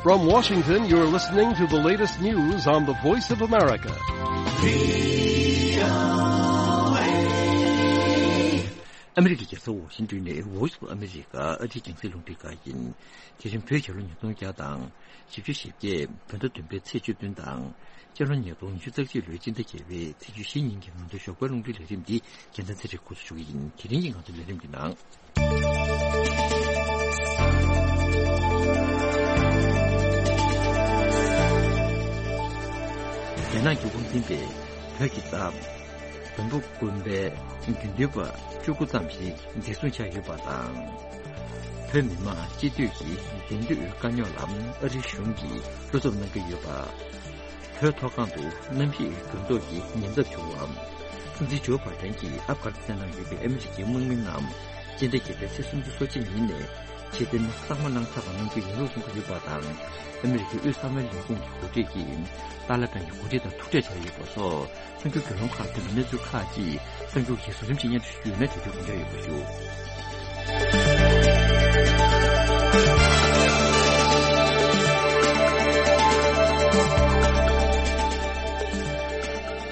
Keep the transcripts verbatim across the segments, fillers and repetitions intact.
From Washington, you're listening to the latest news on the Voice of America. ཨ་མི་རི་ཀའི་རྒྱལ་ས་ཝ་ཤིང་ཏོན་ནས་Voice of America ཨ་རིའི་རྒྱང་སྲིང་རླུང་འཕྲིན་ཁང་ཡིན། དེ་རིང་བོད་རྒྱལ་ལོ་ཉིས་སྟོང་བརྒྱ་དང་བཞི་བཅུ་ཞེ་བརྒྱད་བོད་ཟླ་བདུན་པའི་ཚེས་བཅུ་བདུན་དང་། སྤྱི་ལོ་ཉིས་སྟོང་ཉི་ཤུ་རྩ་གཅིག་ལོའི་སྤྱི་ཟླ་བརྒྱད་པའི་ཚེས་བཅུ་བཞི་ཉིན་གྱི་ང་ཚོའི་ཞོགས་པའི་རླུང་འཕྲིན་ལས་རིམ་འདི་རྒྱལ་མཚན་ཚེ་རིང་འགོ་འཛུགས་ཞུ་གི་ཡིན། དེ་རིང་གི་ང་ཚོའི་ལས་རིམ་གྱི་ནང་། རྒྱ་ནག་གི་དབང་འཛིན་པས་བོད་ཀྱི་རྟ་བོན་པོ་དགོན་པའི་དགེ་འདུན་པ་བཅུ་དགུ་ཙམ་ཞིག་འཛིན་བཟུང་བྱས་ཡོད་པ་དང་། བོད་མི་མང་སྤྱི་འཐུས་ཀྱི་གདན་དུས་དཀའ་རྙོག་ལ་ཨ་རིའི་གཞུང་གིས་བློ་འཚབ་གནང་གི་ཡོད་པ། བོད་མཐོ་སྒང་དུ་གནམ་གཤིས་འགྱུར་ལྡོག་གི་ཉེན་ཚབས་བྱུང་བ། སྲིད་འཛིན་ཇོ་བྷའི་ཌེན་གྱིས་ཨབ་གྷ་ནི་སི་ཐན་ནང་ཡོད་པའི་ཨ་མི་རི་ཀའི་དམག་མི་རྣམས་སྤྱི་ཟླ་བརྒྱད་པའི་ཚེས་སུམ་ཅུ་སོ་གཅིག་ཉིན་ནས་ཕྱིར་འཐེན་གཙང་མ་གནང་ཚར་བ་གནང་རྒྱུ་ཡིན་ལུགས་གསུང་གི་ཡོད་པ་དང་། ཨ་མི་རི་ཀའི་དབུས་གསང་བའི་ལས་ཁུངས་ཀྱི་འགོ་ཁྲིད་ཀྱིས་ཏཱ་ལི་བན་གྱི་འགོ་ཁྲིད་དང་ཐུག་འཕྲད་བྱས་ཡོད་པ་སོགས། གསར་འགྱུར་བརྒྱུད་ལམ་ཁག་ཐོན་པའི་གནས་ཚུལ་ཁག་ཅིག་གསར་འགྱུར་གྱི་བཟོ་རིམ་ཞིག་སྙན་སྒྲོན་ཞུས་ཡོད་ན་དེ་དུས་དགོངས་འཇགས་ཡོད་པ་ཞུ།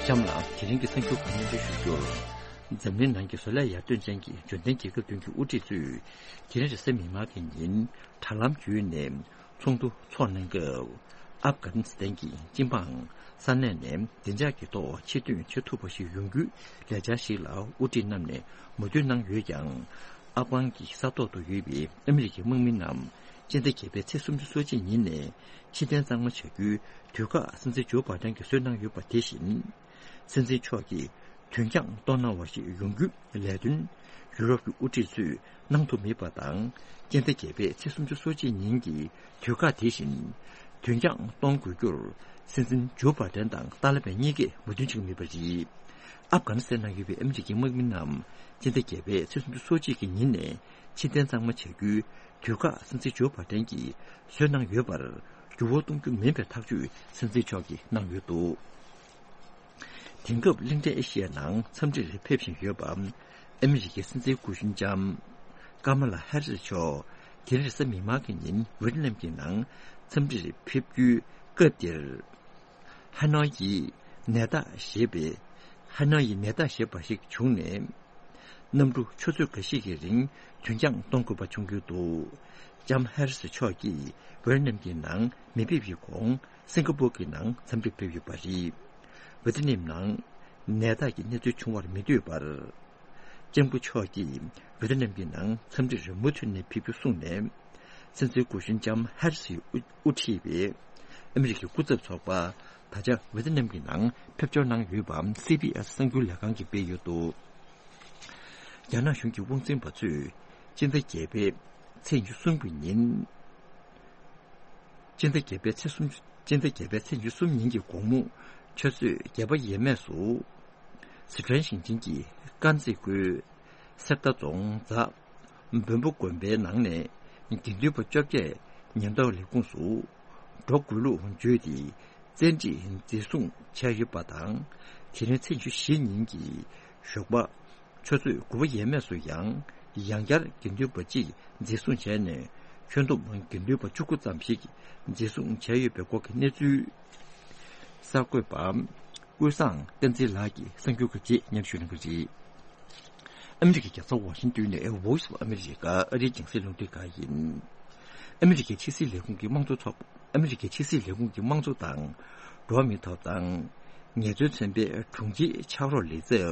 གཤམ་ལ་དེ་རིང་གི་གསར་འགྱུར་ཁག་སྙན་སྒྲོན་ཞུ་རྒྱུར། འཛམ་གླིང་ནང་གི་བཟོ་ལས་ཡར་ཐོན་ཅན་གྱི་འབྱོར་ལྡན་རྒྱལ་ཁབ་བདུན་གྱི་དབུ་ཁྲིད་ཚོས་དེ་རིང་རེས་གཟའ་མིག་དམར་གྱི་ཉིན་དྲ་ལམ་བརྒྱུད་ནས་ཚོགས་འདུ་འཚོགས་གནང་སྐབས། ཨབ་གྷ་ནི་སི་ཐན་གྱི་སྤྱི་འབངས་ས་གནས་ནས་བདེ་འཇགས་ཀྱི་ཐོག་ཆེད་འདོན་བྱེད་ཐུབ་པ་ཞིག་ཡོང་རྒྱུའི་ལས་འཆར་ཞིག་ལ་དབུ་ཁྲིད་རྣམས་ནས་མོས་མཐུན་གནང་ཡོད་ཀྱང་། ཨབ་གྷན་གྱི་ས་ཐོག་ཏུ་ཡོད་པའི་ཨ་མི་རི་ཀའི་དམག་མི་རྣམས་སྤྱི་ཟླ་བརྒྱད་པའི་ཚེས་སུམ་ཅུ་སོ་གཅིག་ཉིན་ནས་ཕྱིར་འཐེན་གཙང་མ་བྱ་རྒྱུའི་དུས་བཀག་སྲིད་འཛིན་ཇོ་བྷའི་ཌེན་གྱིས་བཟོས་གནང་ཡོད་པ་དེ་བཞིན། སྲིད་འཛིན་མཆོག་གིས་དུས་འགྱངས་གཏོང་གནང་བ་ཞིག་ཡོང་རྒྱུའི་ལས་དོན་ཡུ་རོབ་ཀྱི་དབུ་ཁྲིད་ཚོས་གནང་ཐུབ་མེད་པ་དང་། སྤྱི་ཟླ་བརྒྱད་པའི་ཚེས་སུམ་ཅུ་སོ་གཅིག་ཉིན་གྱི་དུས་བཀག་དེ་བཞིན་དུས་འགྱངས་གཏོང་དགོས་རྒྱུར་སྲིད་འཛིན་ཇོ་བྷའི་ཌེན་དང་ཏཱ་ལི་བན་གཉིས་ཀས་མོས་མཐུན་བྱེད་ཀྱི་མེད་པ་རེད། ཨབ་གྷ་ནི་སི་ཐན་ནང་ཡོད་པའི་ཨ་མི་རི་ཀའི་དམག་མི་རྣམས་སྤྱི་ཟླ་བརྒྱད་པའི་ཚེས་སུམ་ཅུ་སོ་གཅིག་གི་ཉིན་ནས་ཕྱིར་འཐེན་གཙང་མ་བྱ་རྒྱུའི་དུས་བཀག་སྲིད་འཛིན་ཇོ་བྷའི་ཌེན་གྱིས་བཟོས་གནང་ཡོད་པར་འགྱུར་བ་གཏོང་རྒྱུ་མིན་པའི་ཐག་གཅོད་སྲིད་འཛིན་མཆོག་གིས་གནང་ཡོད་འདུག་དེང་སྐབས་གླིང་ཕྲན་ཨེ་ཤི་ཡའི་ནང་འཚམས་འདྲིར་ཕེབས་བཞིན་ཡོད་པ། ཨ་མི་རི་ཀའི་སྲིད་འཛིན་སྐུ་གཞོན་ལྕམ་ཀ་མ་ལ་ཧེ་རི་སི་མཆོག་དེ་རིང་རེས་གཟའ་མིག་དམར་གྱི་ཉིན་ཝེ་ཏི་ནམ་གྱི་ནང་འཚམས་འདྲིར་ཕེབས་རྒྱུའི་སྐབས་དེར། ཧ་ནོ་ཡི་ནད་རྟགས་ཞེས་པའི། ཧ་ནོ་ཡི་ནད་རྟགས་ཞེས་པ་ཞིག་བྱུང་ནས། གནམ་གྲུ་ཆུ་ཚོད་འགའ་ཞིག་གི་རིང་དུས་འགྱངས་གཏོང་དགོས་པ་བྱུང་ཡོད་འདུག་ལྕམ་ཧེ་རི་སི་མཆོག་གིས་ཝེ་ཏི་ནམ་གྱི་ནང་མི་ཕེབས་པའི་གོང་སིང་ག་པོར་གྱི་ནང་འཚམས་འདྲིར་ཕེབས་ཡོད་པ་རེད། ཝེ་ཏི་ནམ་ནང་ནད་རྟགས་ཀྱི་གནས་ཚུལ་བྱུང་བར་མི་འདོད་པར། ལྕམ་སྐུ་མཆོག་གིས་ཝེ་ཏི་ནམ་གྱི་ནང་འཚམས་འདྲིར་མུ་མཐུད་ནས་ཕེབས་རྒྱུ་གསུངས་ནས། སྲིད་འཛིན་སྐུ་གཞོན་ལྕམ་ཧེ་རི་སི་ཡིས་དབུ་དབུ་ཁྲིད་པའི་ཨ་མི་རི་ཀའི་སྐུ་ཚབ་ཚོགས་པ་ད་ཆ་ཝེ་ཏི་ནམ་གྱི་ནང་ཕེབས་འབྱོར་གནང་ཡོད་པ་སི་བྷི་ཨེ་སི་གསར་འགྱུར་ལས་ཁང་གིས་སྤེལ་ཡོད་འདུག་རྒྱ་ནག་གཞུང་གི་དབང་འཛིན་པ་ཚོས་སྤྱི་ཟླ་བརྒྱད་པའི་ཚེས་ཉི་ཤུ་གསུམ་གྱི་ཉིན། སྤྱི་ཟླ་བརྒྱད་པའི་ཚེས་གསུམ། སྤྱི་ཟླ་བརྒྱད་པའི་ཚེས་ཉི་ཤུ་གསུམ་ཉིན་གྱི་དགོང་མོ་ཆུ་ཚོད་བརྒྱད་པ་ཡས་མས་སུ། སི་ཁྲོན་ཞིང་ཆེན་གྱི་དཀར་མཛེས་ཁུལ་གསེར་རྟ་རྫོང་རྫ་བོན་པོ་དགོན་པའི་ནང་ནས་དགེ་འདུན་པ་བཅོ་བརྒྱད་ཉེན་རྟོག་ལས་ཁུངས་སུ་འགྲོ་དགོས་ལུགས་བརྗོད་དེ་བཙན་ཁྲིད་འཛིན་བཟུང་བྱས་ཡོད་པ་དང་། དེ་རིང་ཚེས་ཉི་ཤུ་བཞི་ཉིན་གྱི་ཞོགས་པ། ཆུ་ཚོད་དགུ་པ་ཡས་མས་སུ་ཡང་ཡང་བསྐྱར་དགེ་འདུན་པ་གཅིག་འཛིན་བཟུང་བྱས་ནས། ཁྱོན་བསྡོམས་དགེ་འདུན་པ་བཅུ་དགུ་ཙམ་ཞིག་འཛིན་བཟུང་བྱས་ཡོད་པའི་སྐོར་གྱི་གནས་ཚུལ། གསར་འགོད་པ་ཀུན་བཟང་བསྟན་འཛིན་ལགས་ཀྱིས་གསར་འགྱུར་ཁག་ཅིག་སྙན་ཞུ་གནང་གི་རེད། ཨ་མི་རི་ཀའི་རྒྱལ་ས་ཝ་ཤིང་ཏོན་ནས་Voice of America ཨ་རིའི་རྒྱང་སྲིང་རླུང་འཕྲིན་ཁང་ཡིན། ཨ་མི་རི་ཀའི་ཕྱི་སྲིད་ལས་ཁུངས་ཀྱི་དམངས་གཙོ་ཚོགས། ཨ་མི་རི་ཀའི་ཕྱི་སྲིད་ལས་ཁུངས་ཀྱི་དམངས་གཙོ་དང་འགྲོ་བ་མིའི་ཐོབ་ཐང་ངལ་རྩོལ་ཚན་པའི་དྲུང་ཆེའི་ཕྱག་རོགས་ལས་ཚབ་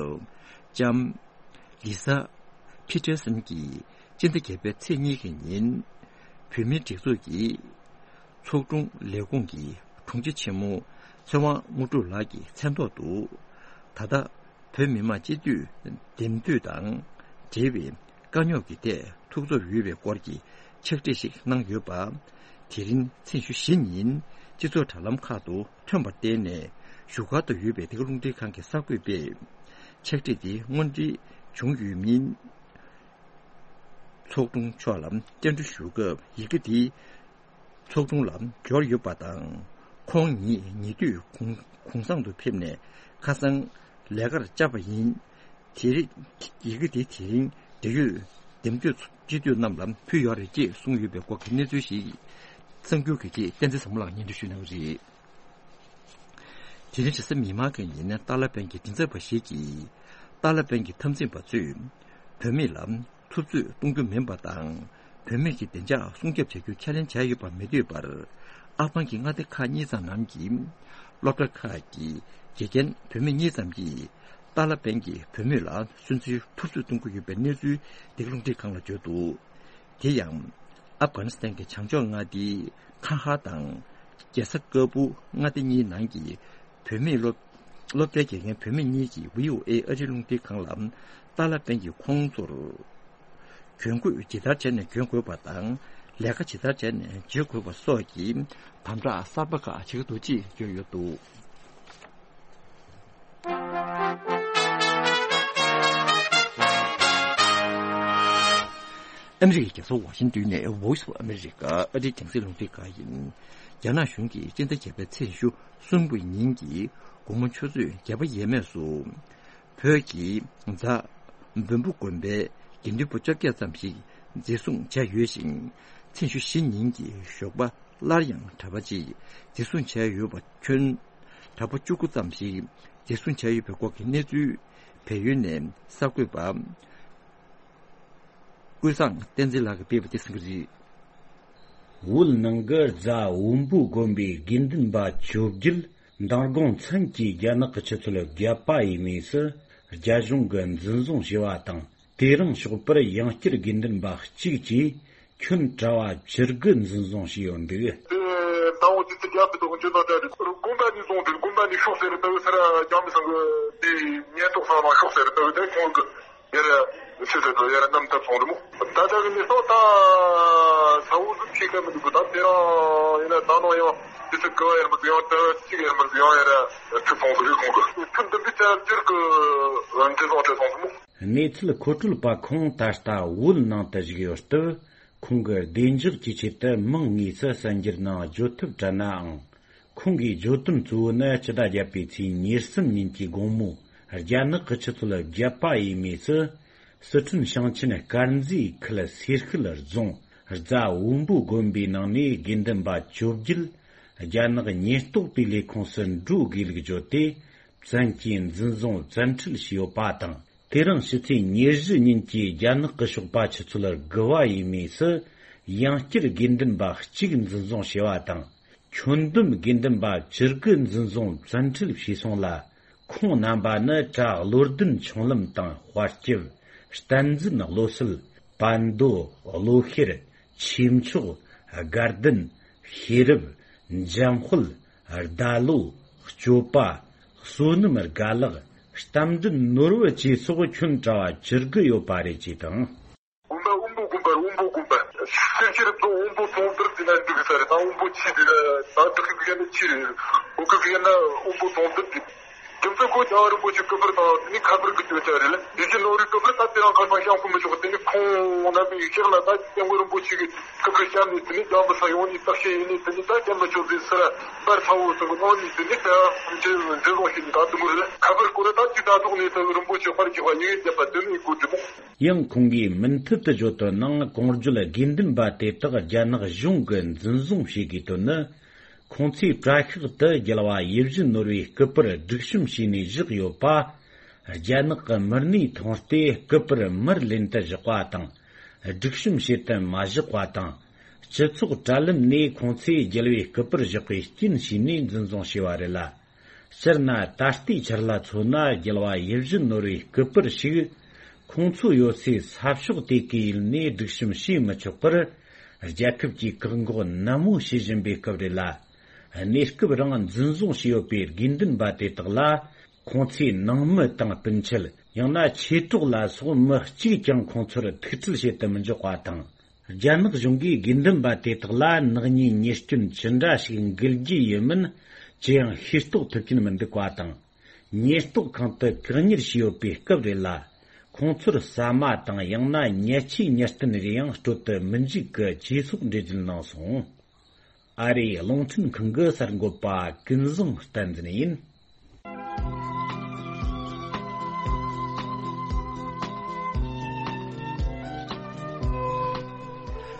ལྕམ་ལི་ས་ཕི་ཏེར་སན་གྱིས་སྤྱི་ཟླ་བརྒྱད་པའི་ཚེས་གཉིས་ཀྱི་ཉིན་བོད་མིའི་སྒྲིག་འཛུགས་ཀྱི་ཚོགས་དྲུང་ལས་ཁུངས་ཀྱི་དྲུང་ཆེ་ཆེན་མོ་ཚེ་དབང་དངོས་གྲུབ་ལགས་ཀྱི་མཚན་ཐོག་ཏུ་ད་ལྟ་བོད་མི་མང་སྤྱི་འཐུས་འདེམས་སྤྱོད་དང་འབྲེལ་བའི་དཀའ་རྙོག་གི་ཐད་ཐུགས་འཚབ་ཡོད་པའི་སྐོར་གྱི་ཕྱག་བྲིས་ཤིག་གནང་ཡོད་པ། དེ་རིང་ཚེས་ཉི་ཤུ་བཞི་ཉིན་སྤྱི་ཚོགས་དྲ་ལམ་ཁག་ཏུ་ཐོན་པར་བརྟེན་ནས་བཞུགས་སྒར་དུ་ཡོད་པའི་འདི་ག་རླུང་འཕྲིན་ཁང་གི་གསར་འགོད་པས་ཕྱག་བྲིས་དེ་དངོས་འབྲེལ་བྱུང་ཡོད་མིན། ཚོགས་དྲུང་མཆོག་ལ་བཅར་འདྲི་ཞུ་སྐབས་ཡི་གེ་དེ་ཚོགས་དྲུང་ལ་འབྱོར་ཡོད་པ་དང་། ཁོང་ཉིད་ཉེ་དུས་གུང་གུང་སེང་དུ་ཕེབས་ནས་ཁ་སང་ལས་ཀར་བཅར་བ་ཡིན། དེ་རིང་ཡི་གེ་དེ་དེ་རིང་འབྲེལ་ཡོད་འདེམས་སྤྱོད་སྤྱི་འཐུས་རྣམས་ལ་ཕུལ་ཡོད་རེད་ཅེས་གསུངས་ཡོད་པའི་སྐོར་གྱི་གནས་ཚུལ་ཞིག་ གསར་འགྱུར་གྱི་ཆེད་བསྟན་འཛིན་བཟང་མོ་ལགས་སྙན་སྒྲོན་ཞུ་གནང་གི་རེད། དེ་རིང་རེས་གཟའ་མིག་དམར་གྱི་ཉིན་ཏཱ་ལ་པན་གྱི་མགྲིན་ཚབ་པ་ཞིག་གིས་ཏཱ་ལ་པན་གྱི་འཐབ་འཛིང་པ་ཚོས་བུད་མེད་ལ་འཐབ་རྩོད་གཏོང་རྒྱུ་མིན་པ་དང་། བུད་མེད་ཀྱི་བདེ་འཇགས་སྲུང་སྐྱོབ་བྱ་རྒྱུ་ཁས་ལེན་བྱས་ཡོད་པ་མི་འདོད་པར། ཨབ་གྷན་གྱི་མངའ་སྡེ་ཁག་གཉིས་ཙམ་ནང་གི་སློབ་གྲྭ་ཁག་གི་དགེ་རྒན་བུད་མེད་གཉིས་ཙམ་གྱིས་ཏཱ་ལ་པན་གྱིས་བུད་མེད་ལ་སོན་རྩིས་འཐབ་རྩོད་གཏོང་གི་ཡོད་པའི་གནས་ཚུལ་འདི་ག་རླུང་འཕྲིན་ཁང་ལ་བརྗོད་འདུག་དེ་ཡང་། ཨབ་གྷ་ནི་སི་ཐན་གྱི་བྱང་ཕྱོགས་མངའ་སྡེའི་ཁ་ཧ་དང་རྒྱལ་ས་ཀ་བུ་མངའ་སྡེ་གཉིས་ནང་གི་བུད་མེད་སློབ་སློབ་གྲྭའི་དགེ་རྒན་བུད་མེད་གཉིས་ཀྱིས་བྷི་ཨོ་ཨེ་ཨ་རིའི་རླུང་འཕྲིན་ཁང་ལ། ཏཱ་ལ་པན་གྱིས་ཁོང་ཚོར་གྱོན་གོས་ཇི་ལྟར་བྱས་ནས་གྱོན་དགོས་པ་དང་། ལས་ཀ་ཇི་ལྟར་བྱས་ནས་བྱེད་དགོས་པ་སོགས་ཀྱི་དམ་དྲག་གསར་པ་ཁག་བྱེད་ཀྱི་འདུག་ཅེས་བརྗོད་ཡོད་འདུག་ཨ་མི་རི་ཀའི་རྒྱལ་ས་ཝ་ཤིང་ཏོན་ནས་Voice of America ཨ་རིའི་རྒྱང་སྲིང་རླུང་འཕྲིན་ཁང་ཡིན། རྒྱ་ནག་གཞུང་གིས་སྤྱི་ཟླ་བརྒྱད་པའི་ཚེས་ཉི་ཤུ་གསུམ་གྱི་ཉིན་གྱི་དགོང་མོ་ཆུ་ཚོད་བརྒྱད་པ་ཡས་མས་སུ། བོད་ཀྱི་རྫ་བོན་པོ་དགོན་པའི་དགེ་འདུན་པ་བཅོ་བརྒྱད་ཙམ་ཞིག་འཛིན་བཟུང་བྱས་ཡོད་ཅིང་། ཚེས་ཉི་ཤུ་བཞི་ཉིན་གྱི་ཞོགས་པ་སླར་ཡང་གྲྭ་པ་གཅིག་འཛིན་བཟུང་བྱས་ཡོད་པ་ཁྱོན་གྲྭ་པ་བཅུ་དགུ་ཙམ་ཞིག་འཛིན་བཟུང་བྱས་ཡོད་པའི་སྐོར་གྱི་གནས་ཚུལ་བལ་ཡུལ་ནས་གསར་འགོད་པ་ཀུན་བཟང་བསྟན་འཛིན་ལགས་ཀྱིས་སྤེལ་བ་དེ་གསན་གྱི་རེད། བོད་ནང་གི་རྫ་བོན་པོ་དགོན་པའི་དགེ་འདུན་པ་བཅོ་བརྒྱད་མདང་དགོང་མཚན་གྱི་རྒྱ་ནག་གི་ཆུ་ཚོད་བརྒྱད་པ་ཡས་མས་སུ་རྒྱ་གཞུང་གིས་འཛིན་བཟུང་བྱས་པ་དང་། དེ་རིང་ཞོགས་པར་ཡང་བསྐྱར་དགེ་འདུན་པ་གཅིག་བཅས་ཁྱོན་གྲྭ་བ་བཅུ་དགུ་འཛིན་བཟུང་བྱས་ཡོད་འདུག་དེ་ཟླ་བོ་དེ་ཚོ་རྒྱབ་ཏུ་འཇོན་ན་འདྲ་རེད། དགོན་པ་ནས་བཟུང་སྟེ་དགོན་པ་ནས་ཤོག་ཟེར་ལྟ་བུ་ཟེར་རྒྱ་མི་ཚང་གི་དེ་ཉེན་རྟོག་ཚང་མ་ཤོག་ཟེར་ལྟ་བུ་དེ་ཁོང་གི་ཡར་ཕྱི་ཟེར་དུ་ཡར་རྣམ་ཐར་སོང་རེད་མོ། ད་ལྟ་གི་གནས་སྟངས་ད་ས་འུ་ཟུ་ཁྱེད་ཀ་མི་འདུག་ད་དེ་རང་ཡིན་ན་ད་ནང་ཡང་དེ་ཚོ་གི་ཡར་མི་འདུག་ཡང་ད་གཅིག་ཡར་མི་འདུག་ཡང་ཡར་ཁྲིད་སོང་ཟེར་རེད་ཁོང་གི་ཁྲིད་འདི་འདི་ཚར་ཅིར་གི་འདྲི་སོང་ཁྲིད་སོང་ཟེར་མོ། གནས་ཚུལ་མཁོ་སྤྲོད་པ་ཁོང་ད་ལྟ་བོད་ནང་དུ་བཞུགས་ཡོད་སྟབས། ཁོང་གི་བདེ་འཇགས་ཀྱི་ཆེད་དུ་མིང་དངོས་སུ་གསར་འགྱུར་ནང་བརྗོད་ཐབས་བྲལ་ནའང་། ཁོང་གིས་བརྗོད་དོན་གཙོ་བོ་ནི་སྤྱི་ཟླ་བརྒྱད་པའི་ཚེས་ཉེར་གསུམ་ཉིན་གྱི་དགོང་མོ་རྒྱ་ནག་གི་ཆུ་ཚོད་བརྒྱད་པ་ཡས་མས་སུ། སི་ཁྲོན་ཞིང་ཆེན་དཀར་མཛེས་ཁུལ་སེར་ཤུལ་རྫོང་རྫ་བོན་པོ་དགོན་པའི་ནང་ནས་དགེ་འདུན་པ་བཅོ་བརྒྱད་རྒྱ་ནག་ཉེན་རྟོག་པའི་ལས་ཁུངས་སུ་འགྲོ་དགོས་ལུགས་བརྗོད་དེ། བཙན་གྱིས་འཛིན་བཟུང་བཙན་ཁྲིད་བྱས་ཡོད་པ་དང་། དེ་རིང་ཕྱི་ཚེས་ཉེར་བཞི་ཉིན་གྱི་རྒྱ་ནག་གི་ཞོགས་པ་ཆུ་ཚོད་དགུ་པ་ཡས་མས་སུ་ཡང་བསྐྱར་དགེ་འདུན་པ་གཅིག་འཛིན་བཟུང་བྱས་པ་དང་། ཁྱོན་བསྡོམས་དགེ་འདུན་པ་བཅུ་དགུ་འཛིན་བཟུང་བཙན་ཁྲིད་བྱས་སོང་ལ། ཁོང་རྣམ་པ་ནི་གྲྭ་བློ་ལྡན་ཆུང་ལམ་དང་དཔལ་སྐྱབས། བསྟན་འཛིན་བློ་གསལ། བན་དོ། བློ་ཤེར། ཆོས་མཆོག། དགའ་ལྡན། ཤེས་རབ། འཇམ་དཔལ། ཟླ་ལོ། སྐྱོབ་པ། བསོད་ནམས་དགའ་ལགས། རྟ་མགྲིན་ནོར་བུ་བཅས་སོགས་ཁྱོན་གྲྭ་བ་བཅུ་དགུ་ཡོད་པ་རེད་ཅེས་དང་། དགོན་པ་དབོན་པོ་དགོན་པ་རེད། དབོན་པོ་དགོན་པ། སེམས་ཤེས་རབ་ཏུ་དབོན་པོ་དོང་དུར་དེ་ན་འདུག་ས་རེད། ད་དབོན་པོ་ཆེ་དེ་ན་ད་བདག་གི་ཡན་ན་ཆེ་རེད། བོད་གི་ཡན་ན་དབོན་པོ་དོང་དུར་དེ། རྒྱུ་མཚན་ཁོ་རྒྱལ་བ་རིན་པོ་ཆེ་སྐུ་པར་དང་དེ་ནི་ཁ་པར་གི་སྐྱོན་ཆ་རེད་ལ། དེ་བཞིན་ནོར་བུའི་སྐུ་པར་ད་དེ་རང་ཁ་སང་བཤམས་ཁོ་མི་ཆོག་དེ་ནི་ཁོང་རྣམ་པའི་ཡིག་ཆ་ལ་ད་སྐྱབས་མགོན་རིན་པོ་ཆེ་གི་སྐུ་པར་བཤམས་ནས་དེ་ནི་རྒྱ་མི་ས་ཡོང་ནས་བརྟག་དཔྱད་ཡིན་ནས་དེ་ནི་ད་སྐྱབས་མི་ཆོག་ཟེར་སར་པར་ཚ་བོ་ཚོ་གི་ནང་ནས་དེ་ནི་ད་འཛིན་འཛིན་བཟུང་བྱས་ནས་ད་དུ་མུར་ལ་ཁ་པར་སྐོར་ད་ཅི་ད་ཐོག་ནས་ད་རིན་པོ་ཆེ་དཔར་གྱི་བ་ཡིག་བརྒྱབ་པ་དེ་ནི་གོ་སྒྲིག་མོ། ཡང་ཁོང་གིས་མུ་མཐུད་དུ་བརྗོད་དོན་ནང་གོང་བརྗོད་དགེ་འདུན་པ་དེ་དག་རྒྱ་ནག་གཞུང་གིས་འཛིན་བཟུང་བྱེད་དགོས་དོན་ནི། ཁོང་ཚོས་བཀྲ་ཤག་ཏུ་རྒྱལ་བ་ཡིད་བཞིན་ནོར་བུའི་སྐུ་པར་སྒྲིག་གཤོམ་བྱས་ནས་བཞག་ཡོད་པ། རྒྱ་ནག་གི་མི་སྣས་མཐོང་སྟེ་སྐུ་པར་མར་ལེན་དུ་བཞག་པ་དང་། སྒྲིག་གཤོམ་བྱེད་དུ་མ་བཞག་པ་དང་། སྤྱི་ཚོགས་དྲ་ལམ་ནས་ཁོང་ཚོས་རྒྱལ་བའི་སྐུ་པར་བཞག་པའི་རྐྱེན་བྱས་ནས་འཛིན་བཟུང་བྱས་པ་རེད་ལ། སྤྱིར་ན་ད་ལྟའི་ཆར་ལ་མཚོན་ན་རྒྱལ་བ་ཡིད་བཞིན་ནོར་བུའི་སྐུ་པར་ཞིག་ཁོང་ཚོ་ཡོད་སའི་ས་ཕྱོགས་དེ་གའི་ཡུལ་ནས་སྒྲིག་གཤོམ་བྱེད་མི་ཆོག་པར། རྒྱལ་ཁབ་ཀྱིས་བཀག་འགོག་ནན་མོ་བྱེད་བཞིན་པའི་སྐབས་རེད་ལ། གནས་སྐབས་རིང་འཛིན་བཟུང་བྱས་ཡོད་པའི་དགེ་འདུན་པ་དེ་དག་ལ་ཁོང་ཚོའི་ནང་མི་དང་སྤུན་མཆེད། ཡང་ན་མཆེད་གྲོགས་ལ་སོགས་མི་གཅིག་ཀྱང་ཁོང་ཚོར་ཐུག་འཕྲད་བྱེད་དུ་མི་འཇུག་པ་དང་། རྒྱ་ནག་གཞུང་གིས་དགེ་འདུན་པ་དེ་དག་ལ་ནག་ཉེས་ཉེས་སྐྱོན་ཇི་འདྲ་ཞིག་འགེལ་རྒྱུ་ཡིན་མིན་ཅི་ཡང་ཤེས་རྟོགས་ཐུབ་ཀྱིན་མི་འདུག་པ་དང་། ཉེན་རྟོག་ཁང་དུ་བཀག་ཉར་བྱས་ཡོད་པའི་སྐབས་རེད་ལ། ཁོང་ཚོར་ཟ་མ་དང་ཡང་ན་ཉལ་ཆས་ཉར་སྟོན་རེ་ཡང་སྤྲོད་དུ་མི་འཇུག་གི་གྲོས་ཚོགས་འགྲེལ་བརྗོད་གནང་སོང་། ཨ་རིའི་རླུང་འཕྲིན་ཁང་གི་གསར་འགོད་པ་ཀུན་བཟང་བསྟན་འཛིན་ཡིན།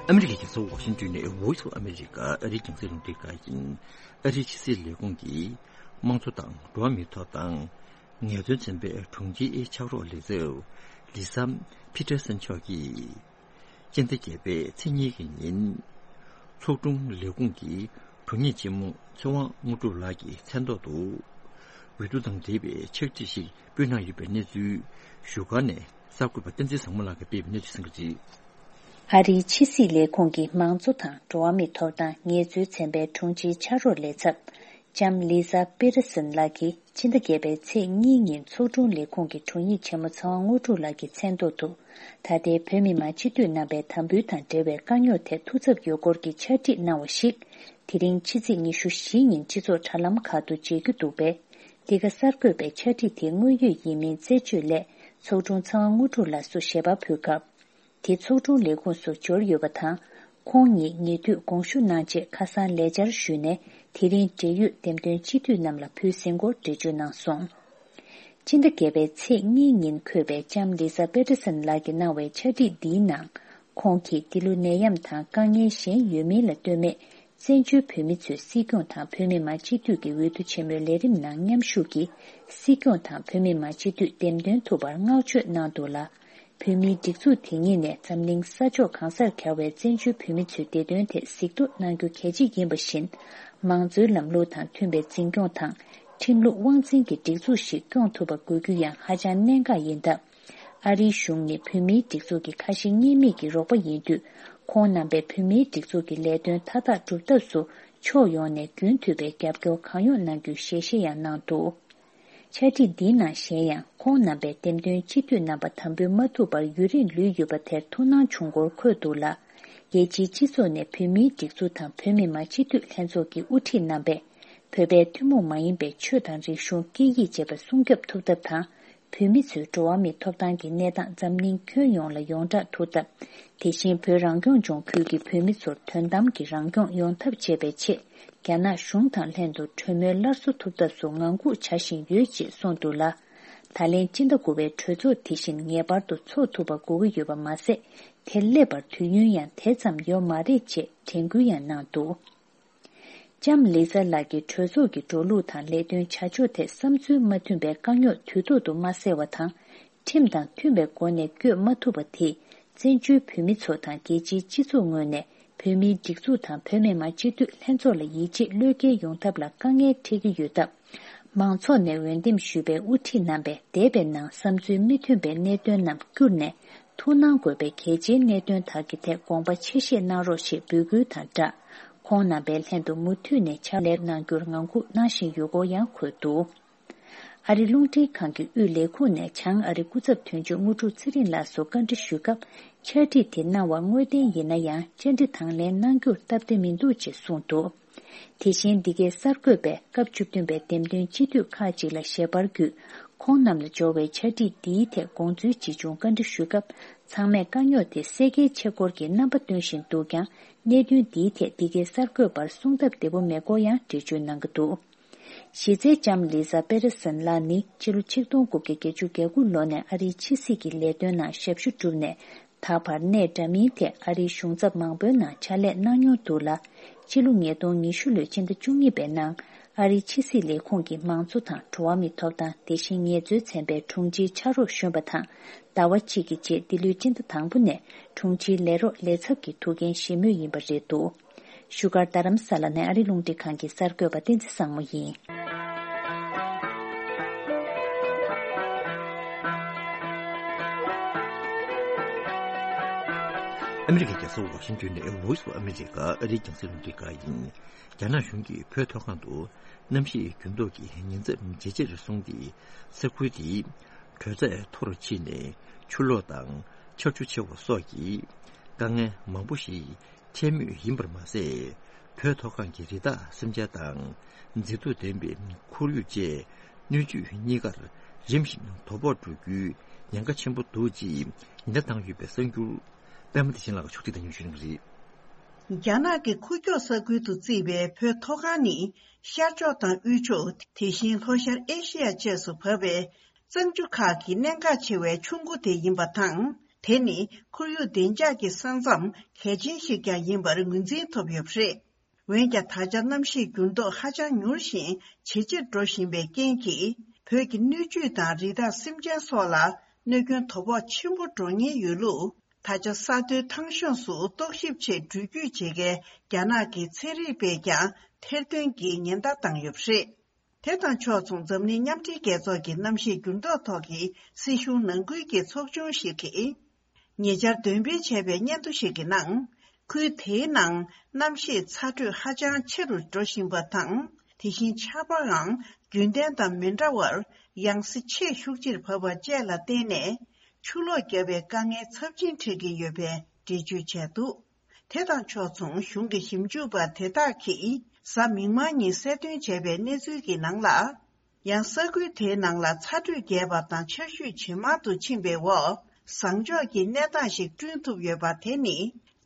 ཨ་མི་རི་ཀའི་རྒྱལ་ས་ཝ་ཤིང་ཏོན་ནས་Voice of America ཨ་རིའི་རྒྱང་སྲིང་རླུང་འཕྲིན་ཁང་ཡིན། ཨ་རིའི་ཕྱི་སྲིད་ལས་ཁུངས་ཀྱི་དམངས་གཙོ་དང་འགྲོ་བ་མིའི་ཐོབ་ཐང་ངལ་རྩོལ་ཚན་པའི་དྲུང་ཆེའི་ཕྱག་རོགས་ལས་ཚབ་ལི་ས་ཕི་ཏར་སན་མཆོག་གིས། སྤྱི་ཟླ་བརྒྱད་པའི་ཚེས་གཉིས་ཀྱི་ཉིན། ཚོགས་དྲུང་ལས་ཁུངས་ཀྱི་དྲུང་ཡིག་ཆེན་མོ་ཚེ་དབང་དངོས་གྲུབ་ལགས་ཀྱི་མཚན་ཐོག་ཏུ། འོས་བསྡུ་དང་འབྲེལ་བའི་ཕྱག་བྲིས་ཤིག་ཕུལ་གནང་ཡོད་པའི་གནས་ཚུལ་བཞུགས་སྒར་ནས་གསར་འགོད་པ་བསྟན་འཛིན་བཟང་མོ་ལགས་ཀྱིས་སྤེལ་བའི་གནས་ཚུལ་གསན་གྱི་རེད། ཨ་རིའི་ཕྱི་སྲིད་ལས་ཁུངས་ཀྱི་དམངས་གཙོ་དང་འགྲོ་བ་མིའི་ཐོབ་ཐང་ངལ་རྩོལ་ཚན་པའི་དྲུང་ཆེའི་ཕྱག་རོགས་ལས་ཚབ་ལྕམ་ལི་ཟ་པེ་ར་སན་ལགས་ཀྱིས་ཕྱི་ཟླ་བརྒྱད་པའི་ཚེས་གཉིས་ཉིན་ཚོགས་དྲུང་ལས་ཁུངས་ཀྱི་དྲུང་ཡིག་ཆེན་མོ་ཚེ་དབང་དངོས་གྲུབ་ལགས་ཀྱི་མཚན་ཐོག་ཏུ། ད་ལྟའི་བོད་མི་མང་སྤྱི་འཐུས་རྣམ་པའི་དམ་འབུལ་དང་འབྲེལ་བའི་དཀའ་རྙོག་ཐད་ཐུགས་འཚབ་ཡོད་སྐོར་གྱི་ཕྱག་བྲིས་གནང་བ་ཞིག་དེ་རིང་ཕྱི་ཚེས་ཉི་ཤུ་བཞི་ཉིན་སྤྱི་ཚོགས་དྲ་ལམ་ཁག་ཏུ་མཇལ་རྒྱུ་འདུག་པས། འདི་ག་གསར་འགོད་པས་ཕྱག་བྲིས་དེ་དངོས་ཡོད་ཡིན་མིན་རྩད་གཅོད་སླད་ཚོགས་དྲུང་ཚེ་དབང་དངོས་གྲུབ་ལགས་སུ་ཞལ་པར་ཕུལ་སྐབས། དེ་ཚོགས་དྲུང་ལས་ཁུངས་སུ་འབྱོར་ཡོད་པ་དང་། ཁོང་ཉིད་ཉེ་དུས་དགོངས་ཞུ་གནང་རྗེས་ཁ་སང་ལས་བཅར་ཞུས་ནས་དེ་རིང་འབྲེལ་ཡོད་འདེམས་ཐོན་སྤྱི་འཐུས་རྣམས་ལ་ཕུལ་ཟིན་སྐོར་འགྲེལ་བརྗོད་གནང་སོང་། སྤྱི་ཟླ་བརྒྱད་པའི་ཚེས་གཉིས་ཉིན་འཁོད་པའི་ལྕམ་ལི་ཟ་པེ་ཏར་སན་ལགས་ཀྱིས་གནང་བའི་ཕྱག་བྲིས་འདིའི་ནང་། ཁོང་གིས་འདི་ལོ་ནད་ཡམས་དང་དཀའ་ངལ་གཞན་ཡོད་མིན་ལ་ལྟོས་མེད། བཙན་བྱོལ་བོད་མི་ཚོས་སྲིད་སྐྱོང་དང་བོད་མི་མང་སྤྱི་འཐུས་ཀྱི་འོས་བསྡུ་ཆེན་མོའི་ལས་རིམ་ནང་མཉམ་ཞུགས་ཀྱིས་སྲིད་སྐྱོང་དང་བོད་མི་མང་སྤྱི་འཐུས་འདེམས་ཐོན་ཐུབ་པར་བསྔགས་བརྗོད་གནང་འདུག་ལ། བོད་མིའི་སྒྲིག་འཛུགས་དེ་ཉིད་ནས་འཛམ་གླིང་ས་ཕྱོགས་གང་སར་གྱར་བའི་བཙན་བྱོལ་བོད་མི་ཚོའི་བདེ་དོན་ཐད་གཟིགས་རྟོག་གནང་རྒྱུ་གལ་ཆེ་ཡིན་པ་བཞིན། མང་གཙོའི་ལམ་ལུགས་དང་མཐུན་པའི་འཛིན་སྐྱོང་དང་། ཁྲིམས་ལུགས་དབང་འཛིན་གྱི་སྒྲིག་འཛུགས་ཤིག་སྐྱོང་ཐུབ་པ་དགོས་རྒྱུ་ཡང་ཧ་ཅང་གནད་འགག་ཡིན་སྟབས། ཨ་རིའི་གཞུང་ནི་བོད་མིའི་སྒྲིག་འཛུགས་ཀྱི་ཁ་ཞེ་གཉིས་མེད་ཀྱི་རོགས་པ་ཡིན་དུས། ཁོང་རྣམ་པས་བོད་མིའི་སྒྲིག་འཛུགས་ཀྱི་ལས་དོན་མཐའ་དག་སྒྲུབ་ཐབས་སུ་ཕྱོགས་ཡོངས་ནས་རྒྱུན་མཐུད་པའི་རྒྱབ་སྐྱོར་གང་ཡོང་གནང་རྒྱུའི་ཞལ་བཞེས་ཡང་གནང་འདུག་ཕྱག་བྲིས་འདིའི་ནང་གཞན་ཡང་ཁོང་རྣམ་པས་འདེམས་ཐོན་སྤྱི་འཐུས་རྣམ་པ་དམ་འབུལ་མ་ཐུབ་པར་ཡུན་རིང་ལུས་ཡོད་པ་དེར་ཐུགས་སྣང་བྱུང་སྐོར་འཁོད་འདུག་ལ། རྒྱལ་སྤྱིའི་སྤྱི་ཚོགས་ནས་བོད་མིའི་སྒྲིག་འཛུགས་དང་བོད་མི་མང་སྤྱི་འཐུས་ལྷན་ཚོགས་ཀྱི་དབུ་ཁྲིད་རྣམ་པས། བོད་པའི་ཐུན་མོང་མ་ཡིན་པའི་ཆོས་དང་རིག་གཞུང་སྐད་ཡིག་བཅས་པ་སྲུང་སྐྱོབ་ཐུབ་ཐབས་དང་། བོད་མི་ཚོའི་འགྲོ་བ་མིའི་ཐོབ་ཐང་གི་གནས་སྟངས་འཛམ་གླིང་ཁྱོན་ཡོངས་ལ་ཡོངས་གྲགས་ཐུབ་ཐབས། དེ་བཞིན་བོད་རང་སྐྱོང་ལྗོངས་ཁུལ་གྱི་བོད་མི་ཚོར་དོན་དམ་གྱི་རང་སྐྱོང་ཡོང་ཐབས་བྱེད་པའི་ཆེད། རྒྱ་ནག་གཞུང་དང་ལྷན་དུ་གྲོས་མོལ་སླར་གསོ་ཐུབ་ཐབས་སུ་ངང་སྒུག་བྱ་བཞིན་ཡོད་ཅེས་གསུངས་འདུག་ལ། ད་ལན་སྤྱི་ཟླ་དགུ་པའི་གྲོས་ཚོགས་དེ་བཞིན་ངེས་པར་དུ་འཚོགས་ཐུབ་པ་དགོས་ཀྱི་ཡོད་པ་མ་ཟད། དེར་སླེབས་པར་དུས་ཡུན་ཡང་དེ་ཙམ་ཡོད་མ་རེད་ཅེས་དྲན་སྐུལ་ཡང་གནང་འདུག་ལྕམ་ལི་ཛ་ལགས་ཀྱིས་གྲོས་ཚོགས་ཀྱི་འགྲོ་ལུགས་དང་ལས་དོན་བྱ་ཕྱོགས་ཐད་བསམ་ཚུལ་མ་མཐུན་པའི་དཀའ་རྙོག་དུས་ཐོག་ཏུ་མ་སེལ་བ་དང་། ཁྲིམས་དང་མཐུན་པའི་སྒོ་ནས་བསྐྱོད་མ་ཐུབ་པ་དེས་བཙན་བྱོལ་བོད་མི་ཚོ་དང་རྒྱལ་སྤྱིའི་སྤྱི་ཚོགས་ངོས་ནས་བོད་མིའི་སྒྲིག་འཛུགས་དང་བོད་མི་མང་སྤྱི་འཐུས་ལྷན་ཚོགས་ལ་ཡིད་ཆེས་བློས་འགེལ་ཡོང་ཐབས་ལ་དཀའ་ངལ་འཕྲད་ཀྱི་ཡོད་སྟབས། མང་ཚོགས་ནས་འོས་འདེམས་ཞུས་པའི་དབུ་ཁྲིད་རྣམ་པས་འདས་པའི་ནང་བསམ་ཚུལ་མི་མཐུན་པའི་གནད་དོན་རྣམས་བསྐྱུར་ནས། ཐུགས་སྣང་དགོས་པའི་གལ་ཆེའི་གནད་དོན་དག་གི་ཐད་དགོངས་པ་ཆེ་བཞེས་གནང་རོགས་ཞེས་འབོད་སྐུལ་དང་སྦྲགས། ཁོང་རྣམ་པའི་ལྷན་དུ་མུ་མཐུད་ནས་ཕྱག་ལས་གནང་རྒྱུར་ངང་སྒུག་གནང་བཞིན་ཡོད་སྐོར་ཡང་འཁོད་འདུག་ཨ་རི་རླུང་འཕྲིན་ཁང་གི་དབུས་ལས་ཁུངས་ནས་བྱང་ཨ་རི་སྐུ་ཚབ་དོན་གཅོད་དངོས་གྲུབ་ཚེ་རིང་ལགས་སུ་བཀའ་འདྲི་ཞུས་སྐབས། ཕྱག་བྲིས་དེ་གནང་བ་དངོས་བདེན་ཡིན་ན་ཡང་བཅར་འདྲི་དང་ལེན་གནང་རྒྱུར་སྟབས་བདེ་མི་འདུག་ཅེས་གསུངས་འདུག་དེ་བཞིན་འདི་གའི་གསར་འགོད་པས་སྐབས་བཅུ་བདུན་པའི་འདེམས་ཐོན་སྤྱི་འཐུས་ཁག་ཅིག་ལ་ཞལ་པར་བརྒྱུད། ཁོང་རྣམས་ལ་འབྱོར་བའི་ཕྱག་བྲིས་འདིའི་ཐད་དགོངས་ཚུལ་ཇི་བྱུང་བཀའ་འདྲི་ཞུས་སྐབས། ཚང་མས་དཀའ་རྙོག་དེ་སེལ་གལ་ཆེ་སྐོར་གྱི་རྣམ་པ་སྟོན་བཞིན་འདུག་ཀྱང་། གནད་དོན་འདིའི་ཐད་འདི་གའི་གསར་འགོད་པར་གསུང་སྟབས་བདེ་པོ་མེད་སྐོར་ཡང་འགྲེལ་བརྗོད་གནང་གི་འདུག་གཞི་རྩའི་ལྕམ་ལི་ཛ་པེ་རེ་སན་ལགས་ནི་ཕྱི་ལོ་ཆིག་སྟོང་དགུ་བརྒྱ་བརྒྱད་ཅུ་གྱ་དགུ་ལོ་ནས་ཨ་རིའི་ཕྱི་སྲིད་ཀྱི་ལས་དོན་ནང་ཞབས་ཞུ་བསྒྲུབས་ནས། ད་བར་གནས་འདྲ་མིན་ཐད་ཨ་རིའི་གཞུང་ཚབ་མང་པོའི་ནང་ཕྱག་ལས་གནང་མྱོང་འདུག་ལ། ཕྱི་ལོ་ཉིས་སྟོང་ཉི་ཤུ་ལོའི་ཕྱི་ཟླ་བཅུ་གཉིས་པའི་ནང་ཨ་རིའི་ཕྱི་སྲིད་ལས་ཁུངས་ཀྱི་མང་གཙོ་དང་འགྲོ་བ་མིའི་ཐོབ་ཐང་། དེ་བཞིན་ངལ་རྩོལ་ཚན་པའི་དྲུང་ཆེའི་ཕྱག་རོགས་གཞོན་པ་དང་ཟླ་བ་གཅིག་གི་རྗེས་འདི་ལོའི་ཕྱི་ཟླ་དང་པོ་ནས་དྲུང་ཆེའི་ལས་རོགས་ལས་ཚབ་ཀྱི་ཐུགས་འགན་བཞེས་མུས་ཡིན་པ་རེད་འདུག་བཞུགས་སྒར་རྡ་རམ་ས་ལ་ནས་ཨ་རི་རླུང་འཕྲིན་ཁང་གི་གསར་འགོད་པ་བསྟན་འཛིན་བཟང་མོ་ཡིན། ཨ་མི་རི་ཀའི་རྒྱལ་ས་ཝ་ཤིང་ཏོན་ནས་Voice of America ཨ་རིའི་རྒྱང་སྲིང་རླུང་འཕྲིན་ཁང་ཡིན། རྒྱ་ནག་གཞུང་གིས་བོད་མཐོ་སྒང་དུ་གནམ་གཤིས་འགྱུར་ལྡོག་གི་ཉེན་ཚབས་ཇེ་ཆེར་སོང་སྟེ། ས་ཁུལ་དེའི་དྲོད་ཚད་མཐོ་རུ་ཕྱིན་ནས་ཆུ་ལོག་དང་ཆར་ཆུ་ཆེ་བ་སོགས་ཀྱི་དཀའ་ངལ་མང་པོ་ཞིག་འཕྲད་མུས་ཡིན་པར་མ་ཟད། བོད་མཐོ་སྒང་གི་རི་དྭགས་སེམས་ཅན་དང་མཛེས་སྡུག་ལྡན་པའི་ཁོར་ཡུག་བཅས་སྣོད་བཅུད་གཉིས་ཀར་རིམ་བཞིན་དོ་ཕོག་འགྲོ་རྒྱུའི་ཉེན་ཁ་ཆེན་པོ་འདུག་ཅེས་ཉེན་བརྡ་བཏང་ཡོད་པའི་གསར་འགྱུར། པད་མ་བདེ་ཆེན་ལགས་ཕྱོགས་སྒྲིག་དང་ཉམས་ཞུ་གནང་གི་རེད། རྒྱ་ནག་གི་ཁུག་ཀྱོག་ས་ཁུལ་དུ་བརྩིས་པའི་བོད་མཐོ་སྒང་ནི་ཤར་ཕྱོགས་དང་དབུས་ཕྱོགས། དེ་བཞིན་ལྷོ་ཤར་ཨེ་ཤེ་ཡ་བཅས་སུ་བབས་པའི་གཙང་ཆུ་ཁག་གི་གནད་འགག་ཆེ་བའི་ཆུ་མགོ་དེ་ཡིན་པ་དང་། དེ་ནི་ཁོར་ཡུག་བདེ་འཇགས་ཀྱི་ས་མཚམས་གལ་ཆེན་ཞིག་ཀྱང་ཡིན་པར་ངོས་འཛིན་ཐུབ་ཡོད་པ་རེད། འོན་ཀྱང་། ད་ཆ་གནམ་གཤིས་འགྱུར་ལྡོག་ཧ་ཅང་མྱུར་ཞིང་ཇེ་ཆེར་འགྲོ་བཞིན་པའི་རྐྱེན་གྱིས། བོད་ཀྱི་སྣོད་བཅུད་དང་རི་དྭགས་སེམས་ཅན་སོགས་ལ་གནོད་སྐྱོན་དོ་ཕོག་ཆེན་པོ་འགྲོ་ཉེན་ཡོད་ལུགས། ད་ཆ་ས་མཐོའི་ཐང་གཤོངས་སུ་རྟོག་ཞིབ་ཆེད་འགྲུལ་སྐྱོད་བྱེད་མཁན་རྒྱ་ནག་གི་ཚན་རིག་པས་ཀྱང་ཐེར་འདོན་གྱིས་ཉེན་བརྡ་བཏང་ཡོད་པ་རེད། དེ་དང་ཕྱོགས་མཚུངས། འཛམ་གླིང་མཉམ་འབྲེལ་རྒྱལ་ཚོགས་ཀྱི་གནམ་གཤིས་འགྱུར་ལྡོག་ཐོག་གི་སྲིད་གཞུང་ནང་ཁུལ་གྱི་ཚོགས་ཆུང་ཞིག་གིས། ཉེ་ཆར་འདོན་སྤེལ་བྱས་པའི་སྙན་ཐོ་ཞིག་གི་ནང་། ཁུལ་དེའི་ནང་གནམ་གཤིས་ཚ་དྲོད་ཧ་ཅང་ཆེ་རུ་འགྲོ་བཞིན་པ་དང་། དེ་བཞིན་ཆར་པའང་རྒྱུན་ལྡན་དང་མི་འདྲ་བར་ཡང་སེ་ཆེས་ཤུགས་ཆེར་བབས་པ་བཅས་ལ་བརྟེན་ནས། ཆུ་ལོག་བརྒྱབ་པའི་དཀའ་ངལ་ཚབས་ཆེན་འཕྲད་ཀྱི་ཡོད་པའི་འགྲེལ་བརྗོད་བྱས་འདུག་དེ་དང་ཕྱོགས་མཚུངས། གཞུང་གི་ཞིབ་འཇུག་པ་དེ་དག་གིས་གཟའ་མིག་དམར་ཉིན་གསལ་སྟོན་བྱས་པའི་གནས་ཚུལ་གྱི་ནང་ལ། ཡང་ས་ཁུལ་དེའི་ནང་ལ་ཚ་དྲོད་རྒྱས་པ་དང་ཆར་ཞུན་ཇེ་མང་དུ་ཕྱིན་པའི་འོག་ཟངས་ལྕོག་གི་གནས་སྟངས་ཤིག་བསྐྲུན་ཐུབ་ཡོད་པ་དེ་ནི།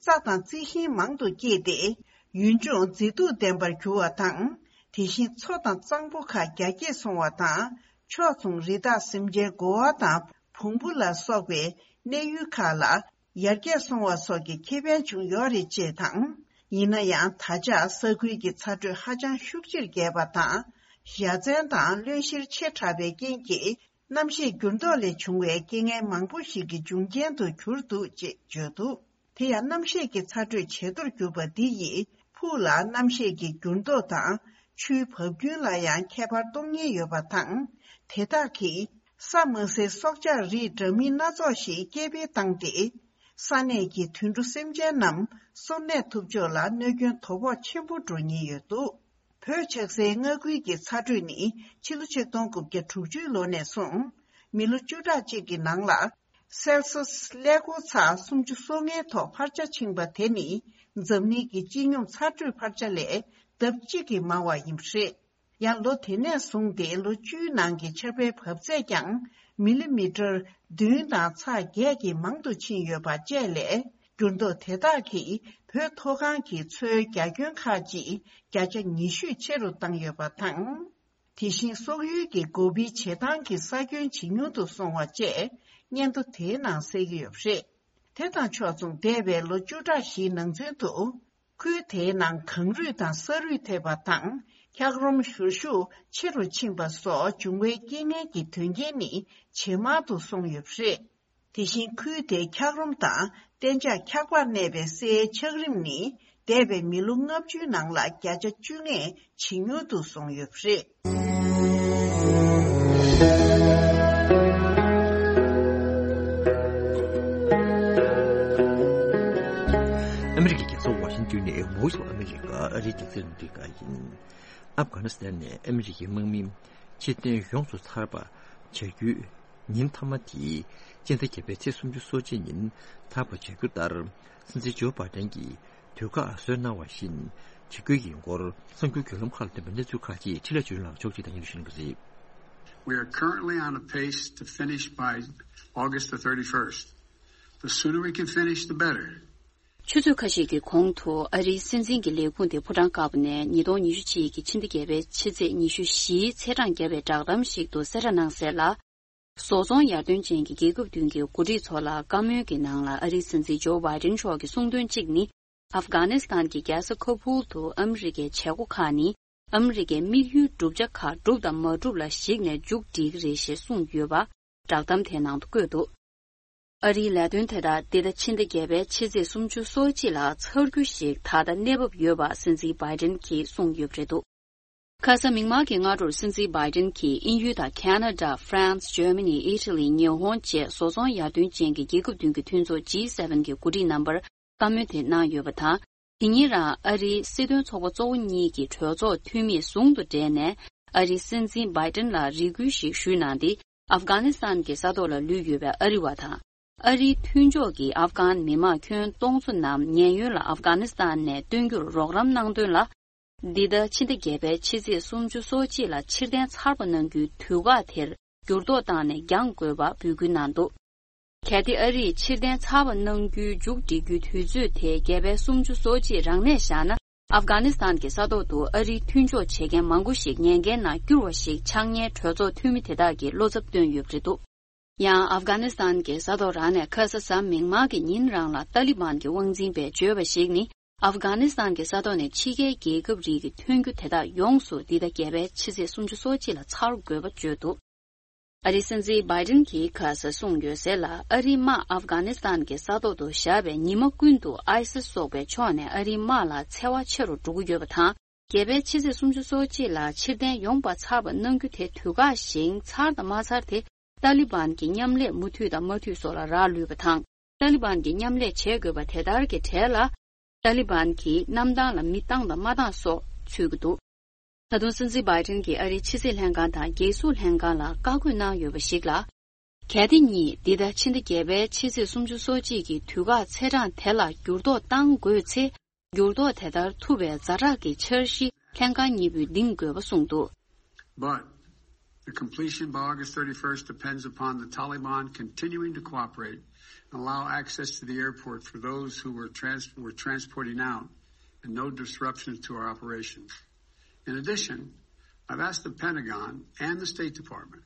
རྩྭ་དང་རྩི་ཤིང་མང་དུ་སྐྱེས་ཏེ། ཡུལ་ལྗོངས་མཛེས་སྡུག་ལྡན་པར་གྱུར་བ་དང་། དེ་བཞིན་མཚོ་དང་གཙང་པོ་ཁག་རྒྱ་སྐྱེད་སོང་བ་དང་། ཕྱོགས་མཚུངས། རི་དྭགས་སེམས་ཅན་དགོ་བ་དང་བོང་བུ་ལ་སོགས་པའི་གནས་ཡུལ་ཁག་ལ་ཡར་རྒྱས་སོང་བ་སོགས་ཀྱི་ཁེ་ཕན་བྱུང་ཡོད་རེད་ཅེས་དང་། ཡིན་ན་ཡང་། ད་ཆ་ས་ཁུལ་གྱི་ཚ་དྲོད་ཧ་ཅང་ཤུགས་ཆེར་རྒྱས་པ་དང་། ཡ་མཚན་དང་རློན་གཤེར་ཆེ་དྲགས་པའི་རྐྱེན་གྱིས། གནམ་གཤིས་འགྱུར་ལྡོག་ལས་བྱུང་བའི་རྐྱེན་ངན་མང་པོ་ཞིག་གི་འབྱུང་རྐྱེན་དུ་གྱུར་འདུག་ཅེས་བརྗོད་འདུག་དེ་ཡང་། གནམ་གཤིས་ཀྱི་ཚ་དྲོད་ཇེ་མཐོར་གྱུར་པ་འདི་ཡིས་ཕུགས་ལ་གནམ་གཤིས་ཀྱི་འགྱུར་ལྡོག་དང་ཆུའི་བབ་རྒྱུན་ལ་ཡང་ཁྱད་པར་གཏོང་ཉེན་ཡོད་པ་དང་། དེ་དག་གིས་ས་མ་སའི་སྲོག་ཆགས་རིགས་འདྲ་མིན་སྣ་ཚོགས་ཤིག་སྐྱེ་འཕེལ་བཏང་སྟེ། ས་གནས་ཀྱི་དུད་འགྲོ་སེམས་ཅན་རྣམས་སོར་གནས་ཐུབ་ཕྱོགས་ལ་གནོད་སྐྱོན་དོ་ཕོག་ཆེན་པོ་འགྲོ་ཉེན་ཡོད་འདུག་བོད་ཆགས་སའི་མངའ་ཁུལ་གྱི་ཚ་དྲོད་ནི་ཕྱི་ལོ་ཆིག་སྟོང་དགུ་བརྒྱ་དྲུག་ཅུའི་ལོ་ནས་བཟུང་། མི་ལོ་བཅུ་ཕྲག་གཅིག་གི་ནང་ལ། སེལ་སོས་ཀླད་ཀོར་ཚག་སུམ་ཅུ་སོ་ལྔའི་ཐོག་འཕར་ཆ་ཕྱིན་པ་དེ་ནི། འཛམ་གླིང་གི་སྤྱི་སྙོམས་ཚ་དྲོད་འཕར་ཆ་ལས་ལྡབ་གཅིག་གིས་མང་བ་ཡིན་པ་རེད། ཡང་། ལོ་དེ་ནས་བཟུང་སྟེ་ལོ་བཅུའི་ནང་གི་ཆར་པའི་བབས་ཚད་ཀྱང་མི་ལི་མི་ཊར་བདུན་དང་ཚེག་བརྒྱད་ཀྱིས་མང་དུ་ཕྱིན་ཡོད་པ་བཅས་ལས། འགྱུར་ལྡོག་དེ་དག་གིས་བོད་མཐོ་སྒང་གི་མཚོའི་རྒྱ་ཁྱོན་ཁག་ཅིག་བརྒྱ་ཆ་ཉི་ཤུས་ཆེ་རུ་བཏང་ཡོད་པ་དང་། དེ་བཞིན་སོག་ཡུལ་གྱི་སྒོ་ཕྱེའི་བྱེ་ཐང་གི་ས་ཁྱོན་ཇེ་ཉུང་དུ་སོང་བ་བཅས་སྙན་ཐོ་དེའི་ནང་གསལ་གྱི་ཡོད་པ་རེད། དེ་དང་ཕྱོགས་མཚུངས། འདས་པའི་ལོ་བཅུ་ཕྲག་བཞིའི་ནང་ཚུན་དུ། ཁུལ་དེའི་ནང་གངས་རུད་དང་ས་རུད་ཐེབས་པ་དང་། འཁྱགས་རོམ་བཞུར་ཤུགས་ཆེ་རུ་ཕྱིན་པ་སོགས་འབྱུང་བའི་རྐྱེན་ངན་གྱི་དོན་རྐྱེན་ནི་ཇེ་མང་དུ་སོང་ཡོད་པ་རེད། དེ་བཞིན་ཁུལ་དེའི་འཁྱགས་རོམ་དང་གཏན་འཇགས་འཁྱགས་པར་གནས་པའི་སའི་འཁྱགས་རིམ་ནི། འདས་པའི་མི་ལོ་ལྔ་བཅུའི་ནང་ལ་བརྒྱ་ཆ་བཅོ་ལྔས་ཇེ་ཉུང་དུ་སོང་ཡོད་པ་རེད། ཨ་མི་རི་ཀའི་རྒྱལ་ས་ཝ་ཤིང་ཏོན་ནས་Voice of America ཨ་རིའི་རྒྱང་སྲིང་རླུང་འཕྲིན་ཁང་ཡིན། ཨབ་གྷ་ནི་སི་ཐན་ནས་ཨ་མི་རི་ཀའི་དམག་མི་ཕྱིར་འཐེན་ཡོངས་སུ་ཚར་བ་བྱ་རྒྱུའི་ཉིན་མཐའ་མ་དེ་སྤྱི་ཟླ་བརྒྱད་པའི་ཚེས་སུམ་ཅུ་སོ་གཅིག་ཉིན་ཚར་བ་བྱ་རྒྱུ་ལྟར། སྲིད་འཛིན་ཇོ་བྷའི་ཏན་གྱིས་དུས་བཀག་བཟོས་གནང་བ་བཞིན་བྱ་རྒྱུ་ཡིན་སྐོར་གསར་འགྱུར་བརྒྱུད་ལམ་ཁག་ལ་བཏོན་པའི་གནས་ཚུལ་ཁག་ཅིག་འཕྲིན་ལས་བརྒྱུད་ལམ་ཕྱོགས་སྒྲིག་དང་སྙན་ཞུ་ཞུ་གི་རེད། We are currently on a pace to finish by August the thirty-first. The sooner we can finish, the better. ཆུ་ཚོད་ཁ་ཤས་ཀྱི་གོང་དུ་ཨ་རིའི་སྲིད་འཛིན་གྱི་ལས་ཁུངས་དེ་ཕོ་བྲང་དཀར་པོ་ནས་ཉིས་སྟོང་ཉི་ཤུ་གཅིག་གི་ཕྱི་ཟླ་བརྒྱད་པའི་ཕྱི་ཚེས་ཉི་ཤུ་བཞིའི་ཚེས་གྲངས་བརྒྱབ་པའི་བསྒྲགས་གཏམ་ཞིག་ཏུ་གསལ་བསྒྲགས་གནང་གསལ་ལ། བཟོ་ཚོང་ཡར་ཐོན་ཅན་གྱི་རྒྱལ་ཁབ་བདུན་གྱི་འགོ་ཁྲིད་ཚོ་ལ་བཀའ་མོལ་གྱི་ནང་ལ། ཨ་རིའི་སྲིད་འཛིན་ཇོ་བྷའི་ཏན་མཆོག་གིས་གསུངས་དོན་གཅིག་ནི། ཨབ་གྷ་ནི་སི་ཐན་གྱི་རྒྱལ་ས་ཁ་བུལ་དུ་ཨ་མི་རི་ཀའི་བྱེད་སྒོ་ཁག་ནི། ཨ་མི་རི་ཀའི་དམིགས་ཡུལ་བསྒྲུབ་བྱ་ཁག་བསྒྲུབས་དང་མ་བསྒྲུབས་ལ་གཞིགས་ནས་མཇུག་སྒྲིལ་གྱི་རེད་ཞེས་གསུངས་ཡོད་པ་བསྒྲགས་གཏམ་དེའི་ནང་དུ་བཀོད་འདུག་ཨ་རིའི་ལས་དོན་དེ་དག་འདི་ཟླ་ཕྱི་ཟླ་བརྒྱད་པའི་ཕྱི་ཚེས་སུམ་ཅུ་སོ་གཅིག་ལ་ཚར་རྒྱུ་ཞིག་ད་ལྟ་གནས་བབ་ཡོད་པ་སྲིད་འཛིན་བྷའི་ཏན་གྱིས་གསུངས་ཡོད་པ་རེད་འདུག་ཁ་ས་མིག་དམར་གྱི་སྔ་དྲོར་སྲིད་འཛིན་བྷའི་ཏན་གྱིས་དབྱིན་ཡུལ་དང་ཁ་ན་ཌ། ཧྥ་རན་སི། ཇར་མ་ནི། ཨི་ཊ་ལི། ཉི་ཧོང་བཅས་བཟོ་ཚོང་ཡར་ཐོན་ཅན་གྱི་རྒྱལ་ཁབ་བདུན་གྱི་མཐུན་ཚོགས་ཇི་སེ་ཝེན་གྱི་འགོ་ཁྲིད་རྣམ་པར་བཀའ་མོལ་དེ་གནང་ཡོད་པ་དང་། དེ་ཉིན་རང་ཨ་རིའི་སྲིད་དོན་ཚོགས་པ་གཙོ་བོ་གཉིས་ཀྱི་གྲོས་ཚོགས་འཐུས་མིས་ཟུང་དུ་འབྲེལ་ནས་ཨ་རིའི་སྲིད་འཛིན་བྷའི་ཏན་ལ་རེ་སྐུལ་ཞིག་ཞུས་གནང་སྟེ། ཨབ་གྷ་ནི་སི་ཐན་གྱི་ས་ཐོག་ལ་ལུས་ཡོད་པའི་ཨ་རི་བ་དང་། ཨ་རིའི་མཐུན་ཕྱོགས་ཀྱི་ཨབ་གྷན་མི་མང་ཁྱོན་སྟོང་ཚོ་རྣམས་ཉེན་གཡོལ་ལ་ཨབ་གྷ་ནི་སི་ཐན་ནས་བཏོན་རྒྱུར་རོགས་རམ་གནང་དོན་ལ། འདི་ཟླ་ཕྱི་ཟླ་བརྒྱད་པའི་ཕྱི་ཚེས་སུམ་ཅུ་སོ་གཅིག་ལ་ཕྱིར་འཐེན་ཚར་བ་གནང་རྒྱུའི་དུས་བཀག་དེར་འགྱུར་ལྡོག་བཏང་ནས་འགྱངས་དགོས་པ་འབོད་སྐུལ་གནང་འདུག་གལ་ཏེ་ཨ་རིས་ཕྱིར་འཐེན་ཚར་བ་གནང་རྒྱུའི་མཇུག་སྒྲིལ་རྒྱུའི་དུས་ཚོད་དེ་བརྒྱད་པའི་སུམ་ཅུ་སོ་གཅིག་རང་གནས་བཞག་ན། ཨབ་གྷ་ནི་སི་ཐན་གྱི་ས་ཐོག་ཏུ་ཨ་རིའི་མཐུན་ཕྱོགས་བྱེད་མཁན་མང་པོ་ཞིག་ཉེན་ཁའི་ནང་བསྐྱུར་བ་ཞིག་ཆགས་ཉེན་གྲོས་ཚོགས་འཐུས་མི་དེ་དག་གིས་བློ་འཚབ་བཏོན་ཡོད་པ་རེད་འདུག་ཡང་ཨབ་གྷ་ནི་སི་ཐན་གྱི་ས་ཐོག་རང་ནས་ཁ་ས་གཟའ་མིག་དམར་གྱི་ཉིན་རང་ལ་ཏཱ་ལི་བན་གྱི་དབང་འཛིན་པས་བརྗོད་པར་གཞིགས་ནི། ཨབ་གྷ་ནི་སི་ཐན་གྱི་ས་ཐོག་ནས་ཕྱི་རྒྱལ་རྒྱལ་ཁབ་རིགས་ཀྱི་ཐོན་རྒྱུ་དེ་དག་ཡོངས་སུ་འདི་ཟླ་བརྒྱད་པའི་ཕྱི་ཚེས་སུམ་ཅུ་སོ་གཅིག་ལ་ཚར་དགོས་པ་བརྗོད་འདུག། ཨ་རིའི་སྲིད་འཛིན་བྷའི་ཏིན་གྱིས་ཁ་ས་གསུངས་ཡོད་ཟེར་ལ། ཨ་རིའི་དམག་ཨབ་གྷ་ནི་སི་ཐན་གྱི་ས་ཐོག་ཏུ་བཞག་པའི་ཉི་མ་ཀུན་ཏུ་ཨའི་སི་སོགས་པའི་ཕྱོགས་ནས་ཨ་རིའི་དམག་ལ་འཚེ་བ་ཆེ་རུ་འགྲོ་གི་ཡོད་པ་དང་། བརྒྱད་པའི་ཕྱི་ཚེས་སུམ་ཅུ་སོ་གཅིག་ལ་ཕྱིར་འཐེན་ཡོང་པ་ཚར་བ་གནང་རྒྱུ་དེ་དུས་བཀག་བཞིན་ཚར་དང་མ་ཚར་དེ་ཏཱ་ལི་བན་གྱི་མཉམ་ལས་མུ་མཐུད་དང་མ་མཐུད་སོགས་ལ་རག་ལུས་པ་དང་། ཏཱ་ལི་བན་གྱི་མཉམ་ལས་བྱེད་དགོས་པ་དེ་ལྟར་གྱི་གྲས་ལ། ཏཱ་ལི་བན་གྱིས་གནམ་ཐང་ལ་མི་བཏང་དང་མ་བཏང་སོགས་ཚུད་ཀྱི་འདུག། ད་དུང་སྲིད་འཛིན་བྷའི་ཏིན་གྱིས་ཨ་རིའི་ཕྱི་སྲིད་ལྷན་ཁང་དང་རྒྱལ་སྲུང་ལྷན་ཁང་ལ་བཀའ་བཀོད་གནང་ཡོད་པ་ཞིག་ལ། གལ་ཏེ་གཉིས་འདི་ཟླ་ཕྱི་ཟླ་བརྒྱད་པའི་ཕྱི་ཚེས་སུམ་ཅུ་སོ་གཅིག་གི་དུས་བཀག་ཚེས་གྲངས་དེ་ལ་འགྱུར་ལྡོག་བཏང་དགོས་ཚེ། འགྱུར་ལྡོག་དེ་ལྟར་ཐུབ་པའི་ཛ་དྲག་གི་འཆར་གཞི་ལྷན་ཁང་གཉིས་པོས་འདིང་དགོས་པ་གསུངས་འདུག། But the completion by August thirty-first depends upon the Taliban continuing to cooperate and allow access to the airport for those who were trans- were transporting out and no disruptions to our operations. In addition, I've asked the Pentagon and the State Department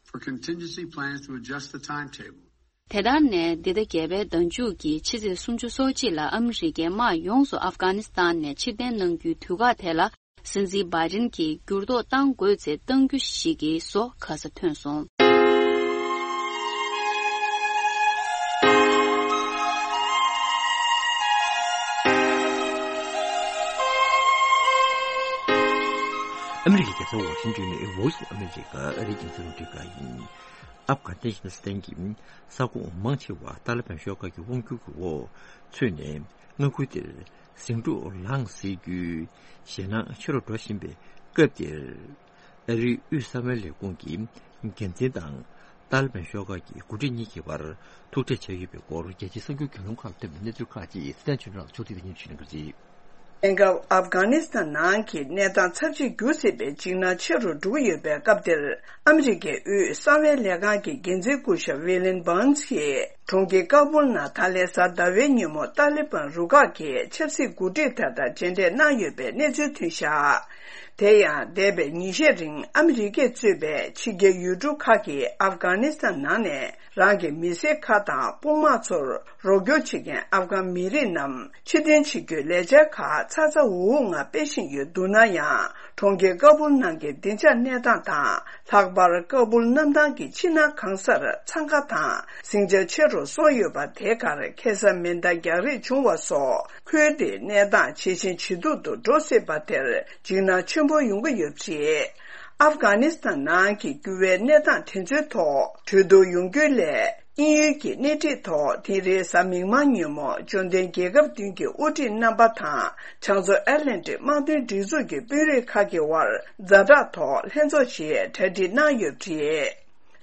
for contingency plans to adjust the timetable. དེ་ལྟར་ནས་འདི་ཟླ་བརྒྱད་པའི་ཟླ་མཇུག་གི་ཕྱི་ཚེས་སུམ་ཅུ་སོ་གཅིག་ལ་ཨ་མི་རི་ཀའི་དམག་ཡོངས་སུ་ཨབ་གྷ་ནི་སི་ཐན་ནས་ཕྱིར་འཐེན་གནང་རྒྱུའི་དུས་བཀག་དེ་ལ། སྲིད་འཛིན་བྷའི་ཏིན་གྱིས་འགྱུར་ལྡོག་གཏང་དགོས་ཚེ་གཏང་རྒྱུ་ཞིག་གི་བཟོ་ཁ་ས་ཐོན་སོང་། ཨ་མི་རི་ཀའི་རྒྱལ་ས་ཝ་ཤིང་ཏོན་ནས་Voice of America ཨ་རིའི་རྒྱང་སྲིང་རླུང་འཕྲིན་ཁང་ཡིན། ཨབ་གྷ་ནི་སི་ཐན་གྱི་ས་ཁོངས་མང་ཆེ་བ་ཏཱ་ལི་བན་ཤོག་ཁག་གི་དབང་སྒྱུར་གྱི་འོག་ཚུད་ནས། མངའ་ཁུལ་དེར་ཟིང་འཁྲུག་ལངས་སྲིད་རྒྱུའི་ཞེད་སྣང་ཆེ་རུ་འགྲོ་བཞིན་པའི་སྐབས་དེར། ཨ་རིའི་དབུས་གསང་བའི་ལས་ཁུངས་ཀྱི་འགན་འཛིན་དང་ཏཱ་ལི་བན་ཤོག་ཁག་གི་འགོ་ཁྲིད་གཉིས་ཀྱི་བར་ཐུག་འཕྲད་བྱས་ཡོད་པའི་སྐོར། རྒྱལ་སྤྱིའི་གསར་འགྱུར་གྱི་ལུང་ཁག་ལ་བསྟན་པའི་གནས་ཚུལ་ཁག་ཅིག་སི་ཐན་ཆོས་སྒྲོན་ལགས་ཕྱོགས་སྒྲིག་སྙན་ཞུ་གནང་གི་རེད། དེང་སྐབས་ཨབ་གྷ་ནི་སི་ཐན་ནང་གི་གནས་སྟངས་ཚབས་ཆེར་འགྱུར་སྲིད་པའི་འཇིགས་སྣང་ཆེ་རུ་འགྲོ་གི་ཡོད་པའི་སྐབས་དེར། ཨ་མི་རི་ཀའི་དབུས་གསང་བའི་ལས་ཁང་གི་འགན་འཛིན་སྐུ་ཞབས་ཝི་ལིན་བྷརནས་ཀྱིས། གྲོང་ཁྱེར་ཀ་བུལ་ནང་ད་ལན་གཟའ་ཟླ་བའི་ཉིན་མོ་ཏཱ་ལི་བན་རུ་ཁག་གི་ཆབ་སྲིད་འགོ་ཁྲིད་དག་དང་མཇལ་འཕྲད་གནང་ཡོད་པའི་གནས་ཚུལ་ཐོན་བཞག། དེ་ཡང་འདས་པའི་ཉིན་ཤས་རིང་ཨ་མི་རི་ཀས་གཙོས་པའི་ཕྱི་རྒྱལ་ཡུལ་གྲུ་ཁག་གིས་ཨབ་གྷ་ནི་སི་ཐན་ནང་ནས་རང་གི་མི་སེར་ཁག་དང་དཔུང་དམག་ཚོར་རོགས་སྐྱོར་བྱེད་མཁན་ཨབ་གྷན་མི་རིགས་རྣམས་ཕྱིར་འཐེན་བྱེད་རྒྱུའི་ལས་འཆར་ཁག་ཚ་ཚ་འུར་འུར་ངང་སྤེལ་བཞིན་ཡོད་འདུག་ན་ཡང་། གྲོང་ཁྱེར་ཀ་བུལ་ནང་གི་བདེ་འཇགས་གནས་སྟངས་དང་། ལྷག་པར་ཀ་བུལ་གནམ་ཐང་གི་ཕྱི་ནང་གང་སར་འཚང་ཁ་དང་ཟིང་ཆ་ཆེ་རུ་སོང་ཡོད་པ་དེ་གར་ཁེ་ས་མེ་མདའ་རྒྱག་རེས་བྱུང་བ་སོགས། ཁུལ་དེའི་གནས་སྟངས་ཇེ་ཞན་ཇེ་སྡུག་ཏུ་འགྲོ་སྲིད་པ་དེར་འཇིགས་སྣང་ཆེན་པོ་ཡོང་གི་ཡོད་པ་རེད། ཨབ་གྷ་ནི་སི་ཐན་ནང་གི་འགྱུར་བའི་གནས་སྟངས་དེ་ཚོའི་ཐོག་གྲོས་བསྡུར་ཡོང་རྒྱུའི་སླད། དབྱིན་ཡུལ་གྱི་སྣེ་ཁྲིད་ཐོག་དེ་རིང་གཟའ་མིག་དམར་ཉིན་མོ་འབྱོར་ལྡན་རྒྱལ་ཁབ་བདུན་གྱི་དབུ་ཁྲིད་རྣམ་པ་དང་། བྱང་མཚོ་ཨེཊ་ལན་ཊིག་དམག་དོན་སྒྲིག་འཛུགས་ཀྱི་དཔོན་རིགས་ཁག་གི་དབར་ཛ་དྲག་ཐོག་ལྷན་ཚོགས་ཤིག་གྲ་སྒྲིག་གནང་ཡོད་པ་རེད།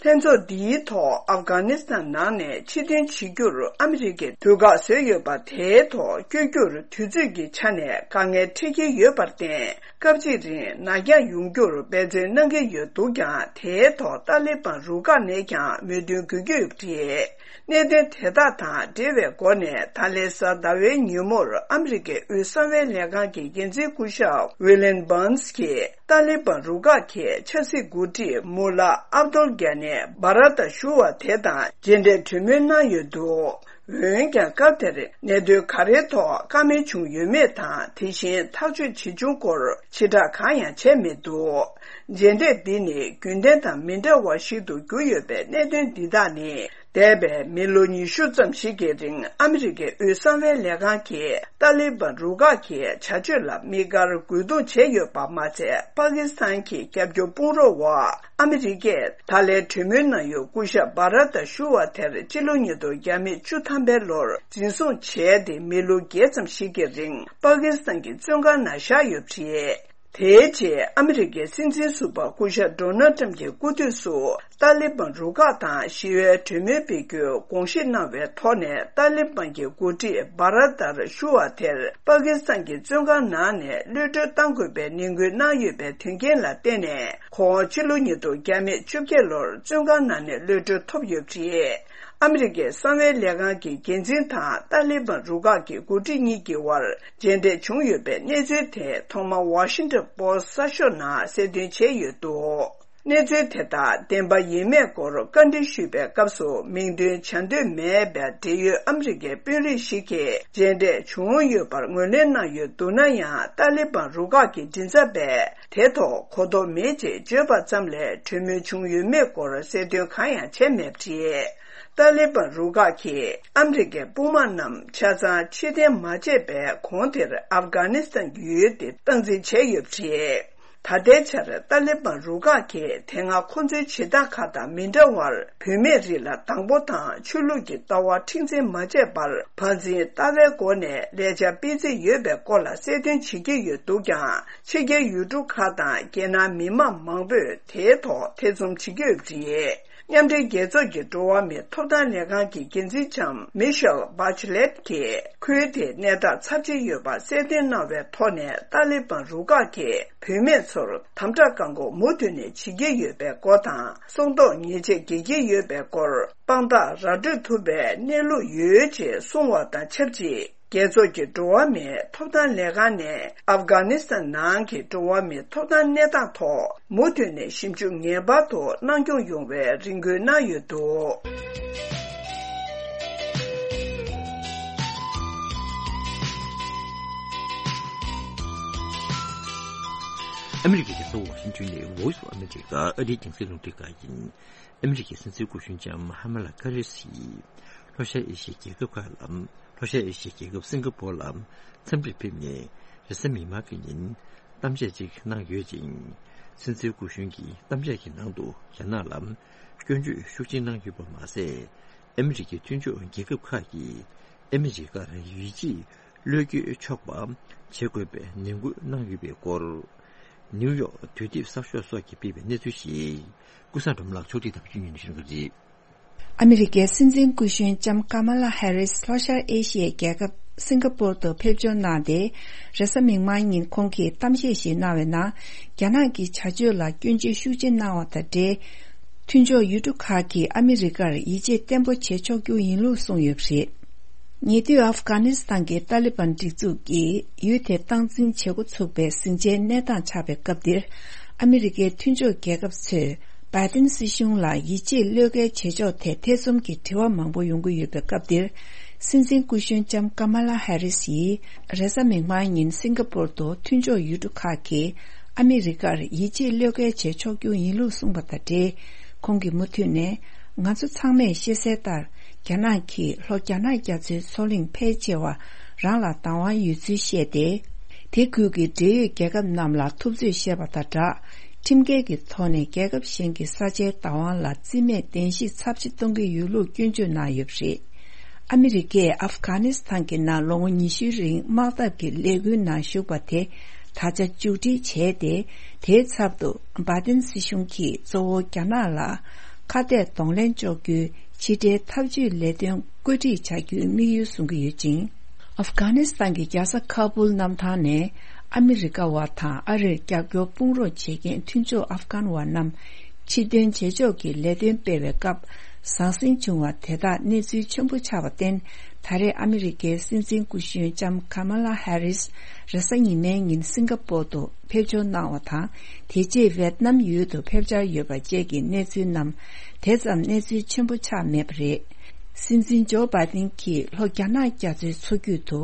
ལྷན་ཚོགས་འདིའི་ཐོག་ཨབ་གྷ་ནི་སི་ཐན་ནང་ནས་ཕྱིར་འཐེན་བྱེད་རྒྱུར་ཨ་མི་རི་ཀས་དུས་བཀག་བཟོས་ཡོད་པ་དེའི་ཐོག་བསྐྱོད་རྒྱུར་དུས་ཚོད་ཀྱི་ཆ་ནས་དཀའ་ངལ་འཕྲད་ཀྱི་ཡོད་པར་བརྟེན། སྐབས་གཅིག་རིང་ནར་འགྱངས་ཡོང་རྒྱུར་འབད་བརྩོན་གནང་གི་ཡོད་འདུག་ཀྱང་། དེའི་ཐོག་ཏཱ་ལི་བན་རུ་ཁག་ནས་ཀྱང་མོས་མཐུན་དགོས་ཀྱི་ཡོད་པ་རེད། གནད་དོན་དེ་དག་དང་འབྲེལ་བའི་སྒོ་ནས། ད་ལན་གཟའ་ཟླ་བའི་ཉིན་མོར་ཨ་མི་རི་ཀའི་དབུས་གསང་བའི་ལས་ཁང་གི་འགན་འཛིན་སྐུ་ཞབས་ཝི་ལིན་བྷརནས་ཀྱིས། ཏཱ་ལི་བན་རུ་ཁག་གི་ཆབ་སྲིད་འགོ་ཁྲིད་མུ་ལ་ཨབ་དུལ་གྷ་ནི་བྷ་ར་ཏ་ཞུ་བ་དེ་དང་མཇལ་འཕྲད་གྲོས་མོལ་གནང་ཡོད་འདུག། འོན་ཀྱང་། སྐབས་དེར་གནད་དོན་ག་རེའི་ཐོག་བཀའ་མོལ་བྱུང་ཡོད་མེད་དང་། དེ་བཞིན་ཐག་གཅོད་བྱེད་བྱུང་སྐོར་ཕྱིར་བསྒྲགས་གང་ཡང་བྱས་མེད་འདུག། མཇལ་འཕྲད་འདི་ནི་རྒྱུན་ལྡན་དང་མི་འདྲ་བ་ཞིག་ཏུ་གྱུར་ཡོད་པའི་གནད་དོན་འདི་དག་ནི། འདས་པའི་མི་ལོ་ཉི་ཤུ་ཙམ་ཞིག་གི་རིང་ཨ་མི་རི་ཀའི་དབུས་གསང་བའི་ལས་ཁང་གིས་ཏཱ་ལི་བན་རུ་ཁག་གི་བྱ་སྤྱོད་ལ་དམིགས་བཀར་རྒོལ་རྡུང་བྱས་ཡོད་པ་མ་ཚད། པ་ཀི་སི་ཐན་གྱི་རྒྱབ་སྐྱོར་དཔུང་རོགས་འོག་ཨ་མི་རི་ཀས་ད་ལན་གྲོས་མོལ་གནང་ཡུལ་སྐུ་ཞབས་བྷ་ར་ཏ་ཞུ་བ་དེར་སྤྱི་ལོ་ཉིས་སྟོང་བརྒྱ་མེད་བཅུ་ཐམ་པའི་ལོར་འཛིན་བཟུང་བྱས་ཏེ་མི་ལོ་བརྒྱད་ཙམ་ཞིག་གི་རིང་པ་ཀི་སི་ཐན་གྱི་བཙོན་ཁང་ནང་བཞག་ཡོད་པ་རེད། དེའི་རྗེས་ཨ་མི་རི་ཀའི་སྲིད་འཛིན་ཟུར་པ་སྐུ་ཞབས་ཌོ་ནལ་ཊམ་གྱི་སྐུ་དུས་སུ། ཏཱ་ལི་བན་རུ་ཁག་དང་ཞི་བའི་གྲོས་མོལ་སྤེལ་རྒྱུའི་དགོངས་བཞེས་གནང་བའི་ཐོག་ནས། ཏཱ་ལི་བན་གྱི་འགོ་ཁྲིད་བྷ་ར་ཏར་ཞུ་བ་དེར་པ་ཀི་སི་ཐན་གྱི་བཙོན་ཁང་ནང་ནས་གློད་གྲོལ་གཏང་དགོས་པའི་ནན་སྐུལ་གནང་ཡོད་པའི་དོན་རྐྱེན་ལ་བརྟེན་ནས། ཁོང་སྤྱི་ལོ་ཉིས་སྟོང་བརྒྱ་མེད་བཅོ་བརྒྱད་ལོར་བཙོན་ཁང་ནང་ནས་གློད་གྲོལ་ཐོབ་ཡོད་པ་རེད། ཨ་མི་རི་ཀའི་གསང་བའི་ལས་ཁང་གི་འགན་འཛིན་དང་ཏཱ་ལི་བན་རུ་ཁག་གི་འགོ་ཁྲིད་གཉིས་ཀྱི་དབར་མཇལ་འཕྲད་བྱུང་ཡོད་པའི་གནས་ཚུལ་དེ་ཐོག་མར་ཝ་ཤིང་ཊོན་པོ་སི་གསར་ཤོག་ནང་གསལ་སྟོན་བྱས་ཡོད་འདུག། གནས་ཚུལ་དེ་དག་བདེན་པ་ཡིན་མེད་སྐོར་བཀའ་འདྲི་ཞུས་པའི་སྐབས་སུ། མིང་འདོན་བྱ་འདོད་མེད་པའི་འབྲེལ་ཡོད་ཨ་མི་རི་ཀའི་དཔོན་རིགས་ཤིག་གིས་མཇལ་འཕྲད་བྱུང་ཡོད་པར་ངོས་ལེན་གནང་ཡོད་འདུག་ན་ཡང་། ཏཱ་ལི་བན་རུ་ཁག་གི་མགྲིན་ཚབ་པས་དེ་ཐོག་གོ་རྟོགས་མེད་ཅེས་བརྗོད་པ་ཙམ་ལས་གྲོས་མོལ་བྱུང་ཡོད་མེད་སྐོར་གསལ་སྟོན་གང་ཡང་བྱས་མེད་པ་རེད། ཏཱ་ལི་བན་རུ་ཁག་གིས་ཨ་མི་རི་ཀའི་དཔུང་དམག་རྣམས་ཆ་ཚང་ཕྱིར་འཐེན་མ་བྱས་པའི་གོང་དེར་ཨབ་གྷ་ནི་སི་ཐན་གྱི་ཡུལ་དེ་སྟངས་འཛིན་བྱས་ཡོད་པ་རེད། ད་ལྟའི་ཆར་ཏཱ་ལི་བན་རུ་ཁག་གིས་དེ་སྔ་ཁོ་ཚོའི་བྱེད་སྟངས་ཁག་དང་མི་འདྲ་བར། བུད་མེད་རིགས་ལ་དང་པོ་དང་ཆོས་ལུགས་ཀྱི་ལྟ་བ་མཁྲེགས་འཛིན་མ་བྱས་པར། བར་འཛིན་ལྟ་བའི་སྒོ་ནས་ལས་འཆར་སྤེལ་རྩིས་ཡོད་པའི་སྐོར་ལ་གསལ་སྟོན་བྱེད་ཀྱི་ཡོད་འདུག་ཀྱང་། ཕྱི་རྒྱལ་ཡུལ་གྲུ་ཁག་དང་རྒྱལ་ནང་མི་མང་མང་པོས་དེའི་ཐོག་ཐེ་ཚོམ་བྱེད་ཀྱི་ཡོད་པ་རེད། མཉམ་འབྲེལ་རྒྱལ་ཚོགས་ཀྱི་འགྲོ་བ་མིའི་ཐོབ་ཐང་ལས་ཁང་གི་འགན་འཛིན་ལྕམ་མི་ཤེལ་བྷ་ཆི་ལེད་ཀྱིས། ཁུལ་དེའི་གནས་སྟངས་ཚབས་ཆེན་ཡོད་པ་གསལ་སྟོན་གནང་བའི་ཐོག་ནས། ཏཱ་ལི་བན་རུ་ཁག་གིས་བུད་མེད་ཚོར་དམ་དྲག་བཀག་འགོག་མུ་མཐུད་ནས་བྱེད་ཀྱི་ཡོད་པའི་སྐོར་དང་། སྲོག་ཐོག་ཉེས་ཆད་འགེལ་གྱི་ཡོད་པའི་སྐོར། དཔང་རྟགས་ར་སྤྲོད་ཐུབ་པའི་གནས་ལུགས་ཡོད་ཅེས་གསུངས་བ་དང་ཆབས་ཅིག་རྒྱལ་ཚོགས་ཀྱི་འགྲོ་བ་མིའི་ཐོབ་ཐང་ལས་ཁང་ནས་ཨབ་གྷ་ནི་སི་ཐན་ནང་གི་འགྲོ་བ་མིའི་ཐོབ་ཐང་གནས་སྟངས་ཐོག་མུ་མཐུད་ནས་ཞིབ་འཇུག་ངེས་པར་དུ་གནང་སྐྱོང་ཡོང་བའི་རེ་སྐུལ་གནང་ཡོད་འདུག་ཨ་མི་རི་ཀའི་རྒྱལ་ས་ཝ་ཤིང་ཊོན་ནས་Voice of America ཨ་རིའི་རྒྱང་སྲིང་རླུང་འཕྲིན་ཁང་ཡིན། ཨ་མི་རི་ཀའི་སྲིད་འཛིན་སྐུ་གཞོན་ལྕམ་ཧ་མ་ལ་ཀ་རེ་སི་ཡིས་ལྷོ་ཤར་ཨེ་ཤི་ཡའི་རྒྱལ་ཁབ་ཁག་ལ། ལྷོ་ཤར་ཨེ་ཤི་ཡའི་རྒྱལ་ཁབ་སིང་ག་པོར་ལ་འཚམས་འདྲིར་ཕེབས་ནས། རེས་གཟའ་མིག་དམར་གྱི་ཉིན་གཏམ་བཤད་ཅིག་གནང་ཡོད་ཅིང་། སྲིད་འཛིན་སྐུ་གཞོན་གྱིས་གཏམ་བཤད་ཀྱི་ནང་དུ་རྒྱ་ནག་ལ་སྐྱོན་བརྗོད་ཤུགས་ཆེན་གནང་ཡོད་པ་མ་ཟད། ཨ་མི་རི་ཀའི་མཐུན་ཕྱོགས་རྒྱལ་ཁབ་ཁག་གིས་ཨ་མི་རི་ཀར་ཡིད་ཆེས་བློས་འགེལ་ཆོག་པ་བྱེད་དགོས་པའི་ནན་སྐུལ་གནང་ཡོད་པའི་སྐོར། ནིའུ་ཡོག་དུས་དེབ་གསར་ཤོག་སོགས་ཀྱིས་སྤེལ་བའི་གནས་ཚུལ་ཞིག་ཀུན་བཟང་སྒྲོལ་མ་ལགས་ཕྱོགས་སྒྲིག་དང་བརྒྱུད་ཉན་ཞུ་གི་རེད། ཨ་མི་རི་ཀའི་སྲིད་འཛིན་སྐུ་གཞོན་ལྕམ་ཀ་མ་ལ་ཧེ་རིས་ལྷོ་ཤར་ཨེ་ཤི་ཡའི་རྒྱལ་ཁབ་སིང་ག་པོར་དུ་ཕེབས་འབྱོར་གནང་སྟེ། རེས་གཟའ་མིག་དམར་ཉིན་ཁོང་གིས་གཏམ་བཤད་ཞིག་གནང་བའི་ནང་། རྒྱ་ནག་གི་བྱ་སྤྱོད་ལ་སྐྱོན་བརྗོད་ཤུགས་ཆེ་གནང་བ་དང་འབྲེལ། མཐུན་ཕྱོགས་ཡུལ་གྲུ་ཁག་གིས་ཨ་མི་རི་ཀར་ཡིད་ཆེས་བརྟན་པོ་བྱེད་ཆོག་རྒྱུ་ཡིན་ལུགས་གསུངས་ཡོད་པ་རེད། ཉེ་དུས་ཨབ་གྷ་ནི་སི་ཐན་གྱི་ཏཱ་ལི་བན་སྒྲིག་འཛུགས་ཀྱིས་ཡུལ་དེ་སྟངས་འཛིན་བྱེད་འགོ་ཚུགས་པའི་ཟིང་ཆའི་གནས་སྟངས་ཆགས་པའི་སྐབས་འདིར། ཨ་མི་རི་ཀའི་མཐུན་ཕྱོགས་རྒྱལ་ཁབ་ཚོས་བྷའི་ཏིན་སྲིད་གཞུང་ལ་ཡིད་ཆེས་བློས་འགེལ་བྱེད་ཕྱོགས་ཐད་ཐེ་ཚོམ་གྱི་དྲི་བ་མང་པོ་ཡོང་གི་ཡོད་པའི་སྐབས་འདིར། སྲིད་འཛིན་སྐུ་གཞོན་ལྕམ་ཀ་མ་ལ་ཧེ་རིས་ཡིས་རེས་གཟའ་མིག་དམར་ཉིན་སིང་ག་པོར་དུ་མཐུན་ཕྱོགས་ཡུལ་གྲུ་ཁག་གིས་ཨ་མི་རི་ཀར་ཡིད་ཆེས་བློས་འགེལ་བྱེད་ཆོག་རྒྱུ་ཡིན་ལུགས་གསུངས་པ་དང་འབྲེལ། ཁོང་གིས་མུ་མཐུད་ནས། ང་ཚོ་ཚང་མས་ཤེས་གསལ་ལྟར། རྒྱ་ནག་གིས་ལྷོ་རྒྱ་ནག་རྒྱ་མཚོའི་མཚོ་གླིང་ཕལ་ཆེ་བ་རང་ལ་བདག་དབང་ཡོད་ཚུལ་བཤད་དེ། དེ་ཁུལ་གྱི་འབྲེལ་ཡོད་རྒྱལ་ཁབ་རྣམས་ལ་ཐུབ་ཚོད་བཤད་པ་དང་སྦྲགས། ཁྲིམས་འགལ་གྱི་ཐོག་ནས་རྒྱལ་ཁབ་གཞན་གྱི་ས་ཆའི་བདག་དབང་ལ་རྩིས་མེད་གདན་ཞུ་ཚབས་ཆེ་གཏོང་གི་ཡོད་ལུགས་སྐྱོན་བརྗོད་གནང་ཡོད་པ་རེད། ཨ་མི་རི་ཀས་ཨབ་གྷ་ནི་སི་ཐན་གྱི་ནང་ལོ་ངོ་ཉི་ཤུའི་རིང་དམག་འཐབ་ཀྱི་ལས་འགུལ་ནང་ཞུགས་པ་དེ་ད་ཆ་མཇུག་སྒྲིལ་བྱས་ཏེ། དེའི་ཚབ་ཏུ་བྷའི་ཏིན་སྲིད་གཞུང་གིས་གཙོ་བོ་རྒྱ་ནག་ལ་ཁ་གཏད་གདོང་ལེན་གཅོག་རྒྱུའི་ཕྱི་འབྲེལ་འཐབ་ཇུས་ལས་དོན་བཀོད་སྒྲིག་བྱ་རྒྱུའི་དམིགས་ཡུལ་བཟུང་གི་ཡོད་ཅིང་། ཨབ་གྷ་ནི་སི་ཐན་གྱི་རྒྱལ་ས་ཁ་བུལ་གནམ་ཐང་ནས་ཨ་མི་རི་ཀ་བ་དང་ཨ་རིར་རྒྱབ་སྐྱོར་དཔུང་རོགས་བྱེད་མཁན་མཐུན་ཕྱོགས་ཨབ་གྷན་བ་རྣམས་ཕྱིར་འདོན་བྱེད་ཕྱོགས་ཀྱི་ལས་དོན་སྤེལ་བའི་སྐབས། ཟང་ཟིང་བྱུང་བ་དེ་དག་གནས་ཚུལ་ཆེན་པོ་ཆགས་པར་བརྟེན། ད་རེས་ཨ་མི་རི་ཀའི་སྲིད་འཛིན་སྐུ་གཞོན་ལྕམ་ཀ་མ་ལ་ཧེ་རིས་རེས་གཟའ་ཉི་མའི་ཉིན་སིང་ག་པོར་དུ་ཕེབས་འབྱོར་གནང་བ་དང་། དེ་རྗེས་ཝེད་ནམ་ཡུལ་དུ་ཕེབས་འཆར་ཡོད་པ་བཅས་ཀྱི་གནས་ཚུལ་རྣམས་དེ་ཙམ་གནས་ཚུལ་ཆེན་པོ་ཆགས་མེད་པ་རེད། སྲིད་འཛིན་ཇོ་བྷའི་ཏིན་གྱིས་ལྷོ་རྒྱ་ནག་རྒྱ་མཚོའི་མཚོ་རྒྱུད་དུ་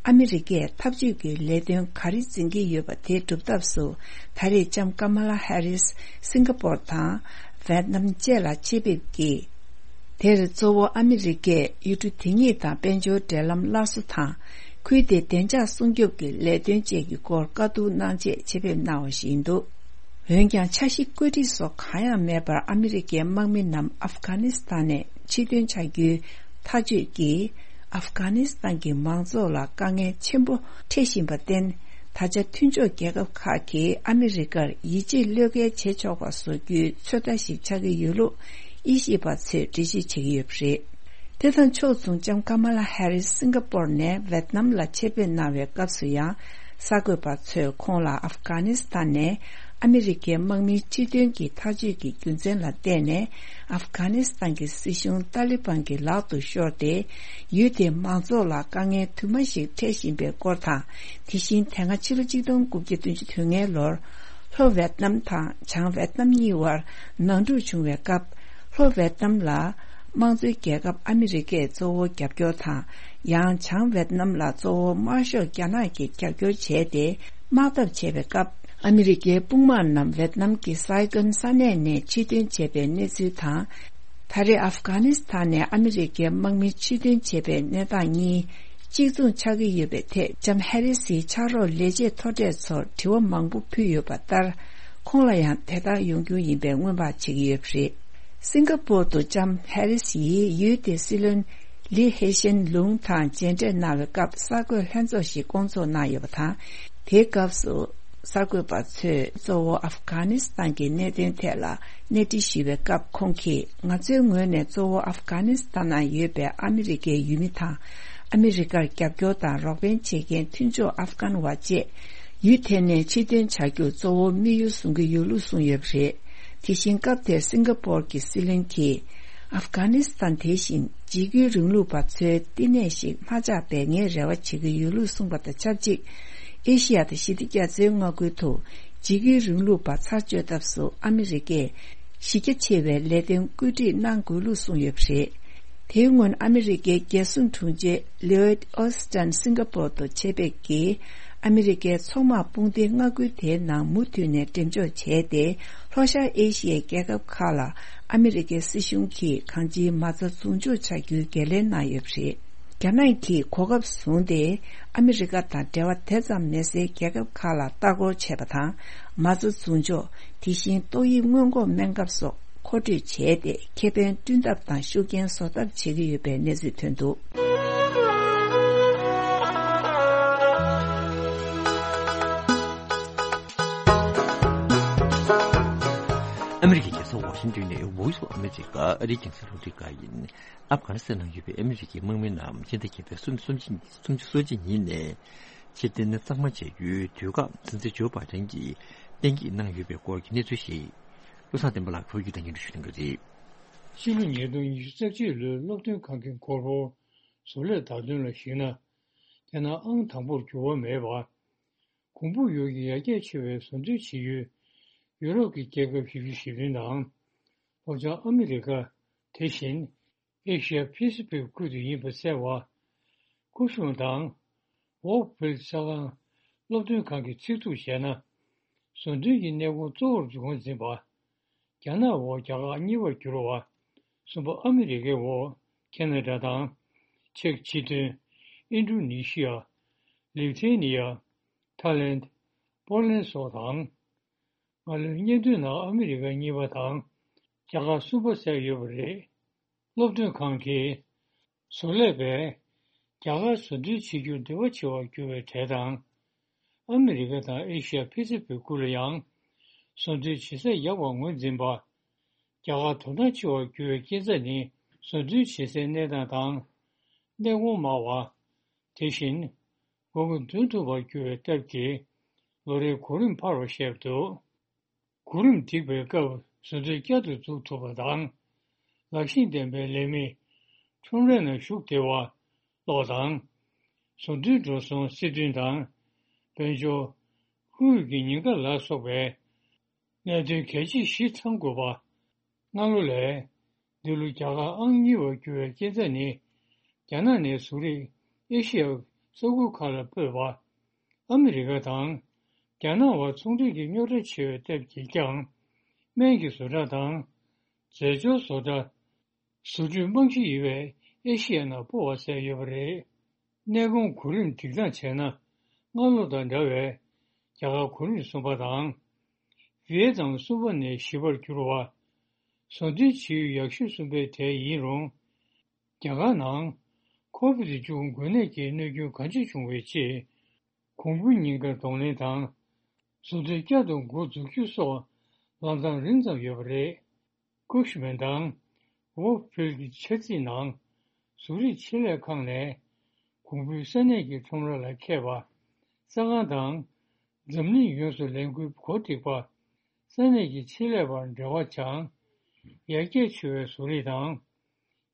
ཨ་མི་རི་ཀས་འཐབ་ཇུས་ཀྱི་ལས་དོན་ག་རེ་འཛིན་གྱི་ཡོད་པ་དེ་སྒྲུབ་ཐབས་སུ། ད་རེས་ལྕམ་ཀ་མ་ལ་ཧེ་རིས་སིང་ག་པོར་དང་ཝེད་ནམ་བཅས་ལ་ཆེད་ཕེབས་ཀྱིས། དེར་གཙོ་བོ་ཨ་མི་རི་ཀས་ཡུལ་གྲུ་དེ་གཉིས་དང་དཔལ་འབྱོར་འབྲེལ་ལམ་སླར་གསོ་དང་། ཁུལ་དེའི་བདེ་འཇགས་སྲུང་སྐྱོབ་ཀྱི་ལས་དོན་བཅས་ཀྱི་སྐོར་བཀའ་བསྡུར་གནང་ཆེད་ཆེད་ཕེབས་གནང་བ་ཞིག་ཡིན་འདུག་འོན་ཀྱང་འཆར་གཞི་བཀོད་སྒྲིག་སོགས་གང་ཡང་མེད་པར་ཨ་མི་རི་ཀའི་དམག་མི་རྣམས་ཨབ་གྷ་ནི་སི་ཐན་ནས་ཕྱིར་འདོན་བྱ་རྒྱུའི་ཐག་གཅོད་ཀྱིས། ཨབ་གྷ་ནི་སི་ཐན་གྱི་མང་ཚོགས་ལ་དཀའ་ངལ་ཆེན་པོ་འཕྲད་བཞིན་པར་བརྟེན། ད་ཆ་མཐུན་ཕྱོགས་རྒྱལ་ཁབ་ཁག་གིས་ཨ་མི་རི་ཀར་ཡིད་ཆེས་བློས་འགེལ་བྱེད་ཆོག་པ་བཟོ་རྒྱུའི་ཚོད་ལྟ་ཞིག་ཆགས་ཀྱི་ཡོད་ལུགས་དབྱེ་ཞིབ་པ་ཚོས་འགྲེལ་བརྗོད་བྱེད་ཀྱི་ཡོད་པ་རེད། དེ་དང་ཕྱོགས་མཚུངས་ལྕམ་ཀ་མ་ལ་ཧེ་རིས་སིང་ག་པོར་ནས་ཝེད་ནམ་ལ་ཆེད་ཕེབས་གནང་བའི་སྐབས་སུ་ཡང་། གསར་འགོད་པ་ཚོས་ཁོང་ལ་ཨབ་གྷ་ནི་སི་ཐན་ནས་ཨ་མི་རི་ཀའི་དམག་མིའི་ཕྱིར་འདོན་གྱི་ཐག་གཅོད་ཀྱི་རྒྱུ་མཚན་ལ་བལྟས་ནས། ཨབ་གྷ་ནི་སི་ཐན་གྱི་སྲིད་གཞུང་ཏཱ་ལི་བན་གྱི་ལག་ཏུ་ཤོར་ཏེ། ཡུལ་དེའི་མང་ཚོགས་ལ་དཀའ་ངལ་དུ་མ་ཞིག་འཕྲད་བཞིན་པའི་སྐོར་དང་། དེ་བཞིན་དེ་སྔ་ཕྱི་ལོ་ཆིག་སྟོང་དགུ་བརྒྱ་བདུན་ཅུ་དོན་ལྔའི་ལོར། ལྷོ་ཝེད་ནམ་དང་བྱང་ཝེད་ནམ་གཉིས་བར་ནང་འཁྲུག་བྱུང་བའི་སྐབས། ལྷོ་ཝེད་ནམ་ལ་དམངས་གཙོའི་རྒྱལ་ཁབ་ཨ་མི་རི་ཀས་གཙོ་བོ་རྒྱབ་སྐྱོར་དང་། ཡང་བྱང་ཝེད་ནམ་ལ་གཙོ་བོ་དམར་ཤོག་རྒྱ་ནག་གིས་རྒྱབ་སྐྱོར་བྱས་ཏེ། དམག་འཐབ་བྱས་པའི་སྐབས། ཨ་མི་རི་ཀའི་དཔུང་དམག་རྣམས་ཝེད་ནམ་གྱི་སའི་ཀོན་ས་གནས་ནས་ཕྱིར་འཐེན་བྱས་པའི་གནས་ཚུལ་དང་། ད་རེས་ཨབ་གྷ་ནི་སི་ཐན་ནས་ཨ་མི་རི་ཀའི་དམག་མི་ཕྱིར་འཐེན་བྱས་པའི་གནས་སྟངས་གཉིས་གཅིག་མཚུངས་ཆགས་ཀྱི་ཡོད་པའི་ཐད། ལྕམ་ཧེ་རི་སིའི་ཕྱག་རོགས་ལས་བྱེད་མཐོ་གྲས་ཚོར་དྲི་བ་མང་པོ་ཕུལ་ཡོད་པ་ལྟར། ཁོང་ལ་ཡང་དེ་ལྟར་ཡོང་རྒྱུ་ཡིན་པའི་སྔོན་དཔག་བྱེད་ཀྱི་ཡོད་པ་རེད། སིང་ག་པོར་དུ་ལྕམ་ཧེ་རི་སི་ཡིས་ཡུལ་དེའི་སྲིད་བློན་ལི་ཧེ་ཤན་ལུང་དང་མཇལ་འཕྲད་གནང་བའི་སྐབས། གསར་འགོད་ལྷན་ཚོགས་ཤིག་བསྐོང་ཚོགས་གནང་ཡོད་པ་དང་། དེའི་སྐབས་སུ། གསར་འགོད་པ་ཚོས་གཙོ་བོ་ཨབ་གྷ་ནི་སི་ཐན་གྱི་གནད་དོན་ཐད་ལ་གནས་འདྲི་ཞུས་པའི་སྐབས། ཁོང་གིས། ང་ཚོའི་ངོས་ནས་གཙོ་བོ་ཨབ་གྷ་ནི་སི་ཐན་ནང་ཡོད་པའི་ཨ་མི་རི་ཀའི་ཡུལ་མི་དང་། ཨ་མི་རི་ཀར་རྒྱབ་སྐྱོར་དང་རོགས་ཕན་བྱེད་མཁན་མཐུན་ཕྱོགས་ཨབ་གྷན་བ་བཅས་ཡུལ་དེ་ནས་ཕྱིར་འཐེན་བྱ་རྒྱུ་གཙོ་བོ་དམིགས་ཡུལ་བཟུང་གི་ཡོད་ལུགས་གསུངས་ཡོད་པ་རེད། དེ་བཞིན་སྐབས་དེར་སིང་ག་པོར་གྱི་སྲིད་བློན་གྱིས། ཨབ་གྷ་ནི་སི་ཐན་དེ་བཞིན་འཇིགས་སྐུལ་རིང་ལུགས་པ་ཚོའི་བསྟི་གནས་ཤིག་མ་ཆགས་པའི་ངས་རེ་བ་བྱེད་ཀྱི་ཡོད་ལུགས་གསུངས་པ་དང་ཆབས་ཅིག་ཨེ་ཤི་ཡ་དང་ཞི་བདེ་རྒྱ་མཚོའི་མངའ་ཁུལ་དུ་འཇིགས་སྐུལ་རིང་ལུགས་པ་ཚར་གཅོད་ཐབས་སུ་ཨ་མི་རི་ཀས་གཞི་རྒྱ་ཆེ་བའི་ལས་དོན་བཀོད་སྒྲིག་གནང་དགོས་ལུགས་གསུངས་ཡོད་པ་རེད། དེའི་སྔོན་ཨ་མི་རི་ཀའི་རྒྱལ་སྲུང་དྲུང་ཆེ་ལི་ཡོད་ཨོ་སི་ཏན་སིང་ག་པོར་དུ་ཆེད་ཕེབས་ཀྱིས། ཨ་མི་རི་ཀའི་མཚོ་དམག་དཔུང་སྡེའི་མངའ་ཁུལ་དེའི་ནང་མུ་མཐུད་ནས་འགྲེམས་འཇོག་བྱས་ཏེ། ལྷོ་ཤར་ཨེ་ཤི་ཡའི་རྒྱལ་ཁབ་ཁག་ལ་ཨ་མི་རི་ཀའི་སྲིད་གཞུང་གིས་གང་ཅིའི་མ་རྩ་བཟུང་འཇོག་བྱ་རྒྱུའི་འགན་ལེན་གནང་ཡོད་པ་རེད། རྒྱ་ནག་གིས་གོ་སྐབས་བཟུང་སྟེ། ཨ་མི་རི་ཀ་དང་འབྲེལ་བ་དེ་ཙམ་མེད་སའི་རྒྱལ་ཁབ་ཁག་ལ་ལྟ་སྐོར་བྱས་པ་དང་། མ་རྩ་བཟུང་འཇོག་དེ་བཞིན་ཏོག་དབྱིབས་སྔོན་འགོག་སྨན་ཁབ་སོགས་མཁོ་སྤྲོད་བྱས་ཏེ། ཁེ་ཕན་བསྐྲུན་ཐབས་དང་ཤུགས་རྐྱེན་བཟོ་ཐབས་བྱེད་ཀྱི་ཡོད་པའི་གནས་ཚུལ་ཐོན་འདུག་ཨ་མི་རི་ཀའི་རྒྱལ་ས་ཝ་ཤིང་ཏོན་ནས་Voice of America ཨ་རིའི་རྒྱང་སྲིང་རླུང་འཕྲིན་ཁང་ཡིན། ཨབ་གྷ་ནི་སི་ཐན་ནང་ཡོད་པའི་ཨ་མི་རི་ཀའི་དམག་མི་རྣམས་སྤྱི་ཟླ་བརྒྱད་པའི་སུམ་ཅུ་སུམ་ཅུ་སོ་གཅིག་ཉིན་ནས་ཕྱིར་འཐེན་གཙང་མ་བྱ་རྒྱུའི་དུས་བཀག་སྲིད་འཛིན་ཇོ་བྷའི་ཌེན་གྱིས་གཏན་འཁེལ་གནང་ཡོད་པའི་སྐོར་གྱི་གནས་ཚུལ་ཞིག་བློ་བཟང་བསྟན་པ་ལགས་བོད་བརྒྱུད་ལས་འགན་ཞུ་གནང་གི་རེད། ཕྱི་ལོ་ཉིས་སྟོང་ཉི་ཤུ་རྩ་གཅིག་ལོའི་སློབ་སྟོན་ཁང་གི་འཁོར་ལོར་བཟོ་ལས་བརྡ་དོན་ལ་གཞིགས་ན། རྒྱ་ནག་ཨང་དང་པོར་འགྱུར་བ་མེད་པ། གོང་འཕེལ་ཡུལ་གྱི་ཡར་རྒྱས་ཆེ་བའི་བཟོ་འདྲེན་བྱེད་ཡུལ་ཡུ་རོབ་ཀྱི་རྒྱལ་ཁབ་བཞི་བཅུ་ཞེ་བདུན་དང་། ལྷོ་བྱང་ཨ་མི་རི་ཀ། དེ་བཞིན་ཨེ་ཤི་ཡ་པེ་སི་ཕིག་ཁུལ་དུ་ཡིན་པ་གསལ་བ། ཀུ་ཤུ་དང་ཝོག་ཕིལ་ས་ཁང་སློབ་སྟོན་ཁང་གིས་ཚིག་ཐུག་བྱས་ན། བཟོ་སྐྲུན་གྱི་གནས་ཁོངས་གཙོ་བོར་འགོ་འཛིན་པ། རྒྱ་ནག་འོག་རྒྱ་གར་གཉིས་པར་གྱུར་བ། གསུམ་པ་ཨ་མི་རི་ཀའི་འོག་ཁེ་ན་ཌ་དང་། ཅེཀ་སྤྱི་མཐུན། ཨིན་ཌོ་ནི་ཤི་ཡ། ལི་ཐེ་ནི་ཡ། ཐའི་ལེནྜ། པོ་ལན་སོགས་དང་། སྔ་ལོའི་སྙན་ཐོའི་ནང་ཨ་མི་རི་ཀ་གཉིས་པ་དང་རྒྱ་གར་གསུམ་པ་གསལ་ཡོད་པ་རེད། སློབ་སྟོན་ཁང་གིས་བཟོ་ལས་པས་རྒྱ་གར་བཟོ་སྐྲུན་བྱེད་རྒྱུར་འདོད་པ་ཆེ་བར་གྱུར་བའི་གྲས་དང་། ཨ་མི་རི་ཀ་དང་ཨེ་ཤི་ཡ་པེ་སི་ཕིག་ཁུལ་ལ་ཡང་བཟོ་སྐྲུན་བྱེད་ས་ཡག་པར་ངོས་འཛིན་པ། རྒྱ་གར་དོ་སྣང་ཆེ་བར་གྱུར་བའི་རྐྱེན་རྩ་ནི་བཟོ་སྐྲུན་བྱེད་སའི་གནས་སྟངས་དང་། གནས་གོང་དམའ་བ། དེ་བཞིན། དགོས་མཁོ་འདོན་ཐུབ་པར་གྱུར་བའི་སྟབས་ཀྱིས་ལོ་རེའི་གོ་རིམ་འཕར་བར་བཤད་འདུག་གོ་རིམ་སྒྲིག་པའི་སྐབས་བཟོ་སྐྲུན་བསྐྱར་དུ་འཛུགས་ཐུབ་པ་དང་། ལག་ཤེས་ལྡན་པའི་ལས་མི་ཁྲོམ་རའི་ནང་ཞུགས་བདེ་བ་སོགས་དང་། བཟོ་སྐྲུན་འགྲོ་སོང་སྲིད་དོན་དང་། དཔལ་འབྱོར། ཁོར་ཡུག་གི་ཉེན་ཁ་ལ་སོགས་པའི་གནད་དོན་གལ་ཆེ་བཞི་ཚང་དགོས་པ། སྔ་ལོ་ལས། འདི་ལོ་རྒྱ་གར་ཨང་གཉིས་པར་གྱུར་བའི་རྐྱེན་རྩ་ནི། རྒྱ་ནག་ནས་བཟོ་རིགས་ཨེ་ཤི་ཡའི་ས་ཁུལ་ཁག་ལ་སྤོས་པ། ཨ་མི་རི་ཀ་དང་རྒྱ་ནག་བར་ཚོང་འབྲེལ་གྱི་རྙོག་དྲ་ཆེ་བའི་སྟབས་ཀྱིས་ཀྱང་། སྨན་གྱི་བཟོ་གྲྭ་དང་། རྫས་སྦྱོར་བཟོ་གྲྭ། བཟོ་སྐྲུན་རྨང་གཞི་ཡོད་པའི་ཨེ་ཤི་ཡ་ནང་སྤོ་བ་གསལ་ཡོད་པ་རེད། གནས་གོང་གོ་རིམ་སྒྲིག་སྟངས་བྱས་ན། སྔ་ལོ་དང་འདྲ་བའི་རྒྱ་གར་གོ་རིམ་གསུམ་པ་དང་། ཝི་ཡེ་ནམ་གསུམ་པ་ནས་བཞི་པར་གྱུར་བ། བཟོ་སྐྲུན་བྱེད་ཡུལ་ཡག་ཤོས་གསུམ་པའི་གྲས་ཡིན་རུང་། རྒྱ་གར་ནང་ཁོ་བིད་བཅུ་དགུ་འགོས་ནད་ཀྱི་གནོད་སྐྱོན་གང་ཆེ་བྱུང་བའི་རྗེས། གོང་འཕེལ་ཉེན་ཁ་གདོང་ལེན་དང་། བཟོ་སྐྲུན་བསྐྱར་དུ་འགོ་འཛུགས་རྒྱུ་སོགས་ལམ་སྟོན་རིང་ཙམ་ཡོད་པ་རེད། ཀུཤ་མན་དང་ཝོག་ཕིལ་གྱི་འཆར་རྩིས་ནང་། བཟོ་རིག་ཆེད་ལས་ཁང་ནས་གོང་འཕེལ་ས་གནས་ཀྱི་ཁྲོམ་ར་ལ་མཁས་པ། ས་ཁང་དང་། འཛམ་གླིང་ཡོངས་སུ་ལས་འགུལ་གོ་སྒྲིག་པ། ས་གནས་ཀྱི་ཆེད་ལས་པར་འབྲེལ་བ་སྦྱང་། ཡར་རྒྱས་ཆེ་བའི་བཟོ་རིག་དང་།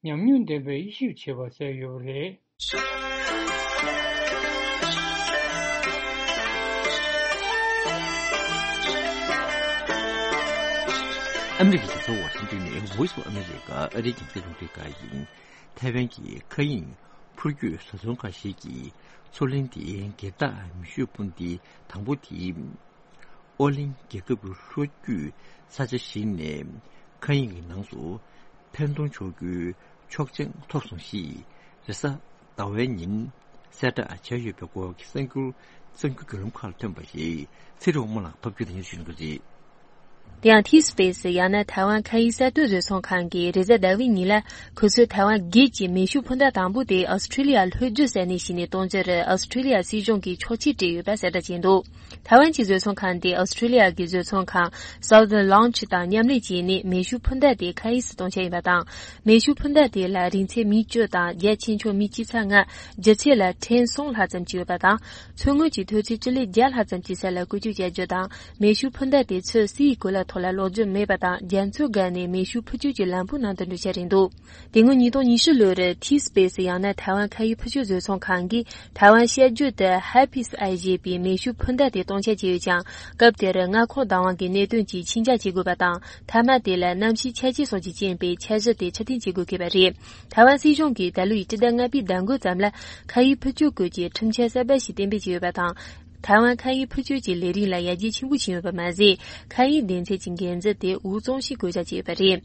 ཉམས་མྱོང་ལྡན་པའི་དབྱེ་ཞིབ་བྱེད་པ་གསལ་ཡོད་པ་རེད། ཨ་མི་རི་ཀའི་རྒྱལ་ས་ཝ་ཤིང་ཏོན་ནས་Voice of America ཨ་རིའི་རྒྱང་སྲིང་རླུང་འཕྲིན་ཁང་ཡིན། ཐའེ་ཝན་གྱི་མཁའ་དབྱིངས་འཕུར་སྐྱོད་བཟོ་ཚོང་ཁང་ཞིག་གིས་མཚོ་གླིང་དེའི་སྒེར་བདག་མེ་ཤུགས་འཕུར་མདེལ་དང་པོ་དེ་ཨོ་གླིང་རྒྱལ་ཁབ་ཀྱི་ལྷོ་རྒྱུད་ས་ཆ་ཞིག་ནས་མཁའ་དབྱིངས་ཀྱི་ནང་དུ་འཕེན་གཏོང་ཆོག་རྒྱུའི་ཆོག་མཆན་ཐོབ་སོང་ཞེས་རེས་གཟའ་ཟླ་བའི་ཉིན་གསལ་བསྒྲགས་བྱས་ཡོད་པའི་སྐོར་གྱི་གསར་འགྱུར་གསར་འགྱུར་བརྒྱུད་ལམ་ཁག་ལ་ཐོན་པ་ཞིག་ཚེ་རིང་དབང་མོ་ལགས་ཕབ་སྒྱུར་དང་སྙན་སྒྲོན་ཞུ་གནང་གི་རེད། དེ་ཡང་T་Space ཡང་ན་ཐའེ་ཝན་མཁའ་དབྱིངས་གསར་གཏོད་བཟོ་ཚོང་ཁང་གིས་རེས་གཟའ་ཟླ་བའི་ཉིན་ལ་ཁོ་ཚོས་ཐའེ་ཝན་སྒེར་གྱི་མེ་ཤུགས་འཕུར་མདའ་དང་པོ་དེ་ཨོ་སི་ཁྲི་ལི་ཡ་ལྷོ་རྒྱུད་ས་གནས་ཤིག་ནས་གཏོང་རྒྱུར་ཨོ་སི་ཁྲི་ལི་ཡ་སྲིད་གཞུང་གིས་ཆོག་མཆན་སྤྲད་ཡོད་པ་གསལ་བསྒྲགས་བྱས་འདུག་ཐའེ་ཝན་གྱི་བཟོ་ཚོང་ཁང་དེ་ཨོ་སི་ཁྲི་ལི་ཡ་གི་བཟོ་ཚོང་ཁང་Southern Launch དང་མཉམ་ལས་བྱས་ནས་མེ་ཤུགས་འཕུར་མདའ་དེ་མཁའ་དབྱིངས་སུ་གཏོང་འཆར་ཡིན་པ་དང་། མེ་ཤུགས་འཕུར་མདའ་དེ་ལ་རིང་ཚད་མི་བཅུ་དང་རྒྱ་ཆེ་ཆུང་མི་སྤྱི་ཚད་ལྔ། ལྗིད་ཚད་ལ་ཊོན་གསུམ་ལྷག་ཙམ་ཅིག་ཡོད་པ་དང་། མཚོ་སྔོན་གྱི་མཐོ་ཚད་སྤྱི་ལེ་བརྒྱ་ལྷག་ཙམ་གྱི་ས་ལ་བཀོལ་སྤྱོད་བྱ་རྒྱུ་དང་། མེ་ཤུགས་འཕུར་མདའ་དེ་ཚོས་སའི་གོ་ལ་ཐོག་ལ་ལོག་རྒྱུ་མེད་པ་དང་། རྒྱ་མཚོའི་བརྒལ་ནས་མེ་ཤུགས་འཕུར་སྐྱོད་ཀྱི་ལམ་བུའི་ནང་དུ་འགྲོ་འཆར་རེད་འདུག་དེ་སྔོན་ཉིས་སྟོང་ཉི་ཤུ་ལོར་T Space ཡང་ན་ཐའེ་ཝན་མཁའ་དབྱིངས་འཕུར་སྐྱོད་བཟོ་ཚོང་ཁང་གིས་ཐའེ་ཝན་ཤར་རྒྱུད་དུ་Hapis ཨ་ཞེས་པའི་མེ་ཤུགས་འཕུར་མདའ་དེ་གཏོང་འཆར་བྱས་ཡོད་ཀྱང་། སྐབས་དེར་མངའ་ཁོངས་བདག་དབང་གི་གནད་དོན་གྱིས་ཕྱིར་འགྱངས་བྱེད་དགོས་པ་དང་། མཐའ་མ་དེ་ལ་གནམ་གཤིས་འཆར་ཅན་སོགས་ཀྱི་རྐྱེན་པས་འཆར་གཞི་དེ་ཕྱིར་འཐེན་བྱེད་དགོས་ཀྱི་ཡོད་པ་རེད། ཐའེ་ཝན་སྲིད་གཞུང་གིས་ད་ལོའི་སྤྱི་ཟླ་ལྔ་པའི་ཟླ་མགོའི་ཙམ་ལ་མཁའ་དབྱིངས་འཕུར་སྐྱོད་སྐོར་གྱི་ཁྲིམས་འཆར་གསར་པ་ཞིག་གཏན་འབེབས་བྱས་ཡོད་པ་དང་། ཐའེ་ཝན་མཁའ་དབྱིངས་འཕུར་སྐྱོད་ཀྱི་ལས་རིགས་ལ་ཡར་རྒྱས་ཆེན་པོ་ཕྱིན་ཡོད་པ་མ་ཟད། མཁའ་དབྱིངས་སྡེ་ཚན་གྱི་འགན་འཛིན་དེ་འུ་ཚང་ཞིག་བསྐོ་བཞག་བྱས་ཡོད་པ་རེད།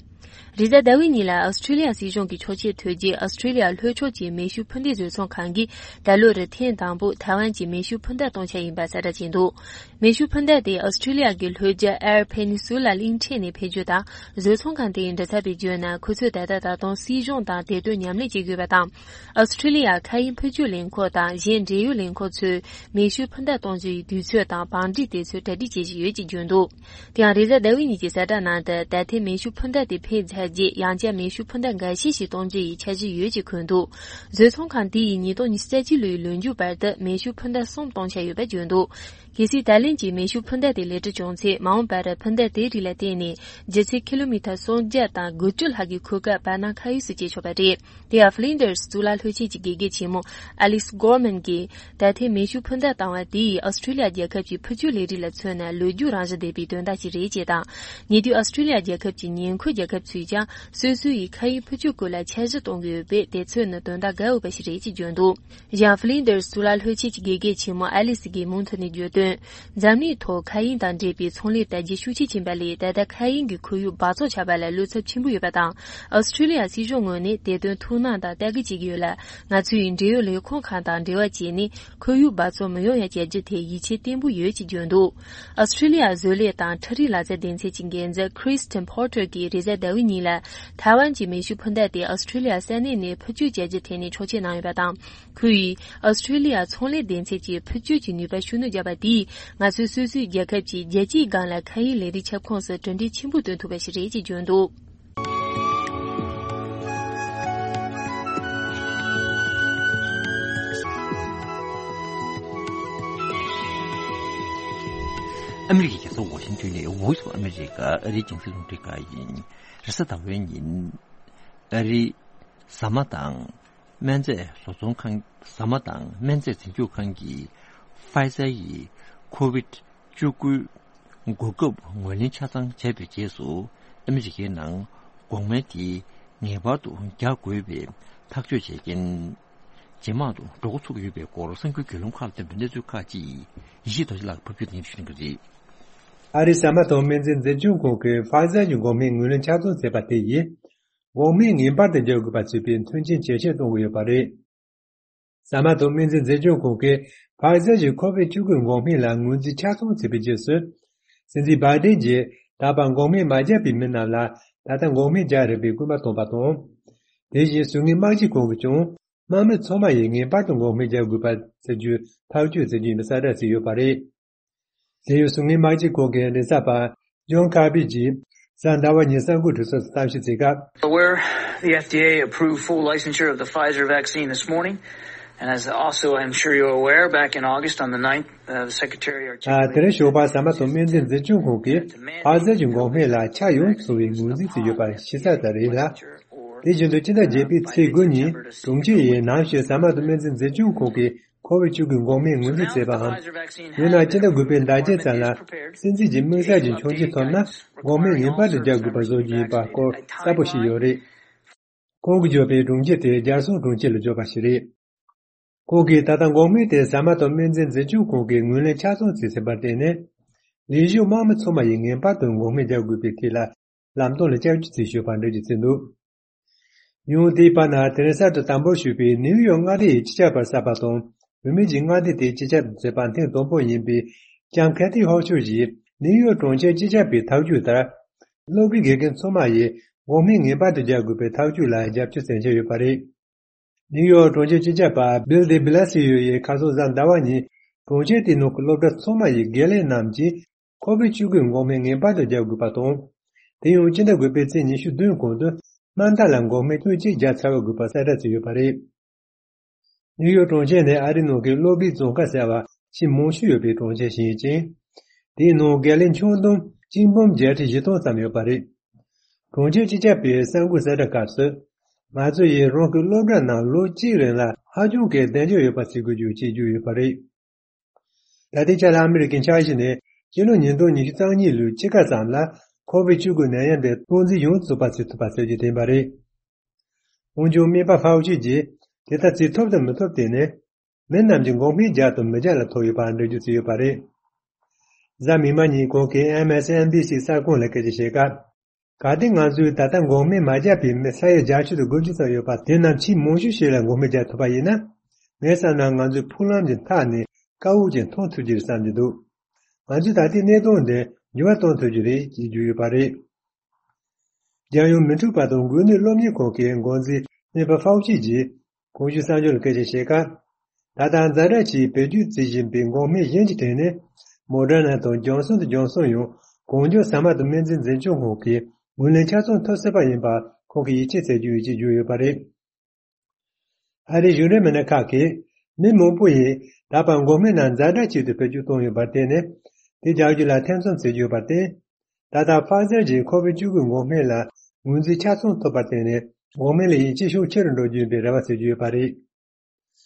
རེས་གཟའ་ཟླ་བའི་ཉིན་ལ་ཨོ་སི་ཁྲི་ལི་ཡ་སྲིད་གཞུང་གི་ཆོག་མཆན་ཐོབ་རྗེས། ཨོ་སི་ཁྲི་ལི་ཡ་ལྷོ་ཕྱོགས་ཀྱི་མེ་ཤུགས་འཕུར་མདེལ་བཟོ་ཚོང་ཁང་གིས་ད་ལོར་ཐེངས་དང་པོ་ཐའེ་ཝན་གྱི་མེ་ཤུགས་འཕུར་མདའ་གཏོང་འཆར་ཡིན་པ་གསལ་བསྒྲགས་བྱས་འདུག་མེ་ཤུགས་འཕུར་མདའ་དེ་ཨོ་སི་ཁྲི་ལི་ཡ་གི་ལྷོ་རྒྱུད་Air Peninsula གླིང་ཕྲན་ནས་འཕེན་རྒྱུ་དང་། བཟོ་ཚོང་ཁང་དེ་ཡི་མགྲིན་ཚབ་པས་བརྗོད་ན། ཁོ་ཚོས་ད་ལྟ་ད་དུང་སྲིད་གཞུང་དང་བདེ་དོན་མཉམ་ལས་བྱེད་དགོས་པ་དང་། ཨོ་སི་ཁྲི་ལི་ཡ་མཁའ་དབྱིངས་འཕུར་སྐྱོད་ལས་ཁུངས་དང་གཞན་འབྲེལ་ཡོད་ལས་ཁུངས་ཚོས་མེ་ཤུགས་འཕུར་མདའ་གཏོང་རྒྱུ་ཡི་དུས་ཚོད་དང་བང་སྒྲིག་དེ་ཚོའི་གྲ་སྒྲིག་བྱེད་བཞིན་ཡོད་ཅེས་བརྗོད་འདུག་དེ་ཡང་རེས་གཟའ་ཟླ་བའི་ཉིན་གྱི་གསལ་བསྒྲགས་ནང་དུ། ད་ཐེངས་མེ་ཤུགས་འཕུར་མདའ་དེ་འཕེན་ཚར་རྗེས། ཡང་བསྐྱར་མེ་ཤུགས་འཕུར་མདའ་འགའ་ཤས་ཤིག་གཏོང་རྒྱུ་ཡི་འཆར་གཞི་ཡོད་ཅེས་འཁོད་འདུག་བཟོ་ཚོང་ཁང་དེ་ཡིས་ཉིས་སྟོང་ཉི་ཤུ་རྩ་གཅིག་ལོའི་ལོ་མཇུག་བར་དུ་མེ་ཤུགས་འཕུར་མདའ་གསུམ་གཏོང་འཆར་ཡོད་པ་བརྗོད་འདུག་གལ་སྲིད་ད་ལན་གྱི་མེ་ཤུགས་འཕུར་མདའ་དེ་ལེགས་གྲུབ་བྱུང་ཚེ། མ་འོངས་པར་འཕུར་མདའ་དེའི་རིགས་ལ་བརྟེན་ནས་ལྗིད་ཚད་ཀི་ལོ་མི་ཊར་སུམ་བརྒྱ་དང་དགུ་བཅུ་ལྷག་གི་གོ་སྐབས་བར་སྣང་མཁའ་དབྱིངས་སུ་སྐྱེལ་ཆོག་པ་རེད། དེ་ཡང་Flinders གཙུག་ལག་སློབ་ཆེན་གྱི་དགེ་རྒན་ཆེན་མོ་Alice Gorman གྱིས། ད་ཐེངས་མེ་ཤུགས་འཕུར་མདའ་བཏང་བ་དེ་ཡིས་ཨོ་སི་ཁྲི་ལི་ཡ་རྒྱལ་ཁབ་ཀྱི་འཕུར་སྐྱོད་ལས་རིགས་ལ་མཚོན་ན་ལོ་རྒྱུས་རང་བཞིན་ལྡན་པའི་དོན་དག་ཅིག་རེད་ཅེས་དང་། ཉེ་དུས་ཨོ་སི་ཁྲི་ལི་ཡ་རྒྱལ་ཁབ་ཀྱི་ཉེ་འཁོར་རྒྱལ་ཁབ་ཚོས་ཀྱང་སོ་སོ་ཡི་མཁའ་དབྱིངས་འཕུར་སྐྱོད་སྐོར་ལ་འཆར་གཞི་གཏོང་གི་ཡོད་པས། དེ་མཚོན་ན་དོན་དག་དགའ་འོས་པ་ཞིག་རེད་ཅེས་བརྗོད་འདུག་གཞན་Flinders གཙུག་ལག་སློབ་ཆེན་གྱི་དགེ་རྒན་ཆེན་མོ་Alice གིས་མུ་མཐུད་ནས་བརྗོད་དོན། འཛམ་གླིང་ཐོག་མཁའ་དབྱིངས་དང་འབྲེལ་བའི་ཚོང་ལས་དར་རྒྱས་ཤུགས་ཆེ་ཕྱིན་པ་ལས། ད་ལྟ་མཁའ་དབྱིངས་ཀྱི་ཁོར་ཡུག་འབག་བཙོག་ཆགས་པ་ལ་བློ་འཚབ་ཆེན་པོ་ཡོད་པ་དང་། ཨོ་སི་ཁྲི་ལི་ཡ་སྲིད་གཞུང་ངོས་ནས་དེ་དོན་ཐུགས་སྣང་དང་ལྟ་སྐུལ་བྱེད་ཀྱི་ཡོད་ལ། ང་ཚོས་འབྲེལ་ཡོད་ལས་ཁུངས་ཁག་དང་འབྲེལ་བ་བྱས་ནས། ཁོར་ཡུག་འབག་བཙོག་མི་ཡོང་ཡ་བྱ་རྒྱུ་དེ་ཡིད་ཆེས་བརྟན་པོ་ཡོད་ཅེས་བརྗོད་འདུག་ཨོ་སི་ཁྲི་ལི་ཡ་བཟོ་ལས་དང་འཕྲུལ་རིག་ལག་རྩལ་སྡེ་ཚན་གྱི་འགན་འཛིན་Kristen Porter གྱིས་རེས་གཟའ་ཟླ་བའི་ཉིན་ལ། ཐའེ་ཝན་གྱི་མེ་ཤུགས་འཕུར་མདའ་དེ་ཨོ་སི་ཁྲི་ལི་ཡ་ས་གནས་ནས་འཕུར་སྐྱོད་བྱ་རྒྱུ་ཐད་ནས་ཆོག་མཆན་གནང་ཡོད་པ་དང་། ཁོས་ཨོ་སི་ཁྲི་ལི་ཡ་ཚོང་ལས་སྡེ་ཚན་གྱིས་འཕུར་སྐྱོད་ཀྱི་ནུས་པ་ཤུགས་སྣོན་བརྒྱབ་པ་དེས། ང་ཚོས་སོ་སོའི་རྒྱལ་ཁབ་ཀྱི་རྒྱལ་སྤྱིའི་སྒང་ལ་མཁའ་དབྱིངས་ལས་རིགས་ཁྱབ་ཁོངས་སུ་གྲུབ་འབྲས་ཆེན་པོ་ཐོན་ཐུབ་པ་ཞིག་རེད་ཅེས་བརྗོད་འདུག་ཨ་མི་རི་ཀའི་རྒྱལ་ས་ཝ་ཤིང་ཏོན་ནས་Voice of America ཨ་རིའི་རྒྱང་སྲིང་རླུང་འཕྲིན་ཁང་ཡིན། རེས་གཟའ་ཟླ་བའི་ཉིན། ཨ་རིའི་ཟ་མ་དང་སྨན་རྫས་བཟོ་ཚོང་ཁང་། ཟ་མ་དང་སྨན་རྫས་འཛིན་སྐྱོང་ཁང་གིས་Pfizer ཡི་ཁོ་ཝིད་བཅུ་དགུ་འགོག་ཁབ་ངོས་ལེན་ཆ་ཚང་བྱས་པའི་རྗེས་སུ། ཨ་མི་རི་ཀའི་ནང་འགོག་སྨན་དེ་ངེས་པར་དུ་རྒྱག་དགོས་པའི་ཐག་གཅོད་བྱས་རྐྱེན། ཇེ་མང་དུ་འགྲོ་འགོ་ཚུགས་ཡོད་པའི་སྐོར་གསར་འགྱུར་བརྒྱུད་ལམ་ཁག་ལ་བཏོན་པའི་གནས་ཚུལ་ཁག་ཅིག་ཡེ་ཤེས་རྡོ་རྗེ་ལགས་ཕབ་སྒྱུར་དང་ཞུ་གནང་གི་རེད། ཨ་རིའི་ཟ་མ་དང་སྨན་རྫས་འཛིན་སྐྱོང་ཁང་གིས་Pfizer གྱི་འགོག་སྨན་ངོས་ལེན་ཆ་ཚང་བྱས་པ་དེ་ཡིས། འགོག་སྨན་ངེས་པར་དུ་རྒྱག་དགོས་པ་བྱས་པའི་མཐུན་རྐྱེན་ཇེ་ཆེར་གཏོང་གི་ཡོད་པ་རེད། ཟ་མ་དང་སྨན་རྫས་འཛིན་སྐྱོང་ཁང་གིས་Pfizer གྱི་ཁོ་ཝིད་བཅུ་དགུ་འགོག་སྨན་ལ་ངོས་འཛིན་ཆ་ཚང་བྱས་པའི་རྗེས་སུ། སྲིད་འཛིན་བྷའི་ཏིན་གྱིས་ད་བར་འགོག་སྨན་མ་བརྒྱབ་པའི་མི་རྣམས་ལ་ད་ལྟ་འགོག་སྨན་རྒྱག་རན་པའི་སྐུལ་མ་བཏང་བ་དང་། དེ་བཞིན་གཟུགས་བརྙན་དམག་སྤྱི་ཁང་གིས་ཀྱང་། དམག་མི་ཚང་མ་ཡིས་ངེས་པར་དུ་འགོག་སྨན་རྒྱག་དགོས་པ་བྱ་རྒྱུའི་ཐག་གཅོད་བྱེད་རྒྱུ་ཡིན་པའི་གསལ་བསྒྲགས་བྱས་ཡོད་པ་རེད། དེ་ཡང་གཟུགས་བརྙན་དམག་སྤྱི་ཁང་གི་མགྲིན་ཚབ་པ་John Kirby གྱིས་གཟའ་ཟླ་བ་ཉིན་གསར་འགོད་གྲོས་ཚོགས་སུ་གཏམ་བཤད་བྱེད་སྐབས། Aware, the F D A approved full licensure of the Pfizer vaccine this morning, and as also I'm sure you're aware, back in August on the ninth, uh, the Secretary of ཨ། དེ་རིང་ཞོགས་པར་ཟ་མ་དང་སྨན་རྫས་འཛིན་སྐྱོང་ཁང་གིས་Pfizer གྱི་འགོག་སྨན་ལ་ཆ་ཡོངས་སུ་བའི་ངོས་འཛིན་བྱས་ཡོད་པ་ཤེས་གསལ་ལྟར་རེད་ལ། དེ་བཞིན་དུ་སྤྱི་ཟླ་བརྒྱད་པའི་ཚེས་དགུ་ཉིན་གྲོང་ཁྱེར་ཡི་ནང་བཞིན་ཟ་མ་དང་སྨན་རྫས་འཛིན་སྐྱོང་ཁང་གིས། ཁོ་བིད་བཅུ་དགུའི་འགོག་སྨན་ངོས་འཛིན་བྱས་པའམ། ཡང་ན་སྤྱི་ཟླ་དགུ་པའི་ཟླ་བརྒྱད་ཙམ་ལ་སྲིད་འཛིན་གྱི་དམིགས་བསལ་གྱི་མཆོང་སྐྱོད་ཐོབ་ན། འགོག་སྨན་ངེས་པར་དུ་རྒྱག་དགོས་པ་བཟོ་རྒྱུ་ཡིན་པ་སྐོར་གསལ་པོ་ཞིག་ཡོད་རེད། ཁོང་གིས་བརྗོད་པའི་གྲོང་ཁྱེར་དེ་རྒྱལ་སྲུང་གྲོང་ཁྱེར་ལ་བརྗོད་པ་ཞིག་རེད། ཁོང་གིས་ད་ལྟ་འགོག་སྨན་དེ་ཟ་མ་དང་སྨན་རྫས་འཛིན་སྐྱོང་ཁང་གིས་ངོས་ལེན་ཆ་ཚང་བྱས་ཟིན་པར་བརྟེན་ནས། ལས་ཞུགས་དམངས་མི་ཚང་མ་ཡིས་ངེས་པར་དུ་འགོག་སྨན་རྒྱག་དགོས་པའི་ཐད་ལ་ལམ་སྟོན་ལ་བསྐྱར་བཅོས་བྱས་ཡོད་པ་འགྲེལ་བརྗོད་བྱས་འདུག། ཡང་དེའི་བར་ན་དེ་རིང་གསར་དུ་དམ་འབུལ་ཞུས་པའི་ནིའུ་ཡོག་མངའ་སྡེ་ཡི་སྤྱི་ཁྱབ་པ་གསར་པ་དང་། བུད་མེད་ཀྱི་མངའ་སྡེ་དེའི་སྤྱི་ཁྱབ་ཏུ་མཛད་པ་ཐེངས་དང་པོ་ཡིན་པའི་ལྕམ་ཁེ་ཐི་ཧོ་ཆུ་ཡིས་ནིའུ་ཡོག་གྲོང་ཁྱེར་སྤྱི་ཁྱབ་པའི་ཐག་གཅོད་ལྟར། སློབ་གྲྭའི་དགེ་རྒན་ཚང་མ་ཡིས་འགོག་སྨན་ངེས་པར་དུ་རྒྱག་དགོས་པའི་ཐག་གཅོད་ལ་རྒྱབ་སྐྱོར་མཚོན་གྱི་ཡོད་པ་རེད། ནིའུ་ཡོག་གྲོང་ཁྱེར་སྤྱི་ཁྱབ་པ་སྦིལ་ཌེ་བྷི་ལ་སི་ཡོ་ཡིས་ཁ་སང་གཟའ་ཟླ་བ་ཉིན་གྲོང་ཁྱེར་དེའི་ནང་གི་སློབ་གྲྭ་ཚང་མ་ཡི་དགེ་ལས་རྣམས་ཀྱིས་ཁོ་བིད་བཅུ་དགུའི་འགོག་སྨན་ངེས་པར་དུ་རྒྱག་དགོས་པ་དང་། དེ་ཡང་སྤྱི་ཟླ་དགུ་པའི་ཚེས་ཉི་ཤུ་བདུན་གོང་དུ་དམའ་མཐའ་ལ་འགོག་སྨན་ཐེངས་གཅིག་བརྒྱབ་ཚར་བ་དགོས་པ་གསལ་བསྒྲགས་བྱས་ཡོད་པ་རེད། ནིའུ་ཡོག་གྲོང་ཁྱེར་ནི་ཨ་རིའི་ནང་གི་སློབ་གྲྭའི་རྫོང་ཁག་ཟེར་བ་ཆེས་མང་ཤོས་ཡོད་པའི་གྲོང་ཁྱེར་ཞིག་ཡིན་ཅིང་། དེའི་ནང་དགེ་ལས་ཆུང་དུང་གཅིག་འབུམ་བརྒྱད་ཁྲི་བཞི་སྟོང་ཙམ་ཡོད་པ་རེད། གྲོང་ཁྱེར་སྤྱི་ཁྱབ་པས་གསར་འགོད་གསལ་བསྒྲགས་སྐབས་སུ། ང་ཚོ་ཡིས་རང་གི་སློབ་གྲྭ་ནང་ལོ་གཅིག་རིང་ལ་ཧ་ཅང་གི་གདེང་འཇོག་ཡོད་པ་བྱེད་དགོས་རྒྱུ་ཞེས་བརྗོད་ཡོད་པ་རེད། ད་ལྟའི་ཆ་ལ་ཨ་མི་རི་ཀའི་འཆར་གཞི་ནི་སྤྱི་ལོ་ཉིས་སྟོང་ཉི་ཤུ་རྩ་གཉིས་ལོའི་ཕྱི་ཁ་ཙམ་ལ་ཁོ་བིད་བཅུ་དགུ་ནད་ཡམས་དེ་སྟངས་འཛིན་ཡོངས་སུ་རྫོགས་པ་བྱེད་ཐུབ་པ་བྱེད་རྒྱུ་དེ་ཡིན་པ་རེད། འོན་ཀྱང་སྨན་པ་ཧྥའོ་ཆི་གིས་དེ་ལྟར་བྱེད་ཐུབ་དང་མི་ཐུབ་དེ་ནི་མི་རྣམས་ཀྱིས་འགོག་སྨན་རྒྱག་དང་མི་རྒྱག་ལ་ཐུག་ཡོད་པ་འགྲེལ་བརྗོད་བྱས་ཡོད་པ་རེད། གཟའ་མིག་དམར་ཉིན་ཁོང་གིས་ཨེམ་ཨེས་ཨེན་བི་སི་གསར་ཁང་ལ་སྐད་ཆ་བཤད་སྐབས། གལ་ཏེ་ང་ཚོས་ད་ལྟ་འགོག་སྨན་མ་བརྒྱབ་པའི་མི་ས་ཡ་བརྒྱད་ཅུ་དང་དགུ་བཅུ་ཙམ་ཡོད་པ་དེ་རྣམས་ཆེས་མང་ཤོས་ཤིག་ལ་འགོག་སྨན་རྒྱག་ཐུབ་པ་ཡིན་ན། ངའི་བསམ་ན་ང་ཚོའི་ཕུག་ལམ་གྱི་མཐའ་ནས་དཀའ་བོ་ཅིག་མཐོང་ཐུབ་ཀྱི་རེད་བསམ་གྱི་འདུག། ང་ཚོས་ད་ལྟའི་གནས་སྟངས་འདི་འགྱུར་བ་གཏོང་ཐུབ་ཀྱི་རེད་ཅེས་བརྗོད་ཡོད་པ་རེད། རྒྱལ་ཡོངས་མི་འཁྲུག་པ་དང་འགོས་ནད་སློབ་གཉེར་ཁང་གི་འགོ་འཛིན་སྨན་པ་ཧྥའོ་ཆི་ཡིས་གོང་ཞུས་གསར་འགྱུར་ལ་སྐད་ཆ་བཤད་སྐབས། ད་ལྟ་ཛ་དྲག་ཆེའི་བེད་སྤྱོད་བྱེད་བཞིན་པའི་འགོག་སྨན་གཞན་གྱི་གྲས་ནི་མོ་ཌར་ན་དང་ཇོན་སོན་དང་ཇོན་སོན་ཡང་གང་མགྱོགས་ཟ་མ་དང་སྨན་རྫས་འཛིན་སྐྱོང་ཁང་གིས་ངོས་ལེན་ཆ་ཚང་ཐོབ་སྲིད་པ་ཡིན་པ་ཁོང་གིས་ཡིད་ཆེས་བྱེད་རྒྱུ་ཡིན་ཅེས་བརྗོད་ཡོད་པ་རེད། ཨ་རིའི་གཞུང་འབྲེལ་མི་སྣ་ཁག་གིས་མི་མང་པོ་ཡིས་ད་བར་འགོག་སྨན་རྣམས་ཛ་དྲག་ཆེད་དུ་བེད་སྤྱོད་བཏང་ཡོད་པར་བརྟེན་ནས། དེ་རྒྱག་རྒྱུ་ལ་ཐེ་ཚོམ་བྱེད་ཀྱི་ཡོད་པར་བརྟེན། ད་ལྟ་ཕ་ཛར་གྱི་ཁོ་བིད་བཅུ་དགུའི་འགོག་སྨན་ལ་ངོས་འཛིན་ཆ་ཚང་ཐོབ་པར་བརྟེན་ནས་འགོག་སྨན་ལ་ཡིད་ཆེས་ཤུགས་ཆེ་རུ་འགྲོ་རྒྱུ་ཡིན་པའི་རེ་བ་བྱེད་ཀྱི་ཡོད་པ་རེད།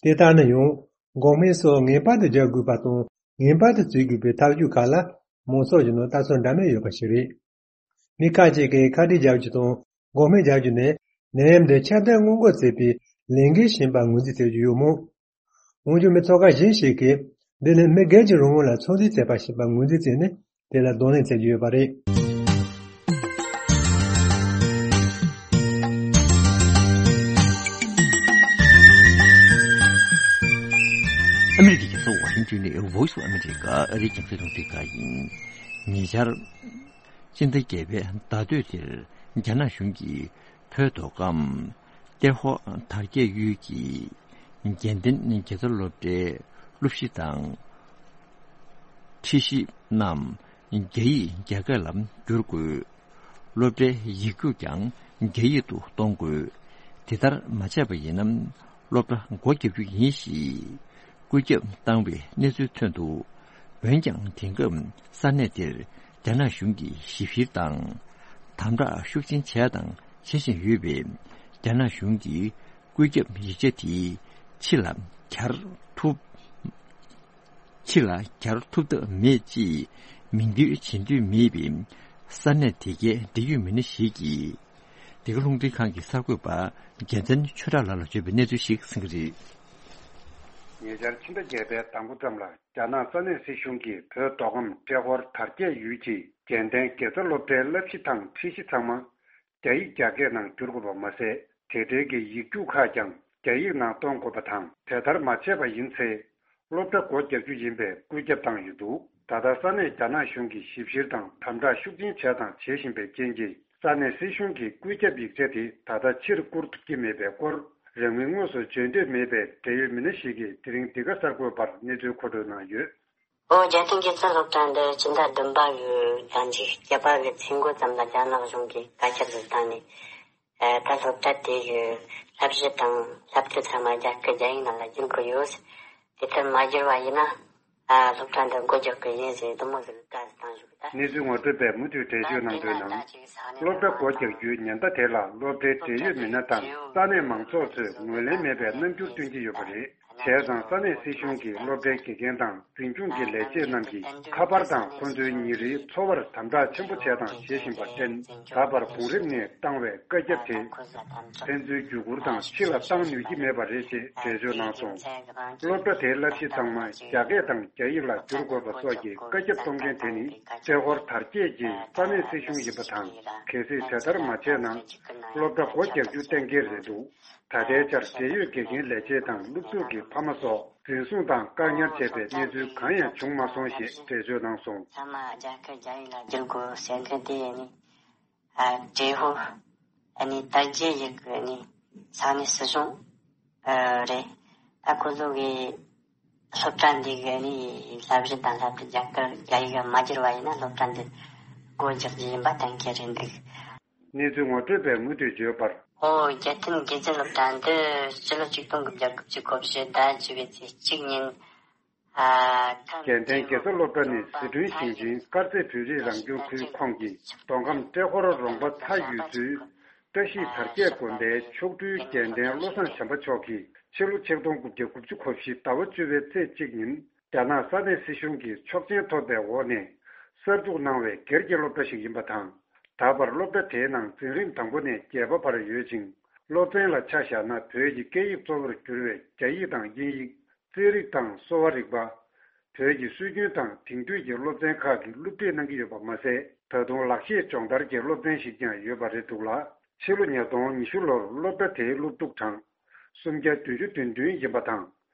དེ་ལྟར་ན་ཡང་འགོག་སྨན་སོགས་ངེས་པར་དུ་རྒྱག་དགོས་པ་དང་ངེས་པར་དུ་བྱེད་དགོས་པའི་ཐག་གཅོད་ཁག་ལ་མང་ཚོགས་ཀྱི་ནང་ལྟ་ཚུལ་འདྲ་མིན་ཡོད་པ་ཞིག་རེད། མི་ཁག་ཅིག་གིས་ཁ་དཀྲིས་རྒྱག་རྒྱུ་དང་འགོག་སྨན་རྒྱག་རྒྱུ་ནི་ནད་ཡམས་འདི་ཁྱབ་གདལ་སྔོན་འགོག་བྱེད་པའི་ལས་འགན་ཞིག་ཡིན་པ་ངོས་འཛིན་བྱེད་ཀྱི་ཡོད་མོད། འོན་ཀྱང་མི་ཚོགས་ཁག་གཞན་ཞིག་གིས་འདི་ནི་མི་སྒེར་གྱི་རང་དབང་ལ་ཚོད་འཛིན་བྱས་པ་ཞིག་ཡིན་པ་ངོས་འཛིན་བྱས་ནས་དེ་ལ་གདོང་ལེན་བྱེད་ཀྱི་ཡོད་པ་རེད། ཨ་མི་རི་ཀའི་རྒྱལ་ས་ཝ་ཤིང་ཏོན་ནས་Voice of America ཨ་རིའི་རྒྱང་སྲིང་རླུང་འཕྲིན་ཁང་ཡིན། ཉེ་ཆར། སྤྱི་ཟླ་བརྒྱད་པའི་ཟླ་སྟོད་དེར་རྒྱ་ནག་གཞུང་གིས་བོད་མདོ་ཁམས་ཏྲེ་ཧོར་དར་རྒྱས་ཡུལ་གྱི་དགེ་ལྡན་དགེ་རྩ་སློབ་གྲྭའི་སློབ་གཞི་དང་ཁྲིད་གཞི་རྣམས་རྒྱ་ཡིག་རྒྱ་སྐད་ལ་བསྒྱུར་དགོས། སློབ་གྲྭའི་ཡིག་རྒྱུགས་ཀྱང་རྒྱ་ཡིག་ཏུ་གཏོང་དགོས། དེ་ལྟར་མ་བྱས་པ་ཡིན་ན། སློབ་གྲྭ་སྒོ་བརྒྱབ་རྒྱུ་ཡིན་ཞེས་བཀོད་ཁྱབ་བཏང་བའི་གནས་ཚུལ་ཐོན་འདུག། འོན་ཀྱང་དེང་སྐབས་ས་གནས་དེར་རྒྱ་ནག་གཞུང་གིས་ཞིབ་བཤེར་དང་དམ་དྲག་ཤུགས་ཆེན་བྱས་དང་བྱེད་བཞིན་ཡོད་པས། རྒྱ་ནག་གཞུང་གིས་བཀོད་ཁྱབ་ཡིག་ཆ་དེ་ཕྱི་ལ་གྱར་ཐུབ། ཕྱི་ལ་གྱར་ཐུབ་ཐབས་མེད་ཅེས་མིང་འདོན་བྱེད་འདོད་མེད་པའི་ས་གནས་དེ་གའི་འབྲེལ་ཡོད་མི་སྣ་ཞིག་གིས། འདི་ག་རླུང་འཕྲིན་ཁང་གི་གསར་འགོད་པ་རྒྱལ་མཚན་ཆོས་གྲགས་ལགས་ལ་བརྗོད་པའི་གནས་ཚུལ་ཞིག་གསན་གྱི་རེད། ཉེ་ཆར་ཕྱི་ཟླ་བརྒྱད་པའི་ཟླ་མགོ་ཙམ་ལ་རྒྱ་ནག་ས་གནས་སྲིད་གཞུང་གིས་བོད་མདོ་ཁམས་ཏྲེ་ཧོར་དར་རྒྱས་ཡུལ་གྱི་དགེ་ལྡན་དགེ་རྩ་སློབ་གྲྭའི་བསླབ་གཞི་དང་ཁྲིད་གཞི་ཚང་མ་རྒྱ་ཡིག་རྒྱ་སྐད་ནང་བསྒྱུར་དགོས་པ་མ་ཟད། དེ་འབྲེལ་གྱི་ཡིག་རྒྱུགས་ཁག་ཀྱང་རྒྱ་ཡིག་ནང་གཏོང་དགོས་པ་དང་། དེ་ལྟར་མ་བྱས་པ་ཡིན་ཚེ། སློབ་གྲྭ་སྒོ་རྒྱག་རྒྱུ་ཡིན་པའི་བཀོད་ཁྱབ་བཏང་ཡོད་འདུག། ད་ལྟ་ས་གནས་རྒྱ་ནག་གཞུང་གིས་ཞིབ་བཤེར་དང་དམ་དྲག་ཤུགས་ཆེན་བྱས་དང་བྱེད་བཞིན་པའི་རྐྱེན་གྱིས། ས་གནས་སྲིད་གཞུང་གི་བཀོད་ཁྱབ་ཡིག་ཆ་དེ་ད་ལྟ་ཕྱིར་བསྐུར་ཐུབ་ཀྱི་མེད་པའི་སྐོར། རང་མོས་དངོས་སུ་བརྗོད་འདོད་མེད་པའི་འབྲེལ་ཡོད་མི་སྣ་ཞིག་གིས་དེ་རིང་འདི་ག་གསར་འགོད་པར་གནས་ཚུལ་མཁོ་སྤྲོད་གནང་ཡོད། ཨོ། རྒྱ་ཐེངས་ཀྱི་ཚེ་སློབ་གྲྭ་འདི་སྤྱི་ཟླ་བདུན་པ་གི་ཟླ་འདིའི་བརྒྱད་པ་གི་ཚེས་འགོ་ཙམ་ལ་རྒྱ་ནག་གཞུང་གིས་བཀའ་ཁྱབ་ཟིག་བཏང་ནས། ཨ། ད་སློབ་གྲྭ་དེ་གི་བསླབ་གཞི་དང་བསླབ་ཚུལ་ཚང་མ་རྒྱ་སྐད་རྒྱ་ཡིག་ནང་ལ་བསྒྱུར་དགོས་ཡོད། དེ་ལྟར་མ་བསྒྱུར་བ་ཡིན་ན། ཨ། སློབ་གྲྭ་འདི་སྒོ་རྒྱག་དགོས་ཡིན་ཟེར་དུ་མོ་ཟིག་བཀའ་ཟིག་བཏང་བཞག་ད། གནས་ཚུལ་ངོ་སྤྲོད་པས་མུ་མཐུད་འགྲེལ་བརྗོད་གནང་དོན་ནང་། སློབ་གྲྭ་སྒོ་རྒྱག་རྒྱུའི་ཉེན་བརྡ་དེ་ལ་སློབ་གྲྭའི་འབྲེལ་ཡོད་མི་སྣ་དང་ས་གནས་མང་ཚོགས་ཚོས་ངོས་ལེན་མེད་པའི་རྣམ་འགྱུར་སྟོན་གྱི་ཡོད་པ་རེད། བྱས་ཙང་ས་གནས་སྲིད་གཞུང་གིས་སློབ་གྲྭའི་དགེ་རྒན་དང་འཛིན་སྐྱོང་གི་ལས་བྱེད་རྣམས་ཀྱིས་ཁ་པར་དང་ཁོ་ཚོའི་ཉིན་རེའི་འཚོ་བར་དམ་དྲག་ཆེན་པོ་བྱས་དང་བྱེད་བཞིན་པར་བརྟེན། ད་བར་གོང་རིམ་ནས་བཏང་བའི་བཀའ་ཁྱབ་དེ་ཕན་ཚུན་བརྒྱུད་བསྐུར་དང་ཕྱི་ལ་བཏང་ནུས་ཀྱི་མེད་པ་རེད་ཅེས་འགྲེལ་བརྗོད་གནང་སོང་། སློབ་གྲྭ་དེའི་བསླབ་གཞི་ཚང་མ་རྒྱ་སྐད་དང་རྒྱ་ཡིག་ལ་བསྒྱུར་དགོས་པ་སོགས་ཀྱི་བཀའ་ཁྱབ་གཏོང་མཁན་དེ་ནི་ཏྲེ་ཧོར་དར་རྒྱས་ཀྱི་ས་གནས་སྲིད་གཞུང་ཡིན་པ་དང་། གལ་སྲིད་དེ་ལྟར་མ་བྱས་ན། སློབ་གྲྭ་སྒོ་རྒྱག་རྒྱུ་གཏན་འཁེལ་རེད་འདུག་ད་ལྟའི་ཆར་འབྲེལ་ཡོད་དགེ་རྒན་ལས་བྱེད་དང་སློབ་ཕྲུག་གི་ཕ་མ་སོགས་འཛིན་བཟུང་དང་བཀག་ཉར་བྱས་པའི་གནས་ཚུལ་གང་ཡང་བྱུང་མ་སོང་ཞེས་འགྲེལ་བརྗོད་གནང་སོང་། ཚང་མ་རྒྱ་སྐད་རྒྱ་ཡིག་ལ་བསྒྱུར་དགོས་ཟེར་མཁན་དེ་ནི། ཨ། ཏྲེ་ཧོར། ཨ་ནི་དར་རྒྱས་ཡིག་གི་ནི་ས་གནས་སྲིད་གཞུང་ཨ་རེད། ད་ཁོ་ཚོ་གི་སློབ་གྲྭ་འདི་གི་ནི་བསླབ་གཞི་དང་ལྷག་པར་དུ་རྒྱ་གར་རྒྱ་ཡིག་མ་བསྒྱུར་བ་ཡིན་ན་སློབ་གྲྭ་འདི་སྒོ་རྒྱག་རྒྱུ་ཡིན་པ་གཏན་འཁེལ་རེད་འདུག་གནས་ཚུལ་ངོ་སྤྲོད་པས་མུ་མཐུད་བརྗོད་པར། ཨོ། རྒྱལ་བསྟན་དགེ་རྒན་སློབ་གྲྭ་འདི་སྤྱི་ལོ་ཆིག་སྟོང་དགུ་བརྒྱ་དགུ་བཅུ་གོ་བཞི་ཟླ་བཅུ་པའི་ཚེས་གཅིག་ཉིན། ཨ། རྒྱལ་བསྟན་དགེ་རྩ་སློབ་གྲྭ་ནི་ཟི་ཁྲོན་ཞིང་ཆེན་དཀར་མཛེས་བོད་རིགས་རང་སྐྱོང་ཁུལ་ཁོངས་ཀྱི་མདོ་ཁམས་ཏྲེ་ཧོར་རོང་པ་ཚ་ཡུལ་ཚོའི་བཀྲ་ཤིས་དར་རྒྱས་དགོན་པའི་མཆོག་སྤྲུལ་རྒྱལ་བསྟན་བློ་བཟང་བྱམས་པ་མཆོག་གིས་ཕྱི་ལོ་ཆིག་སྟོང་དགུ་བརྒྱ་དགུ་བཅུ་གོ་བཞི་ཟླ་བ་བཅུ་པའི་ཚེས་གཅིག་ཉིན། རྒྱ་ནག་ས་གནས་སྲིད་གཞུང་གིས་ཆོག་མཆན་ཐོབ་པའི་འོག་ནས་གསར་འཛུགས་གནང་བའི་སྒེར་གྱི་སློབ་གྲྭ་ཞིག་ཡིན་པ་དང་། ད་བར་སློབ་གྲྭ་དེའི་ནང་འཛིན་རིམ་དང་པོ་ནས་བརྒྱད་པ་བར་ཡོད་ཅིང་། སློབ་ཚན་ལ་ཆ་བཞག་ན་བོད་ཀྱི་སྐད་ཡིག་གཙོ་བོར་གྱུར་བའི་རྒྱ་ཡིག་དང་དབྱིན་ཡིག་རྩིས་རིག་དང་གསོ་བ་རིག་པ། བོད་ཀྱི་སྲོལ་རྒྱུན་དང་དེང་དུས་ཀྱི་སློབ་ཚན་ཁག་གི་སློབ་ཁྲིད་གནང་གི་ཡོད་པ་མ་ཟད། ད་དུང་ལག་ཤེས་སྦྱོང་བརྡར་གྱི་སློབ་ཚན་ཞིག་ཀྱང་ཡོད་པ་རེད་འདུག་ལ། ཕྱི་ལོ་ཉིས་སྟོང་ཉི་ཤུ་ལོར་སློབ་གྲྭ་དེའི་སློབ་ཕྲུག་གྲངས་སུམ་བརྒྱ་བདུན་ཅུ་དོན་བདུན་ཡིན་པ་དང་།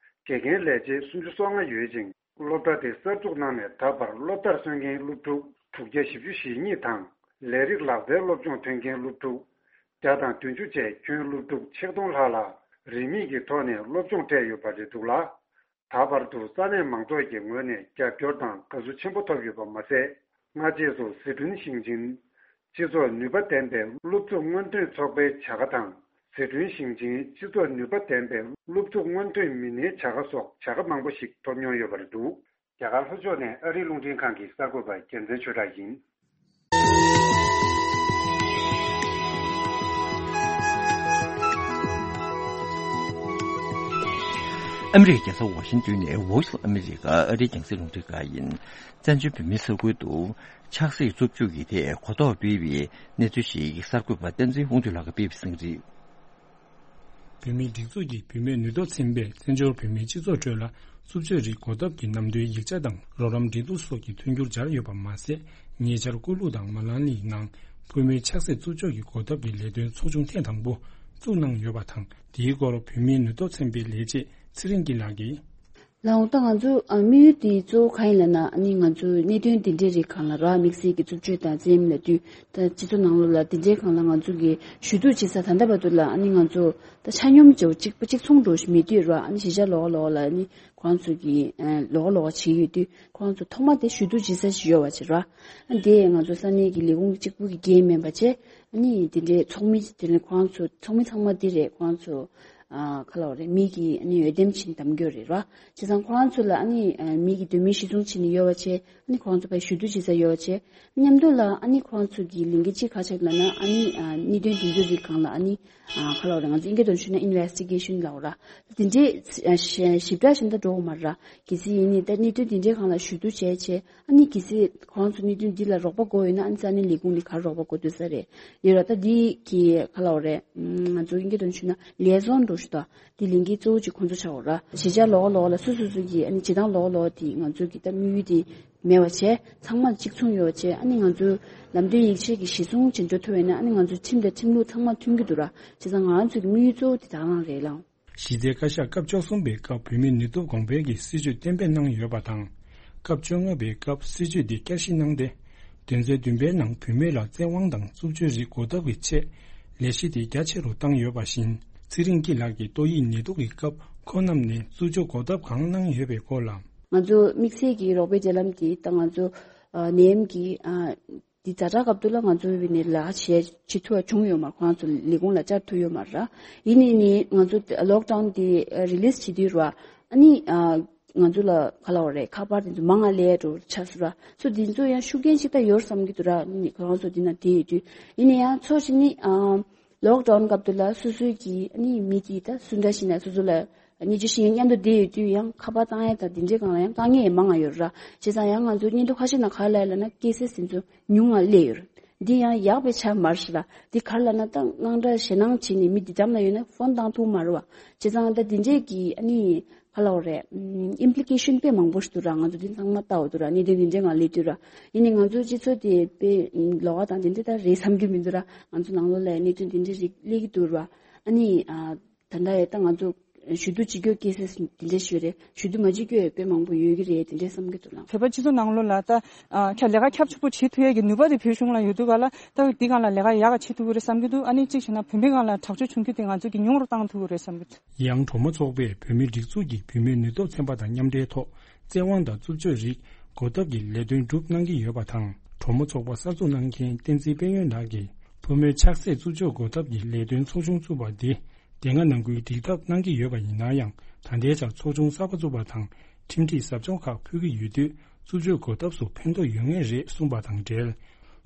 དགེ་རྒན་ལས་བྱེད་སུམ་ཅུ་སོ་ལྔ་ཡོད་ཅིང་། སློབ་གྲྭ་དེ་གསར་འཛུགས་གནང་ནས་ད་བར་སློབ་མཐར་སོན་མཁན་སློབ་ཕྲུག་དྲུག་བརྒྱ་བཞི་བཅུ་ཞེ་གཉིས་དང་། ལས་རིགས་ལག་རྩལ་སློབ་སྦྱོང་ཐོན་མཁན་སློབ་ཕྲུག་བརྒྱ་དང་བདུན་ཅུ་བཅས་ཁྱོན་སློབ་ཕྲུག་ཆིག་སྟོང་ལྷག་ལ་རིན་མེད་ཀྱི་ཐོག་ནས་སློབ་སྦྱོང་སྤྲད་ཡོད་པ་རེད་འདུག་ལ། ད་བར་དུ་ས་གནས་མང་ཚོགས་ཀྱི་ངོས་ནས་རྒྱབ་སྐྱོར་དང་དགའ་བསུ་ཆེན་པོ་ཐོབ་ཡོད་པ་མ་ཟད། སྔ་རྗེས་སུ་ཟི་ཁྲོན་ཞིང་ཆེན་སྤྱི་ཚོགས་ནུས་པ་ལྡན་པའི་སློབ་ཕྲུག་སྔོན་ཐོན་ཚོགས་པའི་བྱ་དགའ་དང་། ཟི་ཁྲོན་ཞིང་ཆེན་སྤྱི་ཚོགས་ནུས་པ་ལྡན་པའི་སློབ་ཕྲུག་སྔོན་ཐོན་མི་སྣའི་བྱ་དགའ་སོགས་བྱ་དགའ་མང་པོ་ཞིག་ཐོབ་མྱོང་ཡོད་པ་རེད་འདུག་རྒྱ་གར་ལྷོ་ཕྱོགས་ནས་ཨ་རིའི་རླུང་འཕྲིན་ཁང་གི་གསར་འགོད་པ་རྒྱལ་མཚན་ཆོས་གྲགས་ཡིན། ཨ་མི་རི་ཀའི་རྒྱལ་ས་ཝ་ཤིང་ཏོན་ནས་Voice of America ཨ་རིའི་རྒྱང་སྲིང་རླུང་འཕྲིན་ཁང་ཡིན། བཙན་བྱོལ་བོད་མིའི་ས་ཁུལ་དུ་ཆབ་སྲིད་རྩུབ་སྤྱོད་ཀྱི་ཐད་གོ་རྟོགས་སྤེལ་བའི་གནས་ཚུལ་ཞིག་གསར་འགོད་པ་བསྟན་འཛིན་དབང་འདུས་ལགས་ཀྱིས་སྤེལ་བའི་གསན་གཟིགས། བོད་མིའི་སྒྲིག་འཛུགས་ཀྱིས་བུད་མེད་ནུས་སྟོབས་ཚན་པས་བཙན་བྱོལ་བོད་མིའི་སྤྱི་ཚོགས་ཁྲོད་ལ་རྩུབ་སྤྱོད་རིགས་གོ་ཐབས་ཀྱི་ནམ་དུས་ཡིག་ཆ་དང་རོགས་རམ་འབྲེལ་གཏུག་སོགས་ཀྱི་མཐུན་འགྱུར་སྦྱར་ཡོད་པ་མ་ཟད། ཉེ་ཆར་ཀུ་ལུ་དང་མ་ལང་ལིའི་ནང་བུད་མེད་ཆབ་སྲིད་རྩུབ་སྤྱོད་ཀྱི་གོ་ཐབས་ཀྱི་ལས་དོན་ཚོགས་ཆུང་ཐེངས་དང་པོ་བཙུགས་གནང་ཡོད་པ་དང་། དེའི་སྐོར་བོད་མིའི་ནུས་སྟོབས་ཚན་པའི་ལས་བྱེད་ཚེ་རིང་སྐྱིད་ལགས་ཀྱིས། ལགས་འོང་། ད་ང་ཚོ་ཨ་དམིགས་ཡུལ་དེ་གཙོ་བོ་གང་ཡིན་ལབ་ན། ཨ་ནི་ང་ཚོ་གནད་དོན་འདི་འདྲའི་རིགས་སྒང་ལ་ར། དམིགས་བསལ་གྱི་རྩུབ་སྤྱོད་དང་བཙན་གཡེམ་ལབ་དུས། ད་སྤྱི་ཚོགས་ནང་ལོགས་ལ་འདི་འདྲའི་སྒང་ལ་ང་ཚོ་གིས་ཞུ་གཏུག་བྱེད་ས་ད་ལྟ་བར་དུ་ལ། ཨ་ནི་ང་ཚོ་ད་ཆ་སྙོམས་བྱས་གཅིག་པ་གཅིག་མཚུངས་འདྲ་ཞིག་མེད་དུས་ར། ཨ་ནི་གཞིས་ཆགས་ལོགས་ལོགས་ལ་ཨ་ནི་ཁོང་ཚོ་གིས་ཨ་ལོགས་ལོགས་བྱེད་ཡོད་དུས། ཁོང་ཚོ་ཐོག་མ་དེ་ཞུ་གཏུག་བྱེད་ས་ཞིག་ཡོད་པ་བྱས་ར། ཨ་དེ་ང་ཚོ་ས་གནས་ཀྱི་ལས་ཁུངས་གཅིག་པུ་གི་འགན་མིན་པ་བྱས། ཨ་ནི་དེ་འདྲའི་ཚོགས་མི་དེ་ནི་ཁོང་ཚོ་ཚོགས་མི་ཚང་མ་དེ་རེད། ཁོང་ཚོ་ཨ་ག་ལབ་དགོས་རེད། མི་གིས་ཨ་ནི་འོས་འདེམས་བྱས་ནས་བདམས་རྒྱུ་རེད་ར། བྱས་ཙང་ཁོང་ཚོ་ལ་ཨ་ནི་ཨ་མི་གི་འདོད་མོས་གཞིར་བཟུང་བྱས་ནས་ཡོད་པ་བྱས། ཨ་ནི་ཁོང་ཚོ་ཕར་ཞུ་གཏུག་བྱེད་ས་ཡོད་པ་བྱས། མཉམ་དུ་ལ་ཨ་ནི་ཁོང་ཚོ་གི་ལས་འགན་གཅིག་ག་རེ་ཆགས་ལབ་ན། ཨ་ནི་ཨ་གནད་དོན་དེ་ཚོའི་རིགས་སྒང་ལ་ཨ་ནི་ཨ་ག་ལབ་དགོས་རེད། ང་ཚོ་དབྱིན་སྐད་ཐོག་ནས་ཞུས་ན་ཨིན་ཝེ་སི་ཊི་གེ་ཤན་ལབ་དགོས་ར། དེ་འདྲའི་ཨ་ཞིབ་ཕྲ་ཞིབ་ཕྲ་འགྲོ་དགོས་མ་རེད་ར། གལ་སྲིད་ཡིན་ནའི་ད་གནད་དོན་དེ་འདྲའི་སྒང་ལ་ཞུ་གཏུག་བྱས་བྱས། ཨ་ནི་གལ་སྲིད་ཁོང་ཚོ་གནད་དོན་འདི་ལ་རོགས་པ་དགོས་ཡོད་ན། ཨ་ནི་ས་གནས་ལས་ཁུངས་ནས་ག་རེ་རོགས་པ་དགོས་འདུག་ས་རེད། ཡོད་ར། ད་འདི་གི་ག་ལབ་དགོས་རེད། ང་ཚོ་དབྱིན་སྐད་ཐོག་ནས་ཞུས་ན་ལི་ཨེ་ཛོན་འདྲ་ཞིག་ད་འདི་ལས་འགན་གཙོ་བོ་གཅིག་ཁོང་ཚོ་ཆགས་ཡོད་ར། གཞིས་ཆགས་ལོགས་ལོགས་ལ་སོ་སོ་སོ་གི་ཨ་ནི་བྱེད་སྟངས་ལོགས་ལོགས་དེ་ང་ཚོ་གི་ད་དམིགས་ཡུལ་དེ་མེད་པ་བྱས། ཚང་མ་གཅིག་མཚུངས་ཡོད་པ་བྱས། ཨ་ནི་ང་ཚོ་ལམ་སྟོན་ཡིག་ཆ་གི་གཞིར་བཟུང་བྱས་འགྲོ་ཐུབ་པ་ཡིན་ན། ཨ་ནི་ང་ཚོ་ཁྲིམས་དང་ཁྲིམས་ལུགས་ཚང་མ་མཐུན་གྱི་འདུག་ར། བྱས་ཙང་ང་ཚོ་གི་དམིགས་ཡུལ་གཙོ་བོ་དེ་ད་ག་རང་རེད་ལགས། གཞི་རྩའི་བཀའ་ཤག་སྐབས་བཅུ་གསུམ་པའི་སྐབས་བོད་མིའི་ནུས་སྟོབས་གོང་འཕེལ་གྱི་སྲིད་བྱུས་གཏན་འབེབས་གནང་ཡོད་པ་དང་། སྐབས་བཅོ་ལྔ་པའི་སྐབས་སྲིད་བྱུས་འདི་བསྐྱར་ཞིབ་གནང་སྟེ། དོན་ཚན་བདུན་པའི་ནང་བུད་མེད་ལ་བཙན་དབང་དང་རྩུབ་སྤྱོད་རིགས་གོ་ཐབས་ཀྱི་ཆེད་ལས་གཞི་དེ་རྒྱ་ཆེ་རུ་བཏང་ཡོད་པ་བཞིན། ཚེ་རིང་སྐྱིད་ལགས་ཀྱིས་ཏོག་དབྱིབས་ནད་དུག་གི་སྐབས་ཁོང་རྣམས་ནས་རྩུབ་སྤྱོད་གོ་ཐབས་གང་གནང་ཡོད་པའི་སྐོར་ལ། ང་ཚོ་དམིགས་བསལ་གྱི་རོགས་པའི་འབྲེལ་ལམ་དེ་ད་ང་ཚོ་ཨ་ནད་ཡམས་ཀྱི་ཨ་འདི་ཛ་དྲག་སྐབས་དུ་ལ་ང་ཚོ་བའི་ནས་ལ་བྱེད་བྱེད་ཐུབ་པ་བྱུང་ཡོད་མ་རེད། ཁོང་ཚོ་ལས་ཁུངས་ལ་བཅར་ཐུབ་ཡོད་མ་རེད། ཡིན་ནའི་ནི་ང་ཚོ་ལོག་ཌའོན་དེ་རི་ལིས་བྱེད་དུས་ར། ཨ་ནི་ཨ་ང་ཚོ་ལ་ག་ལབ་དགོས་རེད། ཁ་པར་དེ་ཚོ་མང་ང་ལས་འགྲོ་ཆགས་སོང་ར། སོ་དེ་ཚོ་ཡང་ཤུགས་རྐྱེན་ཅིག་ད་ཡོད་བསམ་གྱི་འདུག་ར། ཨ་ནི་ཁོང་ཚོ་དེ་ན་དེ་ཡོད་དུས། ཡིན་ན་ཡང་ཚོ་ཞིག་ནི་ཨ་ལོག་ཌའོན་སྐབས་དུ་ལ་སོ་སོའི་གི་ཨ་ནི་མི་དེ་ད་སུ་འདྲ་ཞིག་ན་སོ་སོ་ལ། སྙན་ཞུ་ཞིག་མཉམ་དུ་བསྡད་ཡོད་དུས་ཡང་ཁ་པར་བཏང་ཡས་དང་དེ་འདྲའི་སྒང་ལ་ཡང་དཀའ་ངལ་ཡང་མང་ང་ཡོད་ར། བྱས་ཙང་ཡང་ང་ཚོ་སྙན་ཐོ་ཁ་ཤས་ནང་ག་རེ་ལབ་ཡོད་ལབ་ན་ཀེ་སེ་སི་དེ་ཚོ་ཉུང་ང་སླེབས་ཡོད་ར། འདི་ཡང་ཡག་པའི་ཆ་མ་རེད་ཤག་ལ། འདི་ག་རེ་ལབ་ན་ད་དངངས་སྐྲག་ཞེད་སྣང་བྱས་ནས་མི་འདི་འགྲམ་ལ་ཡོད་ན་ཕོན་བཏང་ཐུབ་མ་རེད་བ། བྱས་ཙང་ད་དེ་འདྲས་ཀྱི་ཨ་ནི་ག་ལབ་དགོས་རེད། ཨིམ་པི་ལི་ཀེ་ཤན་དཔེ་མང་པོ་ཞིག་འདུག་ར། ང་ཚོ་འདི་ཚང་མ་ལྟ་འོ་འདུག་ར། གནད་དོན་འདི་འདྲས་ང་སླེབས་དུས་ར། ཡིན་ནའི་ང་ཚོ་སྤྱི་ཚོགས་དེ་དཔེ་ལོགས་ཀ་དང་དེ་འདྲས་ད་རེད་བསམ་གྱི་མི་འདུག་ར། ང་ཚོ་ནང་ལོགས་ལ་གནད་དོན་དེ་འདྲས་རིགས་སླེབས་ཀྱི་འདུག་ར། ཨ་ནི་ཨ། ད་ལྟ་ཡང་ད་ང་ཚོ་ཞུ་གཏུག་བྱེད་རྒྱུ་ཀེ་སེ་སི་དེ་འདྲ་ཞིག་རེད། ཞུ་གཏུག་མ་བྱེད་རྒྱུ་ཡང་དཔེ་མང་པོ་ཡོད་ཀྱི་རེད། དེ་འདྲ་བསམ་གྱི་འདུག་ལགས། བོད་པ་སྤྱི་ཚོགས་ནང་ལོགས་ལ་ད་ཁྱབ་ལས་ཀ་ཁྱབ་ཆུང་པོ་བྱེད་ཐུབ་ཡས་ཀྱི་ནུས་པ་དེ་བོད་གཞུང་ལ་ཡོད་དུས་ག་ལ་ད་འདི་སྒང་ལ་ལས་ཀ་ཡག་ག་བྱེད་ཐུབ་ཀྱི་རེད་བསམ་གྱི་འདུག་ཨ་ནི་གཅིག་བྱས་ན་བུད་མེད་སྒང་ལ་དྲག་སྤྱོད་བྱུང་རྒྱུ་དེ་ང་ཚོ་གིས་ཉུང་རུ་བཏང་ཐུབ་ཀྱི་རེད་བསམ་གྱི་འདུག་ཡང་གྲོ་མོ་ཚོགས་པས་བོད་མིའི་སྒྲིག་འཛུགས་ཀྱིས་བུད་མེད་ནུས་སྟོབས་ཚན་པ་དང་མཉམ་འབྲེལ་ཐོག་བཙན་དབང་དང་རྩུབ་སྤྱོད་རིགས་འགོག་ཐབས་ཀྱི་ལས་དོན་སྒྲུབ་གནང་གི་ཡོད་པ་དང་། གྲོ་མོ་ཚོགས་པ་གསར་འཛུགས་གནང་མཁན་བསྟན་འཛིན་དཔལ་ཡོན་ལགས་ཀྱིས་བུད་མེད་ཆགས་སྲེད་རྩུབ་སྤྱོད་འགོག་ཐབས་ཀྱི་ལས་དོན་ཚོགས་ཆུང་བཙུགས་པ་འདི། དེ་སྔ་ནང་ཁུལ་སྒྲིག་ཐབས་གནང་གི་ཡོད་པ་ཡིན་ན་ཡང་། ད་ལྟའི་ཆར་ཚོགས་ཆུང་གསར་པ་བཙུགས་པ་དང་ཁྲིམས་སྒྲིག་ཟབ་སྦྱོང་ཁག་ཕུལ་གྱི་ཡོད་དུས། རྩུབ་སྤྱོད་འགོག་ཐབས་སུ་ཕན་ཐོགས་ཡོད་ངེས་རེད་གསུངས་པ་དང་འབྲེལ།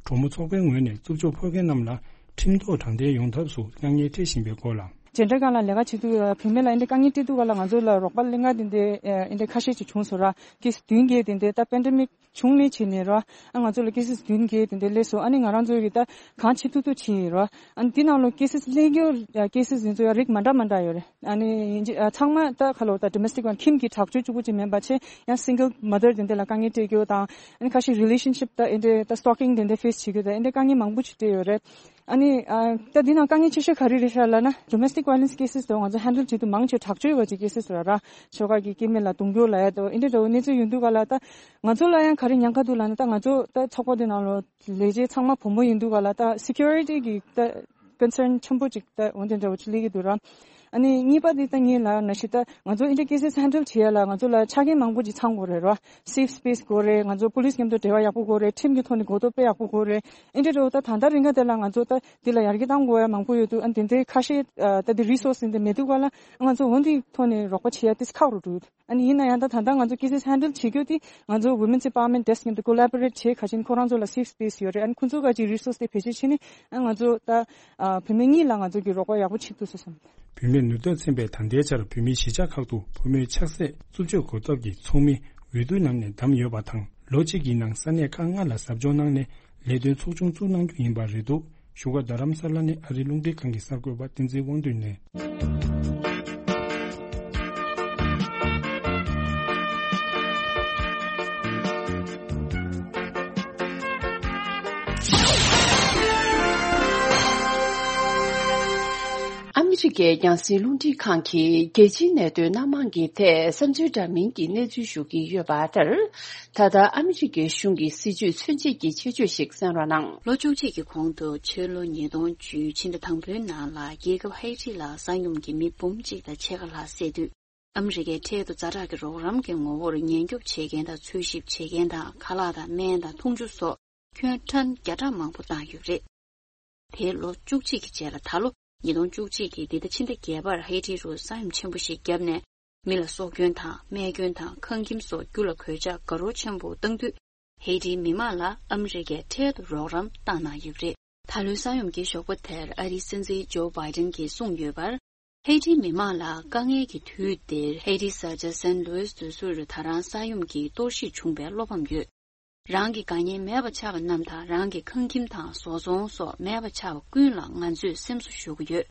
གྲོང་མི་ཚོགས་པའི་ངོས་ནས་རྩུབ་སྤྱོད་ཕོག་མཁན་རྣམས་ལ་ཁྲིམས་ཐོག་དྲང་བདེན་ཡོང་ཐབས་སུ་དཀའ་ངལ་འཕྲད་བཞིན་པའི་སྐོར་ལ། འབྲེལ་སྒྲ་སྒང་ལ་ལས་ཀ་བྱེད་དུས་བུད་མེད་ལ་འདི་འདྲའི་དཀའ་ངལ་འཕྲད་དུས་སྒང་ལ་ང་ཚོ་ལ་རོགས་པ་ལེན་ག་འདི་འདྲའི་འདི་འདྲའི་ཁ་ཤས་ཅིག་བྱུང་སོང་ར། ཀེ་སི་བདུན་བརྒྱད་འདི་འདྲའི་ད་པེན་ཌེ་མིག་བྱུང་ནས་བྱས་ནས་ར། ཨ་ང་ཚོ་ལ་ཀེ་སི་བདུན་བརྒྱད་དེ་འདྲ་སླེབས་སོང་། ཨ་ནི་ང་རང་ཚོ་གིས་ད་གང་བྱེད་ཐུབ་ཐུབ་བྱས་ཡིན་ར། ཨ་ནི་འདི་ནང་ལོ་ཀེ་སི་སླེབས་རྒྱུ་ཀེ་སི་འདི་ཚོ་ཡང་རིགས་མ་འདྲ་མ་འདྲ་ཡོད་རེད། ཨ་ནི་ཨ་ཚང་མ་ད་ཁ་ལོ་ད་ཌོ་མེ་སི་ཊིག་ཁྱིམ་གྱི་དྲག་སྤྱོད་གཅིག་པུ་ཅིག་མིན་པ་བྱས་ཡང་སིང་གལ་མ་དར་དེ་འདྲ་ལ་དཀའ་ངལ་འཕྲད་རྒྱུ་དང་། ཨ་ནི་ཁ་ཤས་རི་ལེ་ཤན་ཤིབ་ད་འདི་འདྲའི་ད་སི་ཊོ་ཀིང་དེ་འདྲ་ཕེ་སི་བྱེད་རྒྱུ་ད་འདི་འདྲའི་དཀའ་ངལ་མང་པོ་ཅིག་འཕྲད་ཡོད་རེད། ཨ་ནི་ཨ་ད་འདི་ནང་དཀའ་ངལ་ཆེ་ཤོས་ག་རེ་རེད་ཤག་ལབ་ན་ཌོ་མེ་སི་ཊིག་ཝའི་ལེན་སི་ཀེ་སི་དེ་ང་ཚོ་ཧེན་ཌལ་བྱེད་དུས་མང་ཆེ་དྲག་སྤྱོད་ཡོད་པ་ཅིག་ཀེ་སི་ར་ར། ཕྱོགས་ཁག་གི་སྐྱེ་དམན་ལ་རྡུང་རྒྱུ་ལབ་ཡ་དང་འདི་འདྲ་འདྲ་བོ་གནས་ཚུལ་ཡོང་དུས་སྒང་ལ་ད་ང་ཚོ་ལ་ཡང་ག་རེ་ཉེན་ཁ་འདུག་ལབ་ན་ད་ང་ཚོ་ད་ཚོགས་པ་འདི་ནང་ལོ་ལས་བྱེད་ཚང་མ་བུ་མོ་ཡིན་དུས་སྒང་ལ་ད་སི་ཀུ་རི་ཊི་གི་ད་ཀོན་སརན་ཆེན་པོ་ཅིག་ད་འོ་འདི་འདྲ་བོ་ཅིག་སླེབས་ཀྱི་འདུག་ར། ཨ་ནི་གཉིས་པ་འདི་ད་ངས་ལབ་ན་ཞིག་ད་ང་ཚོ་འདི་འདྲའི་ཀེ་སི་ཧེན་ཌལ་བྱེད་ཡ་ལ་ང་ཚོ་ལ་ཆ་རྐྱེན་མང་པོ་ཅིག་ཚང་དགོས་རེད་ར། སེབ་སི་པེ་སི་དགོས་རེད། ང་ཚོ་པུ་ལི་སི་མཉམ་དུ་འབྲེལ་བ་ཡག་པོ་དགོས་རེད། ཁྲིམས་ཀྱི་ཐོག་ནས་གོ་རྟོགས་དཔེ་ཡག་པོ་དགོས་རེད། འདི་འདྲ་འདྲ་བོ་ད་ད་ལྟ་རིང་ག་དེ་ལ་ང་ཚོ་ད་འདི་ལ་ཡར་རྒྱས་གཏང་དགོས་ཡ་མང་པོ་ཡོད་དུས་ཨ་ནི་དེ་འདྲའི་ཁ་ཤས་ད་འདི་རི་སོ་སི་འདི་མེད་དུས་སྒང་ལ་ང་ཚོ་འོ་འདིའི་ཐོག་ནས་རོགས་པ་བྱེད་ཡ་ཏོག་ཙམ་ཁག་རུ་འགྲོ་ཡོད། ཨ་ནི་ཡིན་ན་ཡང་ད་ད་ལྟ་ང་ཚོ་ཀེ་སི་ཧེན་ཌལ་བྱེད་རྒྱུ་དེ་ང་ཚོ་Women's Empowerment Desk མཉམ་དུ་ཀོ་ལ་བོ་རེ་ཊི་བྱེད། ག་ཅིན་ཁོ་རང་ཚོ་ལ་སེབ་སི་པེ་སི་ཡོད་རེད། ཨ་ནི་ཁོ་ཚོ་ག་ཅིག་རི་སོ་སི་དེ་བེད་སྤྱོད་བྱས་ནས་ཨ་ང་ཚོ་ད་བུད་མེད་གཉིས་ལ་ང་ཚོ་གི་རོགས་པ་ཡག་པོ་བྱེད་ཐུབ་སོང་བསམ། བུད་མེད་ནུས་སྟོབས་ཚན་པས་ད་ལྟའི་ཆར་བོད་མིའི་གཞིས་ཆགས་ཁག་ཏུ་བུད་མེད་ཆགས་སྲེད་རྩུབ་སྤྱོད་འགོག་ཐབས་ཀྱི་ཚོགས་མི་འོས་བསྡུ་གནང་ནས་བདམས་ཡོད་པ་དང་། ལོ་གཅིག་གི་ནང་ས་གནས་ཁག་ལྔ་ལ་ཟབ་སྦྱོང་གནང་ནས་ལས་དོན་ཚོགས་ཆུང་བཙུགས་གནང་རྒྱུ་ཡིན་པ་རེད་འདུག་བཞུགས་སྒར་རྡ་རམ་ས་ལ་ནས་ཨ་རིའི་རླུང་འཕྲིན་ཁང་གི་གསར་འགོད་པ་བསྟན་འཛིན་དབང་འདུས་ནས། ཨ་མི་རི་ཀའི་རྒྱང་སྲིང་རླུང་འཕྲིན་ཁང་གིས་རྒྱལ་སྤྱིའི་གནད་དོན་སྣ་མང་གི་ཐད་བསམ་ཚུལ་འདྲ་མིན་གྱི་གནས་ཚུལ་ཞུ་གི་ཡོད་པ་ལྟར། ད་ལྟ་ཨ་མི་རི་ཀའི་གཞུང་གི་སྲིད་བྱུས་མཚོན་བྱེད་ཀྱི་ཆེད་བརྗོད་ཞིག་གསན་རོགས་གནང་། ལོ་བཅུ་གཅིག་གི་གོང་དུ་ཕྱི་ལོ་ཉིས་སྟོང་བཅུ་ཕྱི་ཟླ་དང་པོའི་ནང་ལ་རྒྱལ་ཁབ་ཧེ་ཊི་ལ་ས་ཡོམ་གྱིས་མི་འབུམ་གཅིག་དང་ཕྱེད་ཀ་ལྷག་བསད་དུས། ཨ་མི་རི་ཀའི་འཕྲལ་དུ་ཛ་དྲག་གི་རོགས་རམ་གྱི་ངོ་བོར་ཉེན་སྐྱོབ་བྱེད་མཁན་དང་འཚོལ་ཞིབ་བྱེད་མཁན་དང་ཁ་ལག་དང་སྨན་དང་འཐུང་ཆུ་སོགས་ཁྱོན་ཊོན་བརྒྱ་ཕྲག་མང་པོ་བཏང་ཡོད་པ་རེད། དེའི་ལོ་བཅུ་གཅིག་གི་རྗེས་ལ་ད་ལོ་ཉིས་སྟོང་བཅུ་གཅིག་གི་འདི་ཟླ་ཕྱི་ཟླ་བརྒྱད་པར་ཧེ་ཊི་རུ་ས་ཡོམ་ཆེན་པོ་ཞིག་བརྒྱབ་ནས། མི་ལ་སྲོག་སྐྱོན་དང་རྨས་སྐྱོན་དང་ཁང་ཁྱིམ་སོགས་རྒྱུ་ལ་གོད་ཆག་དགའ་རབ་ཆེན་པོ་བཏང་དུས། ཧེ་ཊིའི་མི་མང་ལ་ཨ་མི་རི་ཀས་འཕྲལ་དུ་རོགས་རམ་བཏང་གནང་ཡོད་པ་རེད། ད་ལོའི་ས་ཡོམ་གྱི་ཞོགས་པ་དེར་ཨ་རིའི་སྲིད་འཛིན་ཇོ་བྷའི་ཏན་གྱིས་གསུངས་ཡོད་པར། ཧེ་ཊིའི་མི་མང་ལ་དཀའ་ངལ་གྱི་དུས་འདིར་ཧེ་ཊིའི་ས་ཆ་སན་ལུའིས་འདི་ཚོར་ད་རང་ས་ཡོམ་གྱིས་གཏོར་བཤིག་བྱུང་བའི་བློ་ཕམ་ཡོད། རང་གི་དགའ་ཉེ་མེད་པ་ཆགས་པ་རྣམས་དང་རང་གི་ཁང་ཁྱིམ་དང་བཟོ་ཚོང་སོགས་མེད་པ་ཆགས་པ་ཀུན་ལ་ང་ཚོས་སེམས་གསོ་ཞུ་གི་ཡོད།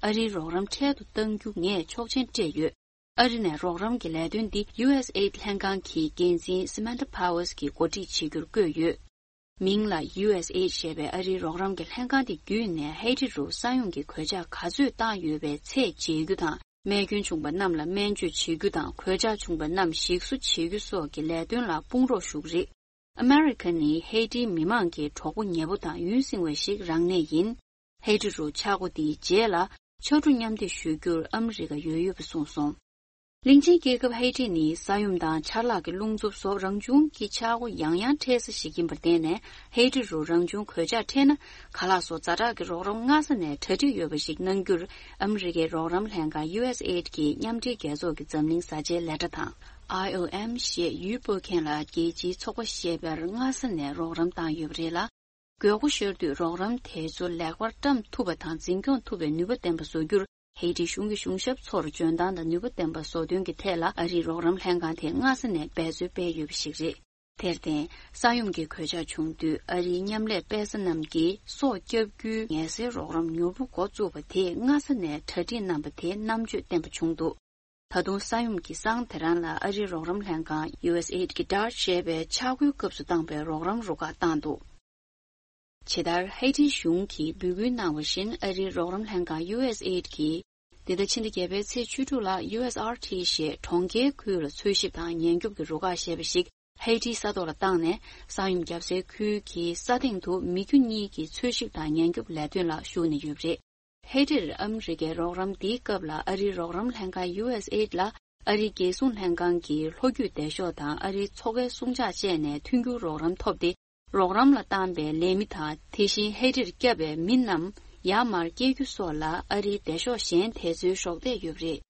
ཨ་རིའི་རོགས་རམ་འཕྲལ་དུ་གཏང་རྒྱུ་ངས་ཆོག་མཆན་སྤྲད་ཡོད། ཨ་རི་ནས་རོགས་རམ་གྱི་ལས་དོན་འདི་ཡུ་ཨེས་ཨེ་ཌི་ལྷན་ཁང་གི་འགན་འཛིན་སི་མན་ཐ་ཕ་ཝལ་གྱིས་འགོ་ཁྲིད་བྱེད་རྒྱུར་བསྐོས་ཡོད། མིང་ལ་ཡུ་ཨེས་ཨེ་ཌི་ཞེས་པའི་ཨ་རིའི་རོགས་རམ་གྱི་ལྷན་ཁང་དེ་བརྒྱུད་ནས་ཧེ་ཊི་རུ་ས་ཡོམ་གྱི་གོད་ཆག་ག་ཚོད་བཏང་ཡོད་པའི་ཚད་འཇལ་རྒྱུ་དང་། རྨས་སྐྱོན་བྱུང་པ་རྣམས་ལ་སྨན་བཅོས་བྱེད་རྒྱུ་དང་། གོད་ཆག་བྱུང་པ་རྣམས་ཞིག་གསོ་བྱེད་རྒྱུ་སོགས་ཀྱི་ལས་དོན་ལ་དཔུང་རོགས་ཞུ་གི་རེད། ཨ་མེ་རི་ཁ་ནི་ཧེ་ཊིའི་མི་མང་གི་གྲོགས་པོ་ཉེ་པོ་དང་ཡུན་བསྲིང་བ་ཞིག་རང་གནས་ཡིན། ཧེ་ཊི་རུ་ཆག་སྒོ་འདིའི་རྗེས་ལ་ཕྱར་གྲུ་མཉམ་འདེགས་ཞུ་རྒྱུར་ཨ་མི་རི་ཀ་ཡོད་ཡོད་པ་གསུངས་སོང་། གླིང་ཆེན་རྒྱལ་ཁབ་ཧེ་ཊི་ནི་ས་ཡོམ་དང་ཆར་ལག་གི་རླུང་འཚུབ་སོགས་རང་བྱུང་གི་ཆག་སྒོ་ཡང་ཡང་འཕྲད་ས་ཞིག་ཡིན་པར་བརྟེན་ནས། ཧེ་ཊི་རུ་རང་བྱུང་གོད་ཆག་འཕྲད་ན། ཁ་ལག་སོགས་ཛ་དྲག་གི་རོགས་རམ་སྔ་ས་ནས་གྲ་སྒྲིག་ཡོད་པ་ཞིག་གནང་རྒྱུར། ཨ་མི་རི་ཀའི་རོགས་རམ་ལྷན་ཁང་ཡུ་ཨེས་ཨེ་ཌི་གིས་མཉམ་འབྲེལ་རྒྱལ་ཚོགས་ཀྱི་འཛམ་གླིང་བཟའ་བཅའི་ལས་གྲྭ་དང་། ཨའི་ཨོ་ཨེམ་ཞེས་ཡུལ་སྤོ་མཁན་ལ་རྒྱལ་སྤྱིའི་ཚོགས་པ་ཞེས་པར་སྔ་ས་ནས་རོགས་རམ་བཏང་ཡོད་པ་རེད་ལ། དགོས་མཁོ་ཤོར་དུས་རོགས་རམ་དེ་ཚོ་ལེགས་པར་བཀྲམ་ཐུབ་པ་དང་འཛིན་སྐྱོང་ཐུབ་པའི་ནུས་པ་ལྡན་པ་བཟོ་རྒྱུར། ཧེ་ཏི་གཞུང་གི་གཞུང་ཞབས་ཚོར་འཇོན་ཐང་དང་ནུས་པ་ལྡན་པ་བཟོ་དོན་གྱི་ཐད་ལ་ཨ་རིའི་རོགས་རམ་ལྷན་ཁང་དེ་སྔ་ས་ནས་འབད་རྩོལ་སྤེལ་ཡོད་པ་ཞིག་རེད། དེར་བརྟེན། ས་ཡོམ་གྱི་གོད་ཆག་བྱུང་དུས་ཨ་རིའི་མཉམ་ལས་དཔེ་ས་རྣམས་ཀྱིས་སྲོག་སྐྱབས་རྒྱུའི་ངལ་སེལ་རོགས་རམ་མྱུར་པོ་འགོ་བཙུགས་པ་དེས་སྔ་ས་ནས་གྲ་སྒྲིག་གནང་པ་དེ་རྣམ་དཔྱོད་ལྡན་པ་བྱུང་འདུག་ད་དུང་ས་ཡོམ་གྱི་སང་དེ་རང་ལ་ཨ་རིའི་རོགས་རམ་ལྷན་ཁང་ཡུ་ཨེས་ཨེ་ཌི་གི་ཌར་ཞེས་པའི་ཆག་སྒོའི་སྐབས་སུ་བཏང་པའི་རོགས་རམ་རུ་ཁག་བཏང་འདུག་ཇི་ལྟར་ཧེ་ཏིའི་གཞུང་གིས་འབོད་སྐུལ་གནང་བ་བཞིན་ཨ་རིའི་རོགས་རམ་ལྷན་ཁང་ཡུ་ཨེས་ཨེ་ཌི་གིས། འདི་ཟླ་ཕྱི་ཟླ་བརྒྱད་པའི་ཚེས་བཅུ་དྲུག་ལ་ཡུ་ཨེས་ཨར་ཊི་ཞེས་གྲོང་ཁྱེར་ཁུལ་ལ་འཚོལ་ཞིབ་དང་ཉེན་སྐྱོབ་ཀྱི་རུ་ཁག་ཞེས་པ་ཞིག་ཧེ་ཏིའི་ས་ཐོག་ལ་བཏང་ནས་ས་ཡོམ་བརྒྱབ་སའི་ཁུལ་གྱི་ས་སྟེང་དུ་མི་རྒྱུ་གཉིས་ཀྱི་འཚོལ་ཞིབ་དང་ཉེན་སྐྱོབ་ལས་དོན་ལ་ཞུགས་ནས་ཡོད་པ་རེད། ཧེ་ཏིར་ཨ་མི་རི་ཀའི་རོགས་རམ་འདིའི་སྐབས་ལ་ཨ་རིའི་རོགས་རམ་ལྷན་ཁང་ཡུ་ཨེས་ཨེ་ཌི་ལ་ཨ་རིའི་རྒྱལ་སྲུང་ལྷན་ཁང་གི་ལྷོ་རྒྱུད་སྡེ་ཤོག་དང་ཨ་རིའི་མཚོ་ཁའི་སྲུང་བྱ་བཅས་ནས་མཐུན་འགྱུར་རོགས་རམ་ཐོབ་སྟེ། རོགས་རམ་ལ་བཏང་པའི་ལས་མི་དང་དེ་བཞིན་ཧེ་ཏིར་བསྐྱབས་པའི་མི་རྣམས་ཡར་མར་སྐྱེལ་རྒྱུ་སོགས་ལ་ཨ་རིའི་སྡེ་ཤོག་གཞན་དེ་ཚོའི་གཞོགས་འདེགས་ཡོད་པ་རེད།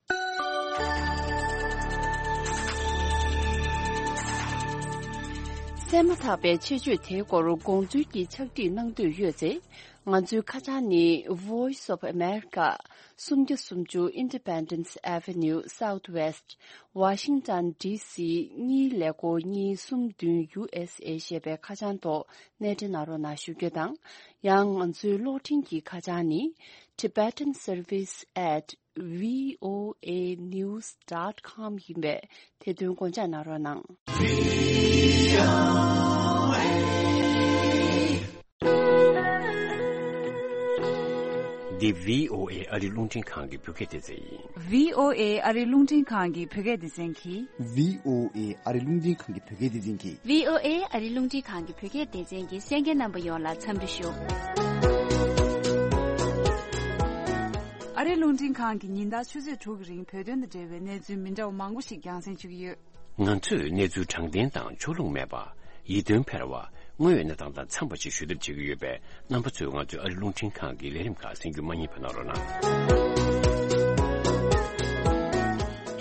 གསན་མ་ཐག་པའི་ཆེད་བརྗོད་དེའི་སྐོར་དགོངས་ཚུལ་གྱི་ཕྱག་བྲིས་གནང་འདོད་ཡོད་ཚེ། ང་ཚོའི་ཁ་བྱང་ནི་Voice of America། སུམ་བརྒྱ་སུམ་ཅུ་Independence Avenue Southwest Washington DC གཉིས་ཀླད་ཀོར་གཉིས་གསུམ་བདུན་ཡུ་ཨེས་ཨེ་ཞེས་པའི་ཁ་བྱང་ཐོག་སྣེ་འདྲེན་གནང་རོགས་གནང་ཞུ་རྒྱུ་དང་། ཡང་ང་ཚོའི་གློག་འཕྲིན་གྱི་ཁ་བྱང་ནི་Tibetan Service at V O A news dot com ཡིན་པས་དེ་དོན་དགོངས་འཇགས་གནང་རོགས་གནང་། འདི་V O A ཨ་རི་རླུང་འཕྲིན་ཁང་གི་བོད་སྐད་སྡེ་ཚན་ཡིན། V O A ཨ་རི་རླུང་འཕྲིན་ཁང་གི་བོད་སྐད་སྡེ་ཚན་གྱིས། V O A ཨ་རི་རླུང་འཕྲིན་ཁང་གི་བོད་སྐད་སྡེ་ཚན་གྱིས། V O A ཨ་རི་རླུང་འཕྲིན་ཁང་གི་བོད་སྐད་སྡེ་ཚན་གྱི་གསན་མཁན་རྣམ་པ་ཡོངས་ལ་འཚམས་འདྲི་ཞུ། ཨ་རི་རླུང་འཕྲིན་ཁང་གིས་ཉིན་ལྟར་ཆུ་ཚོད་དྲུག་གི་རིང་བོད་དོན་དང་འབྲེལ་བའི་གནས་ཚུལ་མི་འདྲ་བ་མང་པོ་ཞིག་རྒྱང་སྲིང་ཞུ་གི་ཡོད། ང་ཚོས་གནས་ཚུལ་དྲང་བདེན་དང་ཕྱོགས་ལྷུང་མེད་པ། ཡིད་རྟོན་འཕེར་བ། དངོས་ཡོད་གནས་སྟངས་དང་འཚམས་པ་ཞིག་ཞུ་ཐབས་བྱེད་ཀྱི་ཡོད་པས། རྣམ་པ་ཚོས་ང་ཚོའི་ཨ་རི་རླུང་འཕྲིན་ཁང་གི་ལས་རིམ་ཁག་གསན་རྒྱུ་མ་བསྙེལ་བ་གནང་རོགས་གནང་།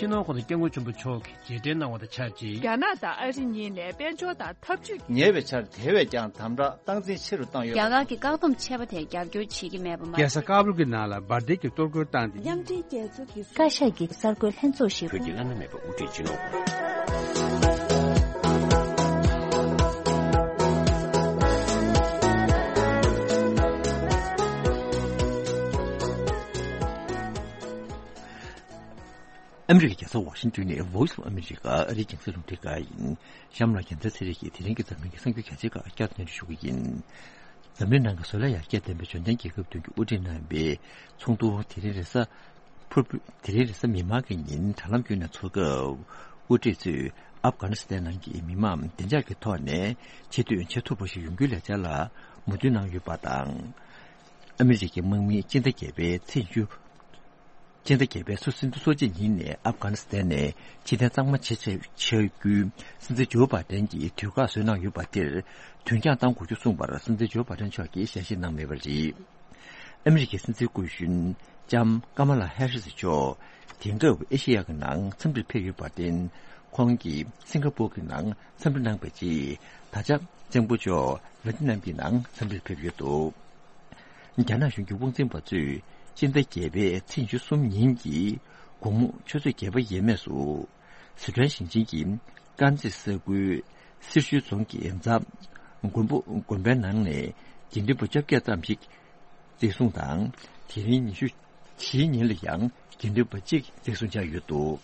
སྤྱི་ནོར་༸གོང་ས་༸སྐྱབས་མགོན་ཆེན་པོ་མཆོག་གིས་རྗེས་དྲན་གནང་བ་དང་ཆབས་ཅིག་རྒྱ་ནག་དང་ཨ་རི་གཉིས་ནས་དཔལ་འབྱོར་དང་འཐབ་ཇུས། ཉེ་བའི་ཆར་དེ་བས་ཀྱང་དམ་དྲག་སྟངས་འཛིན་ཆེ་རུ་བཏང་ཡོད་པ་རྒྱ་གར་གྱི་བཀག་སྡོམ་ཆད་པ་དེར་རྒྱབ་སྐྱོར་བྱེད་ཀྱི་མེད་པ་མ། རྒྱལ་ས་ཀ་བུལ་གྱི་ནང་ལ་འབར་མདེལ་གྱི་གཏོར་རྒོལ་བཏང་སྟེ། མཉམ་འབྲེལ་རྒྱལ་ཚོགས་ཀྱི་བཀའ་ཤག་གི་གསར་འགོད་ལྷན་ཚོགས་ཤིག་བོད་ཀྱི་བླ་ན་མེད་པ་དབུ་ཁྲིད་སྤྱི་ནོར། ཨ་མི་རི་ཀའི་རྒྱལ་ས་ཝ་ཤིང་ཏོན་ནས་Voice of America ཨ་རིའི་རྒྱང་སྲིང་རླུང་འཕྲིན་ཁང་ཡིན། གཤམ་ལ་རྒྱལ་མཚན་ཚེ་རིང་གིས་དེ་རིང་གི་འཛམ་གླིང་གི་གསར་འགྱུར་གལ་ཆེ་ཁག་བསྐྱར་དུ་སྙན་སྒྲོན་ཞུ་གི་ཡིན། འཛམ་གླིང་ནང་གི་བཟོ་ལས་ཡར་རྒྱས་ལྡན་པའི་འབྱོར་ལྡན་རྒྱལ་ཁབ་བདུན་གྱི་དབུ་ཁྲིད་རྣམ་པའི་ཚོགས་འདུ་དེ་རིང་རེས་གཟའ་ཕུར་བུ། དེ་རིང་རེས་གཟའ་མིག་དམར་གྱི་ཉིན་དྲ་ལམ་བརྒྱུད་ནས་འཚོགས་སྐབས། དབུ་ཁྲིད་ཚོས་ཨབ་གྷ་ནི་སི་ཐན་ནང་གི་མི་མང་བདེ་འཇགས་ཀྱི་ཐོག་ནས་ཆེད་དོན་བྱེད་ཐུབ་པ་ཞིག་ཡོང་རྒྱུའི་ལས་འཆར་ལ་མོས་མཐུན་གནང་ཡོད་པ་དང་། ཨ་མི་རི་ཀའི་དམག་མིས་སྤྱི་ཟླ་བརྒྱད་པའི་ཚེས་བཅུ། སྤྱི་ཟླ་བརྒྱད་པའི་ཚེས་བཅུ་གསར་འགོ་ཚོགས་ཆེད་ཉིན་ནས་ཨབ་གྷ་ནི་སི་ཐན་ནས་ཕྱིར་འཐེན་གཙང་མ་བྱེད་ཆེད་ཆེད་རྒྱུའི་སྲིད་འཛིན་ཇོ་བྷ་ཏན་གྱིས་དུས་བཀག་བཟོས་གནང་ཡོད་པ་དེར་དོན་རྐྱང་གཏང་དགོས་རྒྱུ་གསུངས་པར་སྲིད་འཛིན་ཇོ་བྷ་ཏན་མཆོག་གིས་ཞལ་བཞེས་གནང་མེད་པ་རེད། ཨ་མི་རི་ཀའི་སྲིད་འཛིན་སྐུ་གཞོན་ལྕམ་ཀ་མ་ལ་ཧེ་རི་སི་མཆོག་དེང་སྐབས་ཨེ་ཤེ་ཡ་གི་ནང་འཚམས་འདྲིར་ཕེབས་ཡོད་པར་བརྟེན། ཁོང་གིས་སིང་ག་པུར་གྱི་ནང་འཚམས་འདྲི་གནང་བའི་རྗེས། ད་ཆ་ཙེང་པོ་ཇོ་ཝི་ཡེ་ཏི་ནམ་གྱི་ནང་འཚམས་འདྲིར་ཕེབས་ཡོད་འདུག་རྒྱ་ནག་གཞུང་གི་དབང་འཛིན་པ་ཚོས་སྤྱི་ཟླ་བརྒྱད་པའི་ཚེས་ཉི་ཤུ་གསུམ་ཉིན་གྱི་དགོང་མོ་ཆུ་ཚོད་བརྒྱད་པ་ཡས་མས་སུ། སི་ཁྲོན་ཞིང་ཆེན་གྱི་དཀར་མཛེས་ས་ཁུལ་སེར་ཤུལ་རྫོང་གི་རྫ་མགོན་པོ་དགོན་པའི་ནང་ནས་དགེ་འདུན་པ་བཅོ་བརྒྱད་ཙམ་ཞིག་འཛིན་བཟུང་དང་། དེ་རིང་ཉི་ཤུ་བཞིའི་ཉིན་ལ་ཡང་དགེ་འདུན་པ་གཅིག་འཛིན་བཟུང་བྱས་ཡོད་འདུག་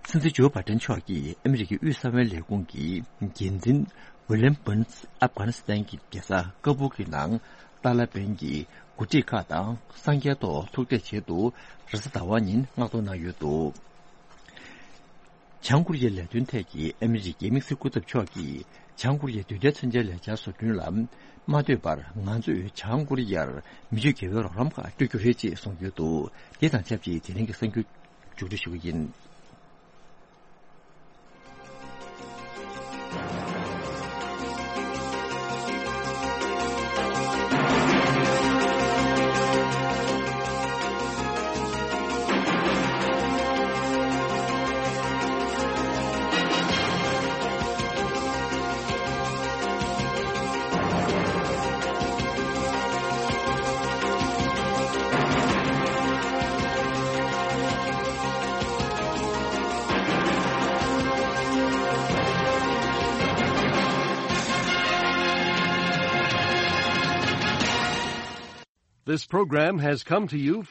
སྲིད་འཛིན་ཇོ་བྷ་ཏན་མཆོག་གིས་ཨ་མི་རི་ཀའི་དབུས་གསང་བའི་ལས་ཁུངས་ཀྱི་འགན་འཛིན་ཝི་ལིམ་བྷོན་སི་ཨབ་གྷ་ནི་སི་ཐན་གྱི་རྒྱལ་ས་ཀ་བུལ་གྱི་ནང་ཏཱ་ལ་བན་གྱི་འགོ་ཁྲིད་ཁག་དང་སངས་རྒྱས་ཐོག་ཐུག་འཕྲད་ཆེད་དུ་རེས་གཟའ་ཟླ་བ་ཉིན་མངགས་གཏོང་གནང་ཡོད་འདུག་བྱང་ཀོ་རི་ཡའི་ལས་དོན་ཐད་ཀྱི་ཨ་མི་རི་ཀའི་དམིགས་བསལ་སྐུ་ཚབ་མཆོག་གིས་བྱང་ཀོ་རི་ཡའི་དུས་མཐའི་མཚོན་ཆའི་ལས་འཆར་བཟོ་སྐྲུན་ལ་མ་ལྟོས་པར་ང་ཚོས་བྱང་ཀོ་རི་ཡར་མི་ཆོས་འགལ་བའི་རོགས་རམ་ཁག་སྤྲོད་རྒྱུ་རེད་ཅེས་གསུངས་ཡོད་འདུག་དེ་དང་ཆབས་ཅིག་དེ་རིང་གི་གསར་འགྱུར་མཇུག་སྒྲིལ་ཞུ་གི་ཡིན། This program has come to you